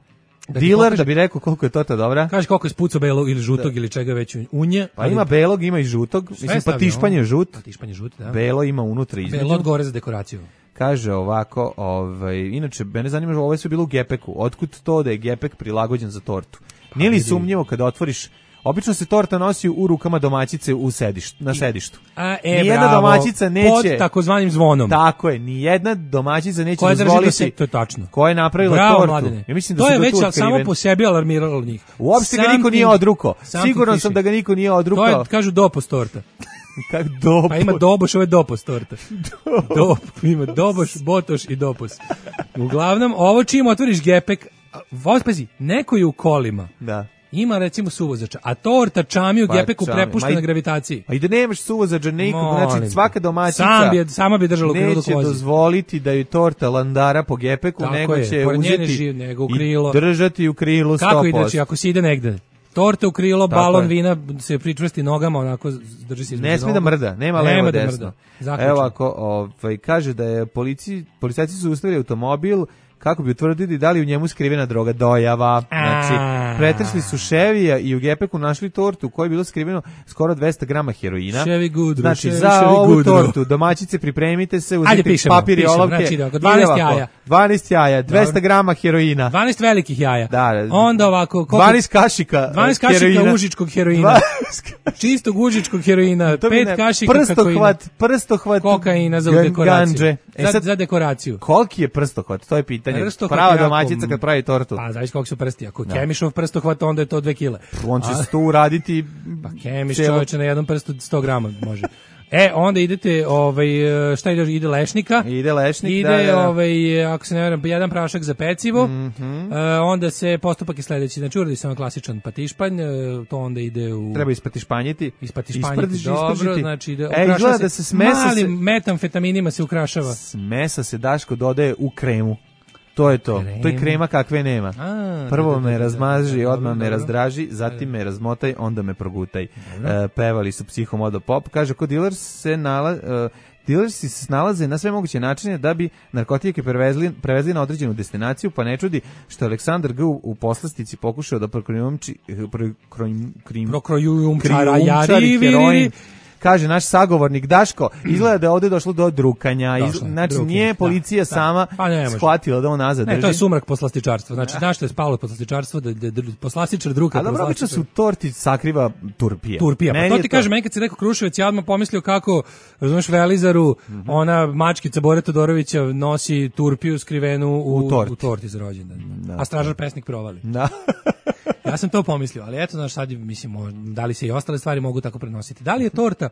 Da diler pokaže, da bi rekao koliko je torta dobra. Kaže koliko je spucao belog ili žutog da. Ili čega već unje. Pa ali... ima belog, ima i žutog. Mislim, pa tišpanje žut. Pa tišpanje žut, da. Belo ima unutra između. Belo odgore za dekoraciju. Kaže ovako, ovaj, inače, mene zanima, ove su bilo u gepeku. Otkud to da je gepek prilagođen za tortu? Pa, nije li sumnjivo kada otvoriš... Obično se torta nosi u rukama domaćice u sedištu, na sedištu. A, e, nijedna bravo, domaćica neće... pod takozvanim zvonom. Tako je, nijedna domaćica neće koja dozvoliti... Se, to je tačno. Koja je napravila bravo, tortu. Mladene. Ja mislim da to je već otkriven. Samo po sebi alarmiralo njih. Uopšte something, ga niko nije odrukao. Siguran sam da ga niko nije odrukao. To je, kažu, dopos torta. Kak dopos? Pa ima doboš, ovo je dopos torta. Dop, ima doboš, botoš i dopos. Uglavnom, ovo čim otvoriš gepek, pazi, neko je u kolima. Da. Ima recimo suvozača, a torta čami u pa, gepeku prepušta na gravitaciji. A i da nemaš suvozača nikog, znači svaka domaćica Sam bi, sama bi držala u krilu neće dozvoliti da ju torta landara po gepeku, tako nego je, će uzeti živ, nego u krilo. I držati u krilu sto posto. Kako ide, znači, ako si ide negde, torta u krilo, tako balon je. Vina se pričvrsti nogama, onako drži se između. Ne smije da mrda, nema levo nema desno. Da Evo ako ovaj, kaže da je policiji, policajci su ustavili automobil kako bi utvrdili da li u njemu skrivena droga dojava. Znači, pretresli su Chevija i u gepeku našli tortu u kojoj je bilo skriveno skoro dvesta grama heroina. Chevy Goodru. Znači, Chevy, za Chevy ovu Goodru. tortu, domaćice, pripremite se, uzeti pišemo, papir i pišemo, olovke. znači, ide dvanaest jaja. dvanaest jaja, dvesta grama heroina. dvanaest velikih jaja. Da, onda ovako... Koliko, dvanaest kašika dvanaest kašika heroina. užičkog heroina. Čistog užičkog heroina. pet kašika prstohvat, prstohvat kokaina za dekoraciju. Ganđe. E za, sad, za dekoraciju. Koliki je prstohvat? To je pitanje. Prstohvat Prava jako, domaćica kad pravi tortu. Pa, zavisi koliko su prsti. Ako Kemišov prstohvat, onda je to dve kile. On će se to uraditi... Pa Kemiš čovječe na jednom prstu sto grama može. E, onda idete, ovaj, šta ide, ide lešnika. Ide lešnik, ide, da, da. Ovaj, ako se ne veram, jedan prašak za pecivo. Mm -hmm. e, onda se postupak je sledeći. Znači, uradi se ono klasičan patišpanj, to onda ide u... Treba ispatišpanjiti. Ispatišpanjiti, dobro. Isprditi. Znači, ide, e, izgleda da se smesa malim se... metamfetaminima se ukrašava. Smesa se, Daško, dodaje u kremu. To je to. Krem. To je krema kakve nema. A, Prvo da, da, me da, razmaži, da, odmah dobro, me dobro. razdraži, zatim me razmotaj, onda me progutaj. E, pevali su Psihomodo Pop. Kaže, kod dealers se nalazi... E, Dilersi se snalaze na sve moguće načine da bi narkotike prevezli, prevezli na određenu destinaciju, pa ne čudi što Aleksandar G. u poslastici pokušao da prokrojumči prokrojumčari heroin. Kaže naš sagovornik Daško, izgleda da je ovde došlo do drukanja. Iz, znači drukanja, nije policija da, sama da. Pa shvatila da on nazad ne, drži. To je sumrak poslastičarstva. Znači, da. Znaš što je spalo poslastičarstvo, da, da, da poslastičar druka. A dobro, obično se u torti sakriva turpija. Turpija, pa to ti kaže, meni kad si rekao Kruševac, ja odmah pomislio kako, razumiješ, Velizaru, mm -hmm. ona mačkica Bore Todorovića nosi turpiju skrivenu u, u, torti. u torti za rođendan. Da. A stražar pesnik provali. Da. Ja sam to pomislio, ali eto, znaš, sad, mislim, da li se i ostale stvari mogu tako prenositi. Da li je torta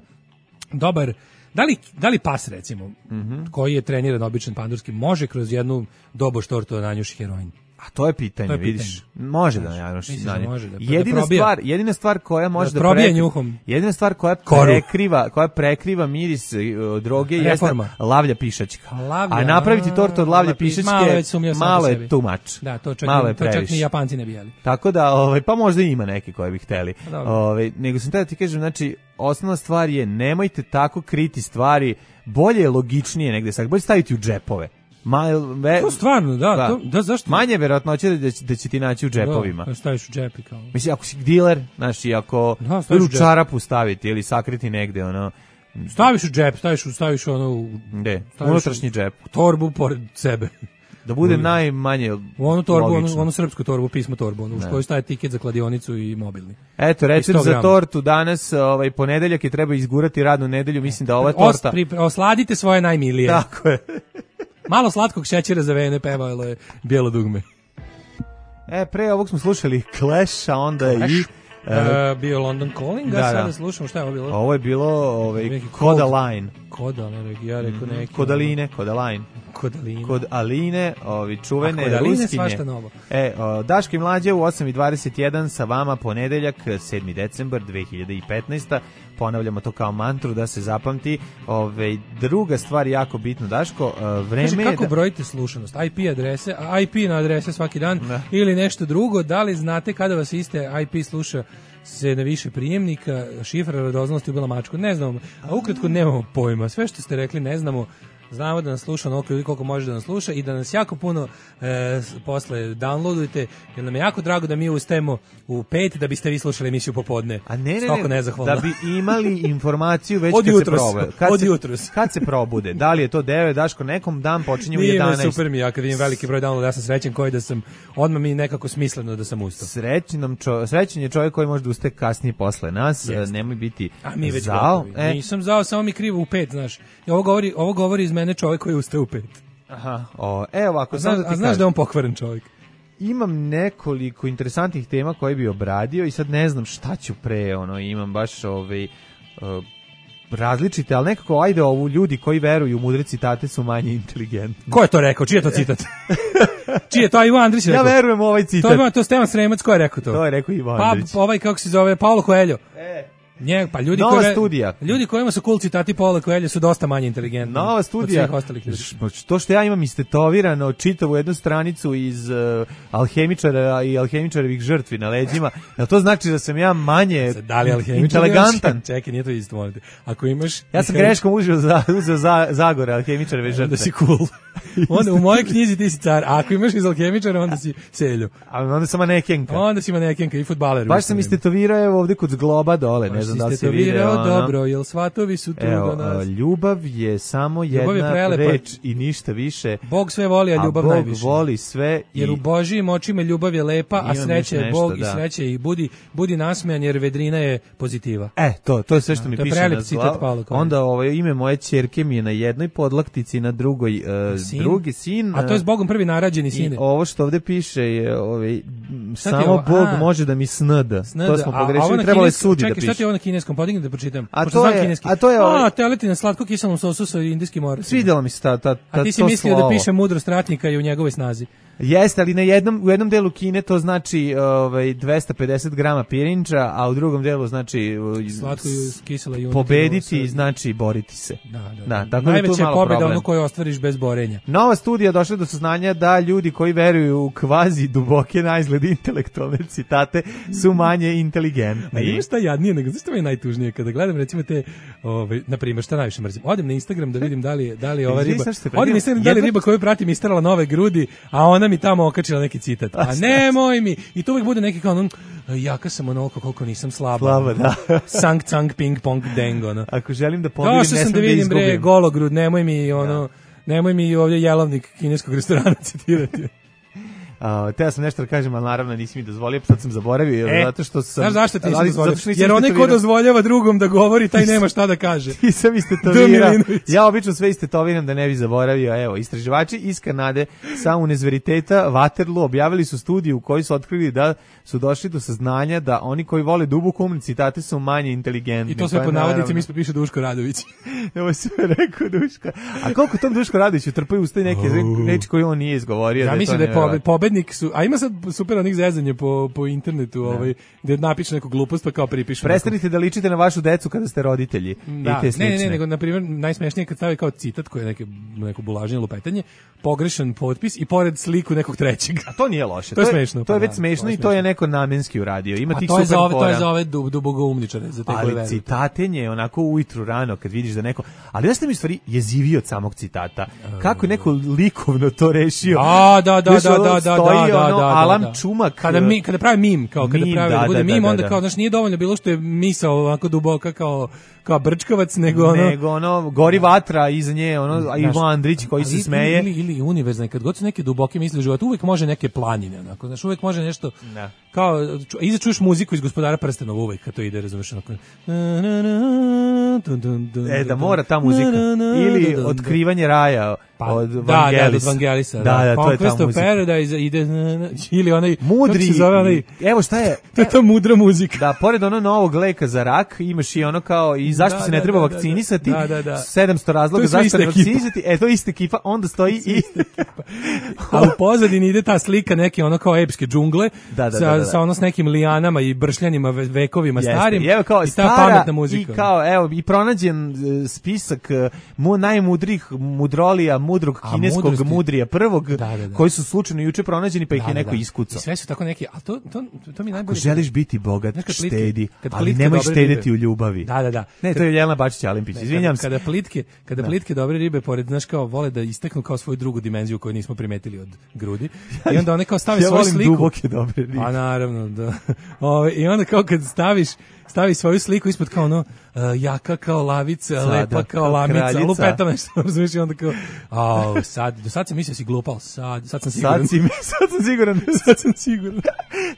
dobar, da li, da li pas, recimo, mm -hmm. koji je treniran običan pandurski, može kroz jednu doboš tortu da nanjuši heroin? A to je pitanje, to je vidiš. Pitanje. Može da nanjuši. Da, da, jedina da stvar, jedina stvar koja može da, da probije njuhom. Jedina stvar koja Koru. prekriva, koja prekriva miris uh, droge jeste lavlja pišačka. Lavlja, a napraviti tortu od lavlje pišačke malo je too much. Da, to čak, malo je to čak ni Japanci ne bi jeli. Tako da, ovaj, pa možda ima neki koji bi hteli. Ovaj, nego sam tada ti kažem, znači, osnovna stvar je nemojte tako kriti stvari, bolje je logičnije negde, sad bolje staviti u džepove. Ma, ve, to stvarno, da, da. To, da zašto? Manje verovatnoće da će, da će ti naći u džepovima. Da, staviš u džepi kao. Mislim, ako si diler, znaš, i ako da, u čarapu staviti ili sakriti negde, ono... Staviš u džep, staviš, u, staviš ono... U, Gde? Unutrašnji džep. U torbu pored sebe. Da bude najmanje u onu torbu, onu, onu srpsku torbu, pismo torbu, onu, u kojoj staje tiket za kladionicu i mobilni. Eto, recept za tortu danas, ovaj ponedeljak je treba izgurati radnu nedelju, mislim da ova torta... Os, osladite svoje najmilije. Tako je. Malo slatkog šećera za vene pevalo je Bijelo dugme. E, pre ovog smo slušali Clash, a onda Clash. i... Uh, bio London Calling, a da, sada da. slušamo šta je ovo bilo? Ovo je bilo ovaj, Kodaline. Kodaline, ja rekao neki. Kodaline, Kodaline. Kodaline. Kod Aline, ovi čuvene a, Kodaline ruskinje. Svašta novo. E, o, Daško i Mlađe u osam i dvadeset jedan sa vama ponedeljak, sedmi decembar dve hiljade petnaeste. Ponavljamo to kao mantru da se zapamti. Ove, druga stvar jako bitno, Daško, vreme Kaži, kako da... brojite slušanost? I P adrese, I P na adrese svaki dan da. ili nešto drugo, da li znate kada vas iste I P sluša se na više prijemnika, šifra radoznalosti ubila mačku, ne znamo, a ukratko nemamo pojma, sve što ste rekli ne znamo. Znamo da nas sluša onoliko ljudi koliko može da nas sluša i da nas jako puno e, posle downloadujete, jer nam je jako drago da mi ustajemo u pet da biste vi slušali emisiju popodne. A ne, ne, Stoko ne, nezahvalno. da bi imali informaciju već od kad jutros, se probe. Kad od se, jutros. Kad se probude, da li je to devet, Daško, nekom dan počinje u jedanaest. Nije super mi, ja kad vidim veliki broj downloada, ja sam srećen koji da sam, odmah mi nekako smisleno da sam ustao. Srećen, čo, srećen je čovjek koji može da ustaje kasnije posle nas, yes. Nemoj biti A mi već zao. E. Nisam zao, samo mi krivo u pet, znaš. I ovo govori, ovo govori iz mene čovjek koji ustaje u pet. Aha, o, evo ovako. A znaš, da, a znaš da je on pokvaren čovjek? Imam nekoliko interesantnih tema koje bi obradio i sad ne znam šta ću pre, ono, imam baš ovaj, uh, različite, ali nekako, ajde ovu, ljudi koji veruju u mudre citate su manje inteligentni. Ko je to rekao? Čiji je to citat? Čiji je to? Ivo Andrić rekao? Ja verujem u ovaj citat. To je, to Stevan Sremac, ko je rekao to? To je rekao Ivo Andrić. Pa, ovaj, kako se zove, Paulo Coelho. E. Nje, pa ljudi Nova koji, studija. Ljudi kojima su cool citati Paula Coelho su dosta manje inteligentni. Nova studija. To što ja imam istetovirano čitavu jednu stranicu iz uh, alhemičara i alhemičarevih žrtvi na leđima, jel to znači da sam ja manje da li inteligentan? Čekaj, nije to isto, molite. Ako imaš... Ja sam greškom uzeo za, uzeo za Zagore, alhemičareve žrtve. Onda si cool. Onda u mojoj knjizi ti si car, a ako imaš iz alhemičara, onda si selju. A onda sam manekenka. Onda si manekenka i fudbaler. Baš sam istetovirao evo ovde kod zgloba dole, ne znam da li si video. Ono. Dobro, jel svatovi su tu evo, do nas? Ljubav je samo jedna je reč i ništa više. Bog sve voli, a ljubav a Bog najviše. Bog voli sve. Jer i... u Božijim očima ljubav je lepa, a sreća je Bog da. I sreća i budi, budi nasmejan jer vedrina je pozitiva. E, to, to je sve što da, mi to piše na zglav. Onda ovo, ime moje ćerke mi je na jednoj podlaktici, na drugoj uh, sin? drugi sin. A to je s Bogom prvi narađeni sin. I ovo što ovde piše je ovaj, samo ovo? Bog a, može da mi snada. snada. To smo pogrešili, trebalo je sudi da piše. Čekaj, šta ti je ovo na kineskom? Podigni da pročitam. A to je, a to je ovaj... A, teleti na slatko kiselom sosu sa indijskim oracima. Svidjelo mi se ta, ta, ta, a ti si mislio da piše mudrost ratnika i u njegovoj snazi. Jeste, ali na jednom, u jednom delu Kine to znači ovaj, dvesta pedeset grama pirinča, a u drugom delu znači slatko kisela i pobediti znači boriti se. Da, da, da. da tako najveća je pobjeda ono koju ostvariš bez borenja. Nova studija došla do saznanja da ljudi koji veruju u kvazi duboke na izgled intelektualne citate su manje inteligentni. A ima šta jadnije, nego zašto mi je najtužnije kada gledam recimo te, ovaj, na primjer, šta najviše mrzim. Odem na Instagram da vidim da li, da li ova riba, odem na Instagram da li riba koju pratim isterala nove grudi, a ona mi tamo okačila neki citat. A nemoj mi. I to uvijek bude neki kao ono, jaka sam onoliko koliko nisam slaba. Slaba, da. Sang, cang, ping, pong, deng, ono. Ako želim da pobirim, ne sam da vidim, izgubim. bre, gologrud, nemoj mi, ono, ja. nemoj mi ovdje jelovnik kineskog restorana citirati. Uh, te ja sam nešto da kažem, ali naravno nisi mi dozvolio, sad sam zaboravio, e, zato što sam... Znaš zašto ti nisi dozvolio? Jer onaj ko dozvoljava drugom da govori, taj nema šta da kaže. Ti sam istetovirao. Ja obično sve istetoviram da ne bi zaboravio. Evo, istraživači iz Kanade sa Univerziteta Waterloo objavili su studiju u kojoj su otkrili da su došli do saznanja da oni koji vole duboku umne citate su manje inteligentni. I to sve po navodnicima ispod piše Duško Radović. Evo sve rekao Duško. A koliko tom Duško Radović utrpaju usta neke reči koje on nije izgovorio? Ja mislim da je pobednik su, a ima sad super onih zezanja po, po internetu, ne. ovaj, gde napišu neku glupost pa kao pripišu. Prestanite da ličite na vašu decu kada ste roditelji. Da, I te ne, ne, ne, nego na primjer najsmešnije kad stavi kao citat koji je neke, neko bulaženje, lupetanje, pogrešan potpis i pored sliku nekog trećeg. A to nije loše. To je smešno. To je već smešno i to je neko namenski uradio. Ima tih super fora. To je za ove dubogoumničare, za te koji veruju. Ali citatenje onako ujutru rano kad vidiš da neko, ali jeste mi stvari jezivi od samog citata. Kako je neko likovno to rešio. A, da, da, da, da, da, da, da, ono, da, Alam da. Čumak. Kada mi kada pravi mim, kao kada mim, pravi da, da bude da, mim, da, onda da. kao znači nije dovoljno bilo što je misao ovako duboka kao kao brčkavac, nego ono nego ono gori vatra iza nje, ono a Ivo Andrić koji se smeje ili ili univerzalni kad god su neke duboke misli u životu, uvek može neke planine, onako, znači uvek može nešto da. Kao iza čuješ muziku iz Gospodara prstenova uvek kad to ide, razumeš, onako. E da mora ta muzika ili Otkrivanje raja pa, od da, Vangelis. Da, Vangelisa. Da, da, da, to je ta muzika. Paradise ide ili onaj mudri. Zove, onaj, evo šta je? To je ta mudra muzika. Da, pored ono novog leka za rak, imaš i ono kao i zašto da, se ne da, treba da, vakcinisati. Da, da, da. sedamsto razloga zašto ne vakcinisati. E, to je ista ekipa, onda stoji i a u pozadini ide ta slika neke ono kao epske džungle da, da, sa, da, da. sa ono s nekim lijanama i bršljanima vekovima Jeste. starim. I evo kao i ta stara pametna muzika. I kao, evo, i pronađen uh, spisak uh, mu najmudrih mudrolija, mudrog kineskog mudrosti. Mudrija prvog, da, da, da. koji su slučajno juče pronađeni, pa ih da, je neko da, da. iskucao. I sve su tako neki, a to, to, to mi najbolje... Ako želiš biti bogat, plitke, štedi, ali nemoj štedeti ribe. U ljubavi. Da, da, da. Ne, to je Jelena Bačić-Alimpić, izvinjam se. Kada plitke, kada da. plitke dobre ribe, pored, znaš, kao vole da isteknu kao svoju drugu dimenziju koju nismo primetili od grudi, i onda one kao stave ja svoju sliku. Ja volim duboke dobre ribe. A naravno, da. Ove, I onda kao kad staviš, stavi svoju sliku ispod kao ono, uh, jaka kao lavica, sada, lepa kao, kao lamica, lupeta nešto, razumiješ, i onda kao, au, sad, do sad sam mislio si glupal, sad, sad sam siguran. Sad, si, sad sam siguran. sad sam siguran.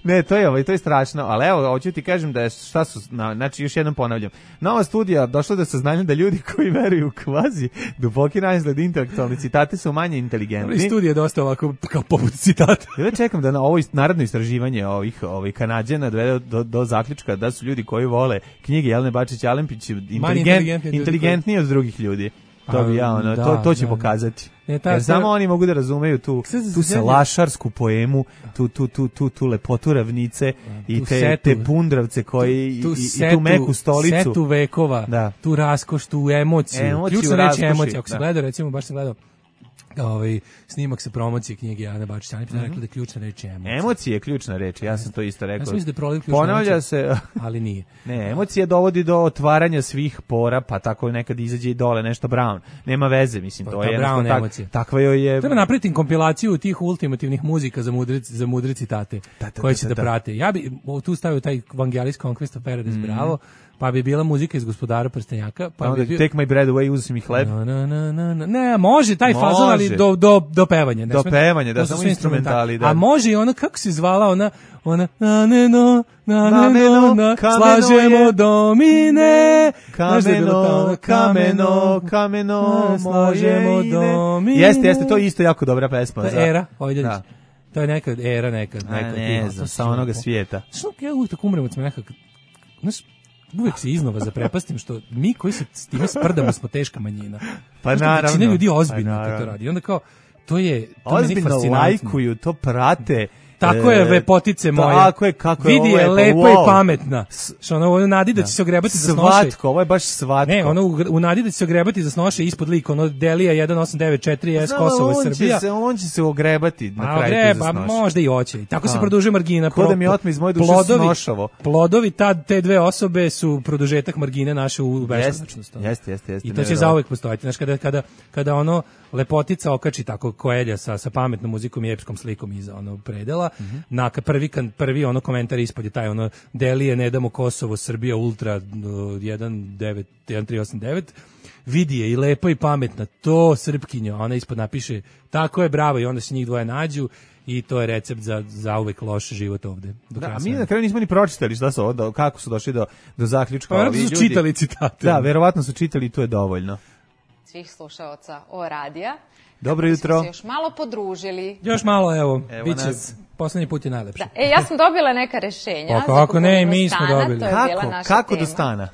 Ne, to je ovo, to je strašno, ali evo, hoću ti kažem da je, šta su, na, znači, još jednom ponavljam, nova studija došla do saznanja da ljudi koji veruju u kvazi duboki naizgled intelektualni citate su manje inteligentni. Ali studija je dosta ovako, kao poput citata. Ja čekam da na ovo narodno istraživanje ovih, ovih Kanađana dovede do, do zaključka da su ljudi koji vole knjige Jelene Bačić-Alimpić inteligent, inteligentniji od drugih ljudi. To bi ja, ono, da, to, to će da, pokazati. Ne, ta, Jer samo oni mogu da razumeju tu, tu salašarsku poemu, tu, tu, tu, tu, tu lepotu ravnice i te, setu, te pundravce koji tu, tu i, setu, i tu meku stolicu. Setu vekova, da. Tu raskoš, tu emociju. emociju Ključna reč je emocija. Ako se gledao, recimo, baš se gledao ovaj snimak sa promocije knjige Ane Bačić, Ane mm-hmm. rekla da je ključna reč je emocija. Emocija je ključna reč, ja sam to isto rekao. Ja mislim da je proliv ključna Ponavlja reč, se, ali nije. Ne, emocija dovodi do otvaranja svih pora, pa tako nekad izađe i dole nešto Brown. Nema veze, mislim, pa, to je Brown tak, emocija. Takva joj je. Treba napraviti kompilaciju tih ultimativnih muzika za mudre za mudre citate da, da, koje će da, da, da prate. Ja bi tu stavio taj Vangelis Conquest of Paradise, mm. bravo. Pa bi bila muzika iz Gospodara prstenjaka, pa bi bio... Take my bread away, uzeo mi hleb. No, no, no, no, no. Ne, može taj može. fazon, ali do, do, do pevanja. Ne do sme... pevanja, da, samo instrumentali. Da. A može i ono, kako se zvala ona, ona, na ne no, na ne no, na, slažemo domine. Kameno, kameno, kameno, slažemo domine. Jeste, jeste, to je isto jako dobra pesma. To je era, Ojdanić. To je neka era, neka. neka ne znam, sa onoga svijeta. Što ja uvijek tako umrem od smeha, znaš, uvek se iznova zaprepastim što mi koji se s time sprdamo smo teška manjina. Pa naravno. Većina ljudi ozbiljno pa to radi. I onda kao, to je, to ozbiljno lajkuju, to prate. Tako je, lepotice moje. Tako je, kako je vidi je lepo wow. i pametna. Što ono u nadi da će se ogrebati za snoše. Svatko, ovo je baš svatko. Ne, ono u, u nadi da će se ogrebati za snoše ispod lik, ono Delija jedan osam devet četiri S Kosovo i Srbija. Se, on će se ogrebati na kraju ogreba, za snoše. Možda i hoće. Tako A. se produžuje margina. Ko da mi otme iz moje duše plodovi, snošavo. Plodovi tad, te dve osobe su produžetak margine naše u beskonačnost. Jeste, jeste, jeste. I to će zauvek postojati. Znaš, kada, kada, kada ono lepotica okači tako Koelja sa, sa pametnom muzikom i epskom slikom iza ono predela, mm-hmm. na prvi, prvi ono komentar ispod je taj ono Delije, ne damo Kosovo, Srbija, Ultra jedan devet jedan tri osam devet, vidi je i lepa i pametna, to Srpkinja, ona ispod napiše, tako je, bravo, i onda se njih dvoje nađu i to je recept za, za uvek loš život ovde. Da, a mi na kraju nismo ni pročitali šta su ovo, kako su došli do, do zaključka. Pa ovi su ljudi čitali citate. Da, verovatno su čitali i to je dovoljno. Svih slušaoca o radija. Dobro jutro. Se još malo podružili. Još malo, evo, evo biće, nas. Poslednji put je najlepši. Da, e, ja sam dobila neka rešenja. Pa kako ne, mi smo dobili. Kako, kako do stana?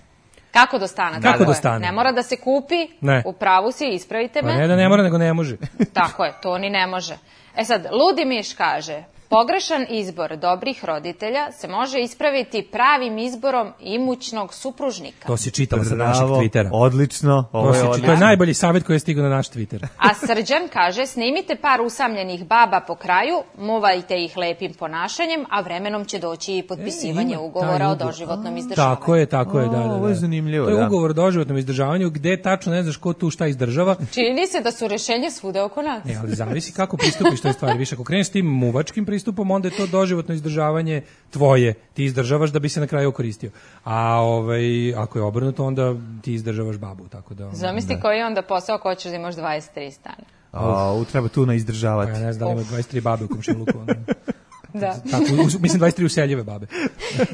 Kako do stana? Kako tako do je. stana? Ne mora da se kupi, ne. U pravu si, ispravite me. Pa ne da ne mora, nego ne može. Tako je, to ni ne može. E sad, Ludi Miš kaže, pogrešan izbor dobrih roditelja se može ispraviti pravim izborom imućnog supružnika. To si čitala sa našeg Twittera. Odlično. Ovo je, to je najbolji savjet koji je stigao na naš Twitter. A Srđan kaže, snimite par usamljenih baba po kraju, muvajte ih lepim ponašanjem, a vremenom će doći i potpisivanje e, ugovora o doživotnom izdržavanju. Tako je, tako je, da, da, da. Ovo je zanimljivo, to je da. ugovor o doživotnom izdržavanju gde tačno ne znaš ko tu šta izdržava. Čini se da su rešenje svude oko nas. Ne, ali zavisi kako pristupiš toj stvari. Više, ako kreneš s tim muvačkim pristupom, onda je to doživotno izdržavanje tvoje. Ti izdržavaš da bi se na kraju okoristio. A ovaj, ako je obrnuto, onda ti izdržavaš babu. Tako da, zamisli koji je onda posao ko ćeš da imaš dvadeset tri stana. A, treba tu na izdržavati. Pa ja ne znam da ima dvadeset tri babe u komšiluku. Da. Tako, mislim dvadeset tri useljive babe.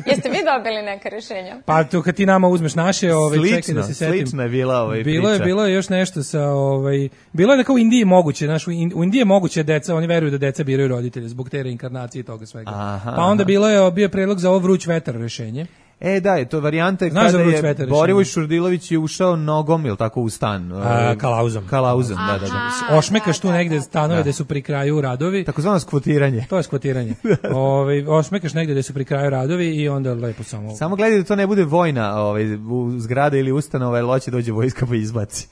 Jeste vi dobili neka rešenja? Pa to kad ti nama uzmeš naše, ovaj slično, čekaj da se setim. Slično je bila ovaj bilo priča. Je bilo je još nešto sa ovaj bilo je da kao u Indiji moguće, znaš, u Indiji je moguće deca, oni veruju da deca biraju roditelje zbog te reinkarnacije i toga svega. Aha, pa onda aha. bilo je bio predlog za ovo vruć vetar rešenje. E da, je to varijanta je kada je Borivoj Šurdilović je ušao nogom, ili tako, u stan. A, kalauzom. Kalauzom, da, da, da. Ošmekaš tu negde stanove gde su pri kraju radovi. Takozvano skvotiranje. To je skvotiranje. Ovaj ošmekaš negde gde su pri kraju radovi i onda lepo samo. Samo gledaj da to ne bude vojna, ovaj u zgrada ili ustanova, jer hoće dođe vojska pa izbaci.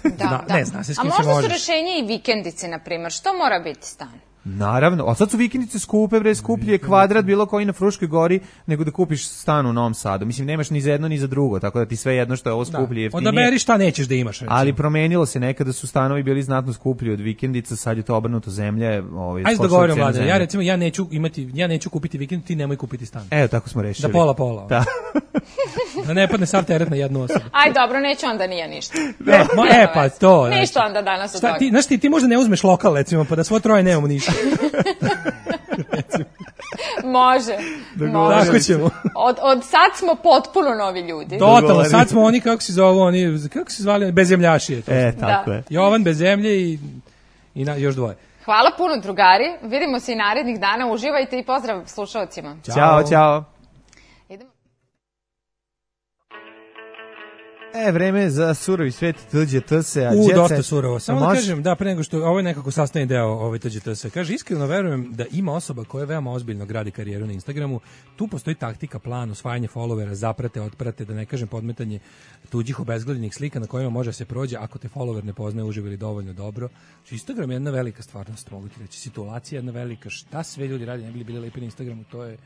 Da, da. Ne zna se s kim se možeš. A možda su rešenje i vikendice, na primjer. Što mora biti stan? Naravno, a sad su vikendice skupe, bre, skuplje kvadrat bilo koji na Fruškoj gori nego da kupiš stan u Novom Sadu. Mislim, nemaš ni za jedno ni za drugo, tako da ti sve jedno što je ovo skuplje, jeftinije. Odaberi šta nećeš da imaš. Recimo. Ali promenilo se, nekada su stanovi bili znatno skuplji od vikendica, sad je to obrnuto, zemlje. Ovaj, ajde da govorim, Vlade, ja recimo, ja neću, imati, ja neću kupiti vikendicu, ti nemoj kupiti stan. Evo, tako smo rešili. Da pola pola. Da. Da ne padne sav teret na jednu osobu. Aj, dobro, neću onda nije ništa. E, mo, e pa to. Ništa onda danas od toga. Ti, znaš ti, ti možda ne uzmeš lokal, recimo, pa da svo troje nemamo ništa. Može. Može. Tako ćemo. Od, od sad smo potpuno novi ljudi. Totalno, sad smo oni, kako se zovu, oni, kako se zvali, bezemljaši. E, tako da. je. Jovan bez zemlje i, i na, još dvoje. Hvala puno, drugari. Vidimo se i narednih dana. Uživajte i pozdrav slušalcima. Ćao, ćao. E, vreme za surovi svet T Đ T S-a. U, dosta surovo. Samo da kažem, da, pre nego što, ovo je nekako sastavni deo ovaj T Đ T S-a. Kaže, iskreno verujem da ima osoba koja veoma ozbiljno gradi karijeru na Instagramu. Tu postoji taktika, plan, osvajanje followera, zaprate, otprate, da ne kažem podmetanje tuđih obezgledanih slika na kojima može se prođe ako te follower ne poznaje uživo ili dovoljno dobro. Instagram je jedna velika stvarnost, mogu ti reći. Situacija je jedna velika. Šta sve ljudi radi, ne bili bili lepi na Instagramu, to je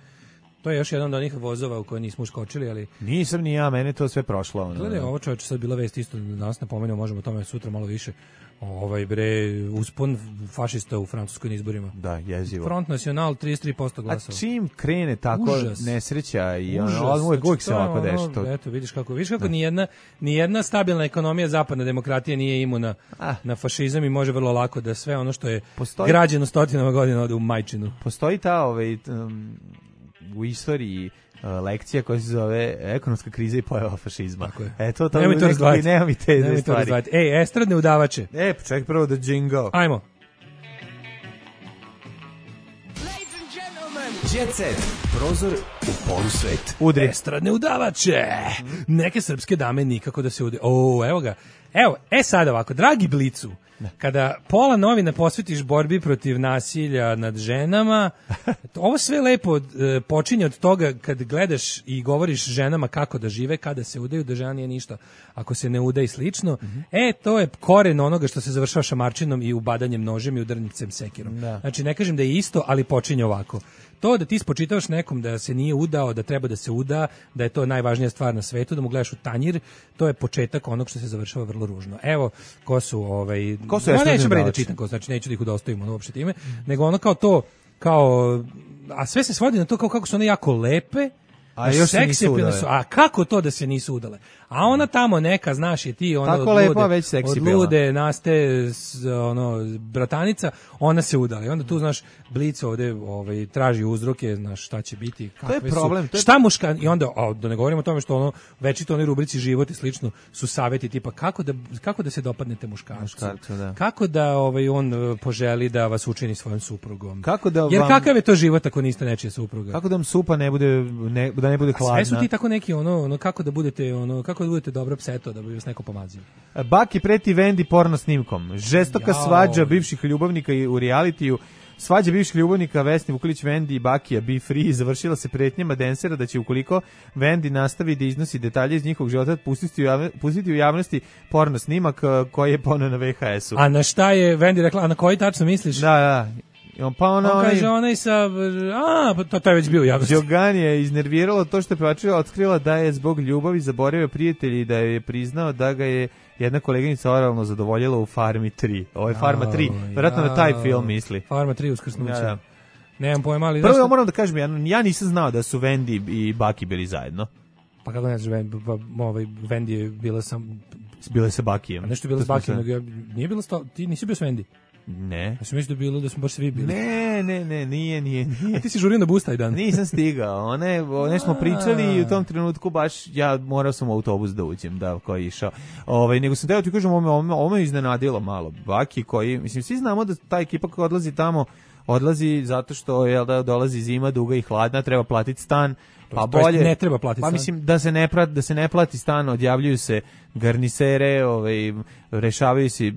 To je još jedan od onih vozova u koje nismo uskočili, ali... Nisam ni ja, mene to sve prošlo. Ono. Gledaj, ovo čovječe sad bila vest isto, danas napomenuo, možemo o tome sutra malo više. Ovaj bre, uspon fašista u francuskoj izborima. Da, jezivo. Front National trideset tri posto glasova. A čim krene tako Užas. nesreća i ono, Užas. uvijek, uvijek se Znači, ovako ono, deša. Eto, vidiš kako, vidiš kako ni jedna, ni jedna stabilna ekonomija zapadne demokratije nije imuna ah. na fašizam i može vrlo lako da sve ono što je Postoji... građeno stotinama godina ode u majčinu. Postoji ta ovaj, um, u istoriji uh, lekcija koja se zove ekonomska kriza i pojava fašizma. Tako je. Eto, to nemoj to razdvajati. Nema mi te nemoj stvari. To Ej, estradne udavače. E, ček prvo da jingle. Ajmo. Jet Set, prozor u polusvet. Udri. Estradne udavače. Neke srpske dame nikako da se ude. O, evo ga. Evo, e sad ovako, dragi Blicu, kada pola novina posvetiš borbi protiv nasilja nad ženama, ovo sve lepo e, počinje od toga kad gledaš i govoriš ženama kako da žive, kada se udaju, da žena nije ništa ako se ne uda i slično. Mm-hmm. E, to je koren onoga što se završava šamarčinom i ubadanjem nožem i udarnicem sekirom. Da. Znači, ne kažem da je isto, ali počinje ovako. To da ti spočitavaš nekom da se nije udao, da treba da se uda, da je to najvažnija stvar na svetu, da mu gledaš u tanjir, to je početak onog što se završava vrlo ružno. Evo, ko su ovaj ko su no, neću bre da čitam, ko, znači neću da ih udostojimo ono uopšte time, mm. nego ono kao to, kao, a sve se svodi na to kao kako su one jako lepe, a još se nisu udale. Su, a kako to da se nisu udale? A ona tamo neka, znaš, je ti ono tako od lepa, lude, već seksi od lude naste ono bratanica, ona se udala. I onda tu znaš Blic ovde ovaj traži uzroke, znaš šta će biti, kakve to je problem, su. To je... Šta muška i onda a, da ne govorimo o tome što ono večito oni rubrici život i slično su saveti tipa kako da kako da se dopadnete muškarcu. Muškarcu, da. Kako da ovaj on poželi da vas učini svojim suprugom. Kako da vam... Jer kakav je to život ako niste nečija supruga? Kako da vam supa ne bude ne, da ne bude hladna? Sve su ti tako neki ono, ono kako da budete ono kako da budete dobro pseto da bi vas neko pomazio. Baki preti Vendi porno snimkom. Žestoka Jao. svađa bivših ljubavnika u realitiju. Svađa bivših ljubavnika Vesni Vuklić, Vendi i Bakija Be Free završila se pretnjama densera da će ukoliko Vendi nastavi da iznosi detalje iz njihovog života pustiti u, javne, pustiti u javnosti porno snimak koji je poneo na V H S-u. A na šta je Vendi rekla? A na koji tačno misliš? Da, da. Pa ono, on kaže onaj sa... A, pa to, to je već bio u javnosti. Đogan je iznerviralo to što je pevačica otkrila da je zbog ljubavi zaboravio prijatelji i da je priznao da ga je jedna koleginica oralno zadovoljila u Farmi tri. Ovo je Farma tri. Vjerojatno na taj film misli. Farma tri uskrsnuće. Ja, da. Nemam pojma, ali... Prvo ja moram da kažem, ja, ja nisam znao da su Vendi i Baki bili zajedno. Pa kako ne znaš, ovaj, Vendi je bila sam... Bila je sa Bakijem. A nešto je bila s Bakijem, nego nije bila sto... Ti nisi bio s Vendi? Ne. Ja sam mislio da bilo da smo baš svi bili. Ne, ne, ne, nije, nije, nije. A ti si žurio na bus taj dan? Nisam stigao. One, one smo pričali i u tom trenutku baš ja morao sam u autobus da uđem, da, koji je išao. Ovaj, nego sam teo ti kažem, ovo me, ovo me iznenadilo malo. Baki koji, mislim, svi znamo da ta ekipa koja odlazi tamo, odlazi zato što je da dolazi zima duga i hladna, treba platiti stan. Pa bolje ne treba platiti pa stan. mislim da se ne plati da se ne plati stan, odjavljuju se garnisere, ovaj rešavaju se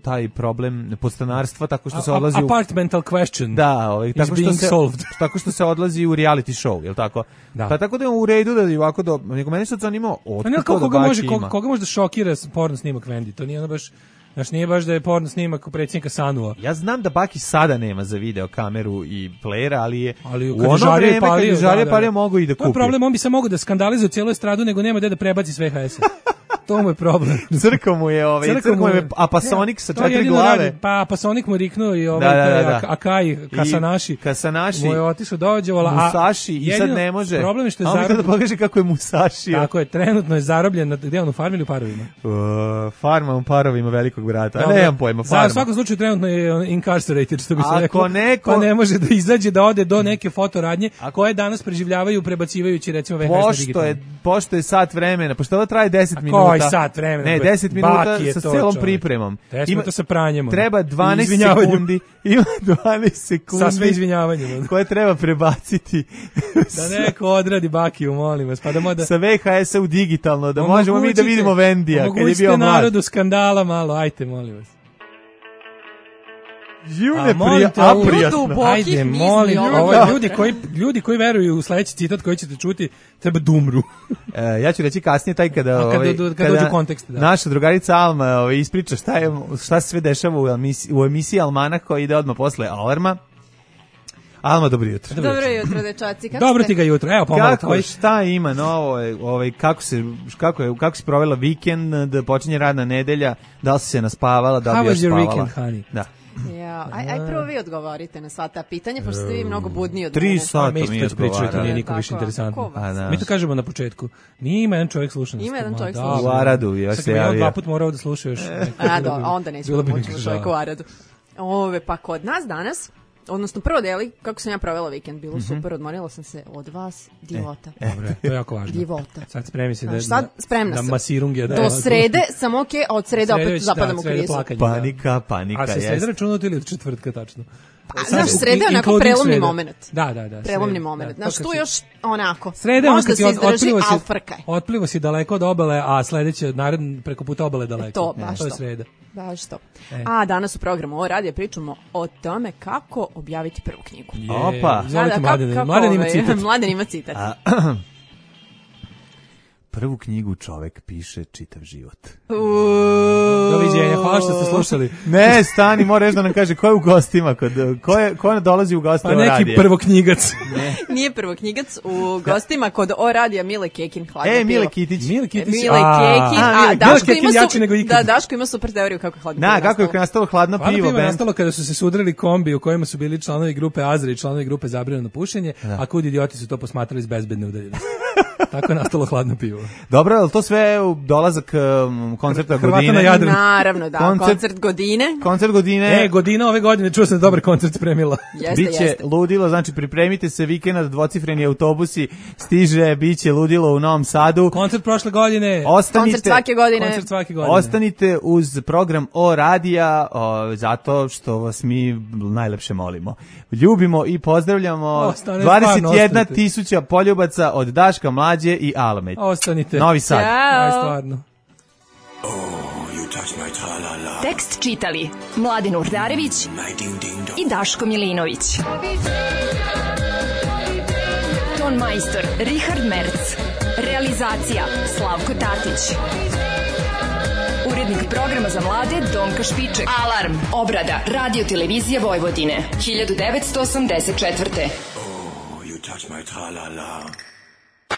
taj problem podstanarstva tako što se odlazi u apartmental question. Da, ovaj tako što se solved. tako što se odlazi u reality show, je l' tako? Da. Pa tako da je u redu da ovako do nego meni se zanimao od koga, koga može koga, koga može da šokira porno snimak Vendi. To nije ono baš Znaš, nije baš da je porno snimak predsjednika Sanua. Ja znam da Baki sada nema za video kameru i playera, ali je ali u ono vreme kad je žarije palio mogu i da kupi. To je problem, on bi se mogao da skandalizuje cijelu estradu, nego nema gde da prebaci s V H S-a. To mu je problem. Crko mu je ovaj, crko mu je Apasonik sa četiri glave. Radi, pa Apasonik mu riknuo i ovaj da, da, da, da. Akai, Kasanashi. Kasanashi. Mu je otišao dođevala. Musashi i sad ne može. Problem je što je zarobljen. Da pokaže kako je Musashi. Tako je, trenutno je zarobljen. Na, gde on u farmi ili u parovima? Uh, farma u parovima velikog brata. A nemam pojma, farma. U svakom slučaju trenutno je incarcerated, što bi se reklo. Neko... Pa ne može da izađe, da ode do neke fotoradnje koje danas preživljavaju prebacivajući recimo V H S na digitalno. Pošto je, pošto je sat vremena, pošto ovo traje deset minuta. Koji sat vremena? Ne, deset minuta sa celom pripremom. deset minuta sa pranjem. Treba dvanaest sekundi. Ima dvanaest sekundi. Sa sve izvinjavanjem. Koje treba prebaciti. Da neko odradi Bakiju, molim vas. Pa da moda... Sa V H S-a u digitalno, da možemo mi da vidimo Vendija kad je bio mlad. Omogućite narodu skandala malo, ajte, molim vas. June prija, a prijatno. Ajde, molim, ovo, ljudi, koji, ljudi koji veruju u sledeći citat koji ćete čuti, treba da umru. e, ja ću reći kasnije taj kada, kada, ovaj, kada, kada dođu kontekst. Da. Naša drugarica Alma ovaj, ispriča šta, je, šta se sve dešava u emisiji, u emisiji Almanak koji ide odmah posle Alarma. Alma, dobro jutro. Dobro jutro, dečaci. Kako dobro ste? ti ga jutro. Evo, pomalo kako, tvoj. Šta ima novo, ovaj, kako, se, kako, je, kako si provela vikend, da počinje radna nedelja, da li si se naspavala, da li bi još spavala? How was your weekend, honey? Da. Ja, aj, aj prvo vi odgovorite na sva ta pitanja, pošto ste vi mnogo budniji od Tri mene. Tri sata mi je odgovarali. To nije nikom više interesantno. Da. Mi to kažemo na početku. Nije ima jedan čovjek sluša. Ima jedan čovjek sluša. U Aradu, ja se javio. Sad dva put morao da sluša još. A, do, onda nećemo moći čovjek u Aradu. Ove, pa kod nas danas, odnosno prvo deli, kako sam ja provela vikend, bilo mm-hmm. super, odmorila sam se od vas, divota. E, dobre, to je jako važno. Divota. Sad spremi se da, sad, spremna da masirunge. Da, do srede sam ok, a od srede, srede opet zapadam u krizu. Panika, panika. A se sreda računati ili od četvrtka tačno? Pa, znaš, sreda je onako prelomni moment. Da, da, da. Prelomni moment. Znaš, tu još onako. Sreda je možda se izdrži, ali frkaj. Otplivo si daleko od obale, a sledeće, naredno, preko puta obale daleko. To, baš to. To je sreda. Baš to. E. A danas u programu ovo radije pričamo o tome kako objaviti prvu knjigu. Je. Opa. Izvolite, Mladen. Mladen ima citat. Mladen ima citat. Prvu knjigu čovek piše čitav život. Doviđenja, hvala što ste slušali. Ne, stani, mora reći da nam kaže ko je u gostima, kod, ko, je, ko dolazi u goste pa o radije. Pa neki prvoknjigac. Ne. Nije prvoknjigac, u gostima kod o radija Mile Kekin, hladno e, pivo. Mile Kitić. Mile Kitić. Mile Kekin, a, a Daško, Kekin ima su, nego da, Daško ima super teoriju kako je hladno Na, pivo kako je nastalo hladno pivo. Hladno pivo je nastalo kada su se sudrali kombi u kojima su bili članovi grupe Azra i članovi grupe Zabranjeno pušenje, da. A kud idioti su to posmatrali iz bezbedne udaljenosti. Tako je nastalo hladno pivo. Dobro, ali to sve dolazak um, koncerta Hrvata godine? Na Jadranu. Naravno, da. Koncert, koncert godine. Koncert godine. E, godina ove godine, čuo sam da dobar koncert spremila. Jeste, biće jeste. ludilo, znači pripremite se vikend, dvocifreni autobusi stiže, biće ludilo u Novom Sadu. Koncert prošle godine. Ostanite, koncert svake godine. Koncert svake godine. Ostanite uz program O Radija, o, zato što vas mi najlepše molimo. Ljubimo i pozdravljamo Ostane, dvadeset jedna tisuća poljubaca od Daška, Mlađe i Alme. Ostanite. Novi Sad. Ćao. Aj, stvarno. Tekst čitali Mladen Urdarević i Daško Milinović. Ton majstor Richard Merc. Realizacija Slavko Tatić. Urednik programa za mlade Donka Špiček. Alarm. Obrada Radio Televizije Vojvodine. hiljadu devetsto osamdeset četvrte. Oh, you touch my tra-la-la.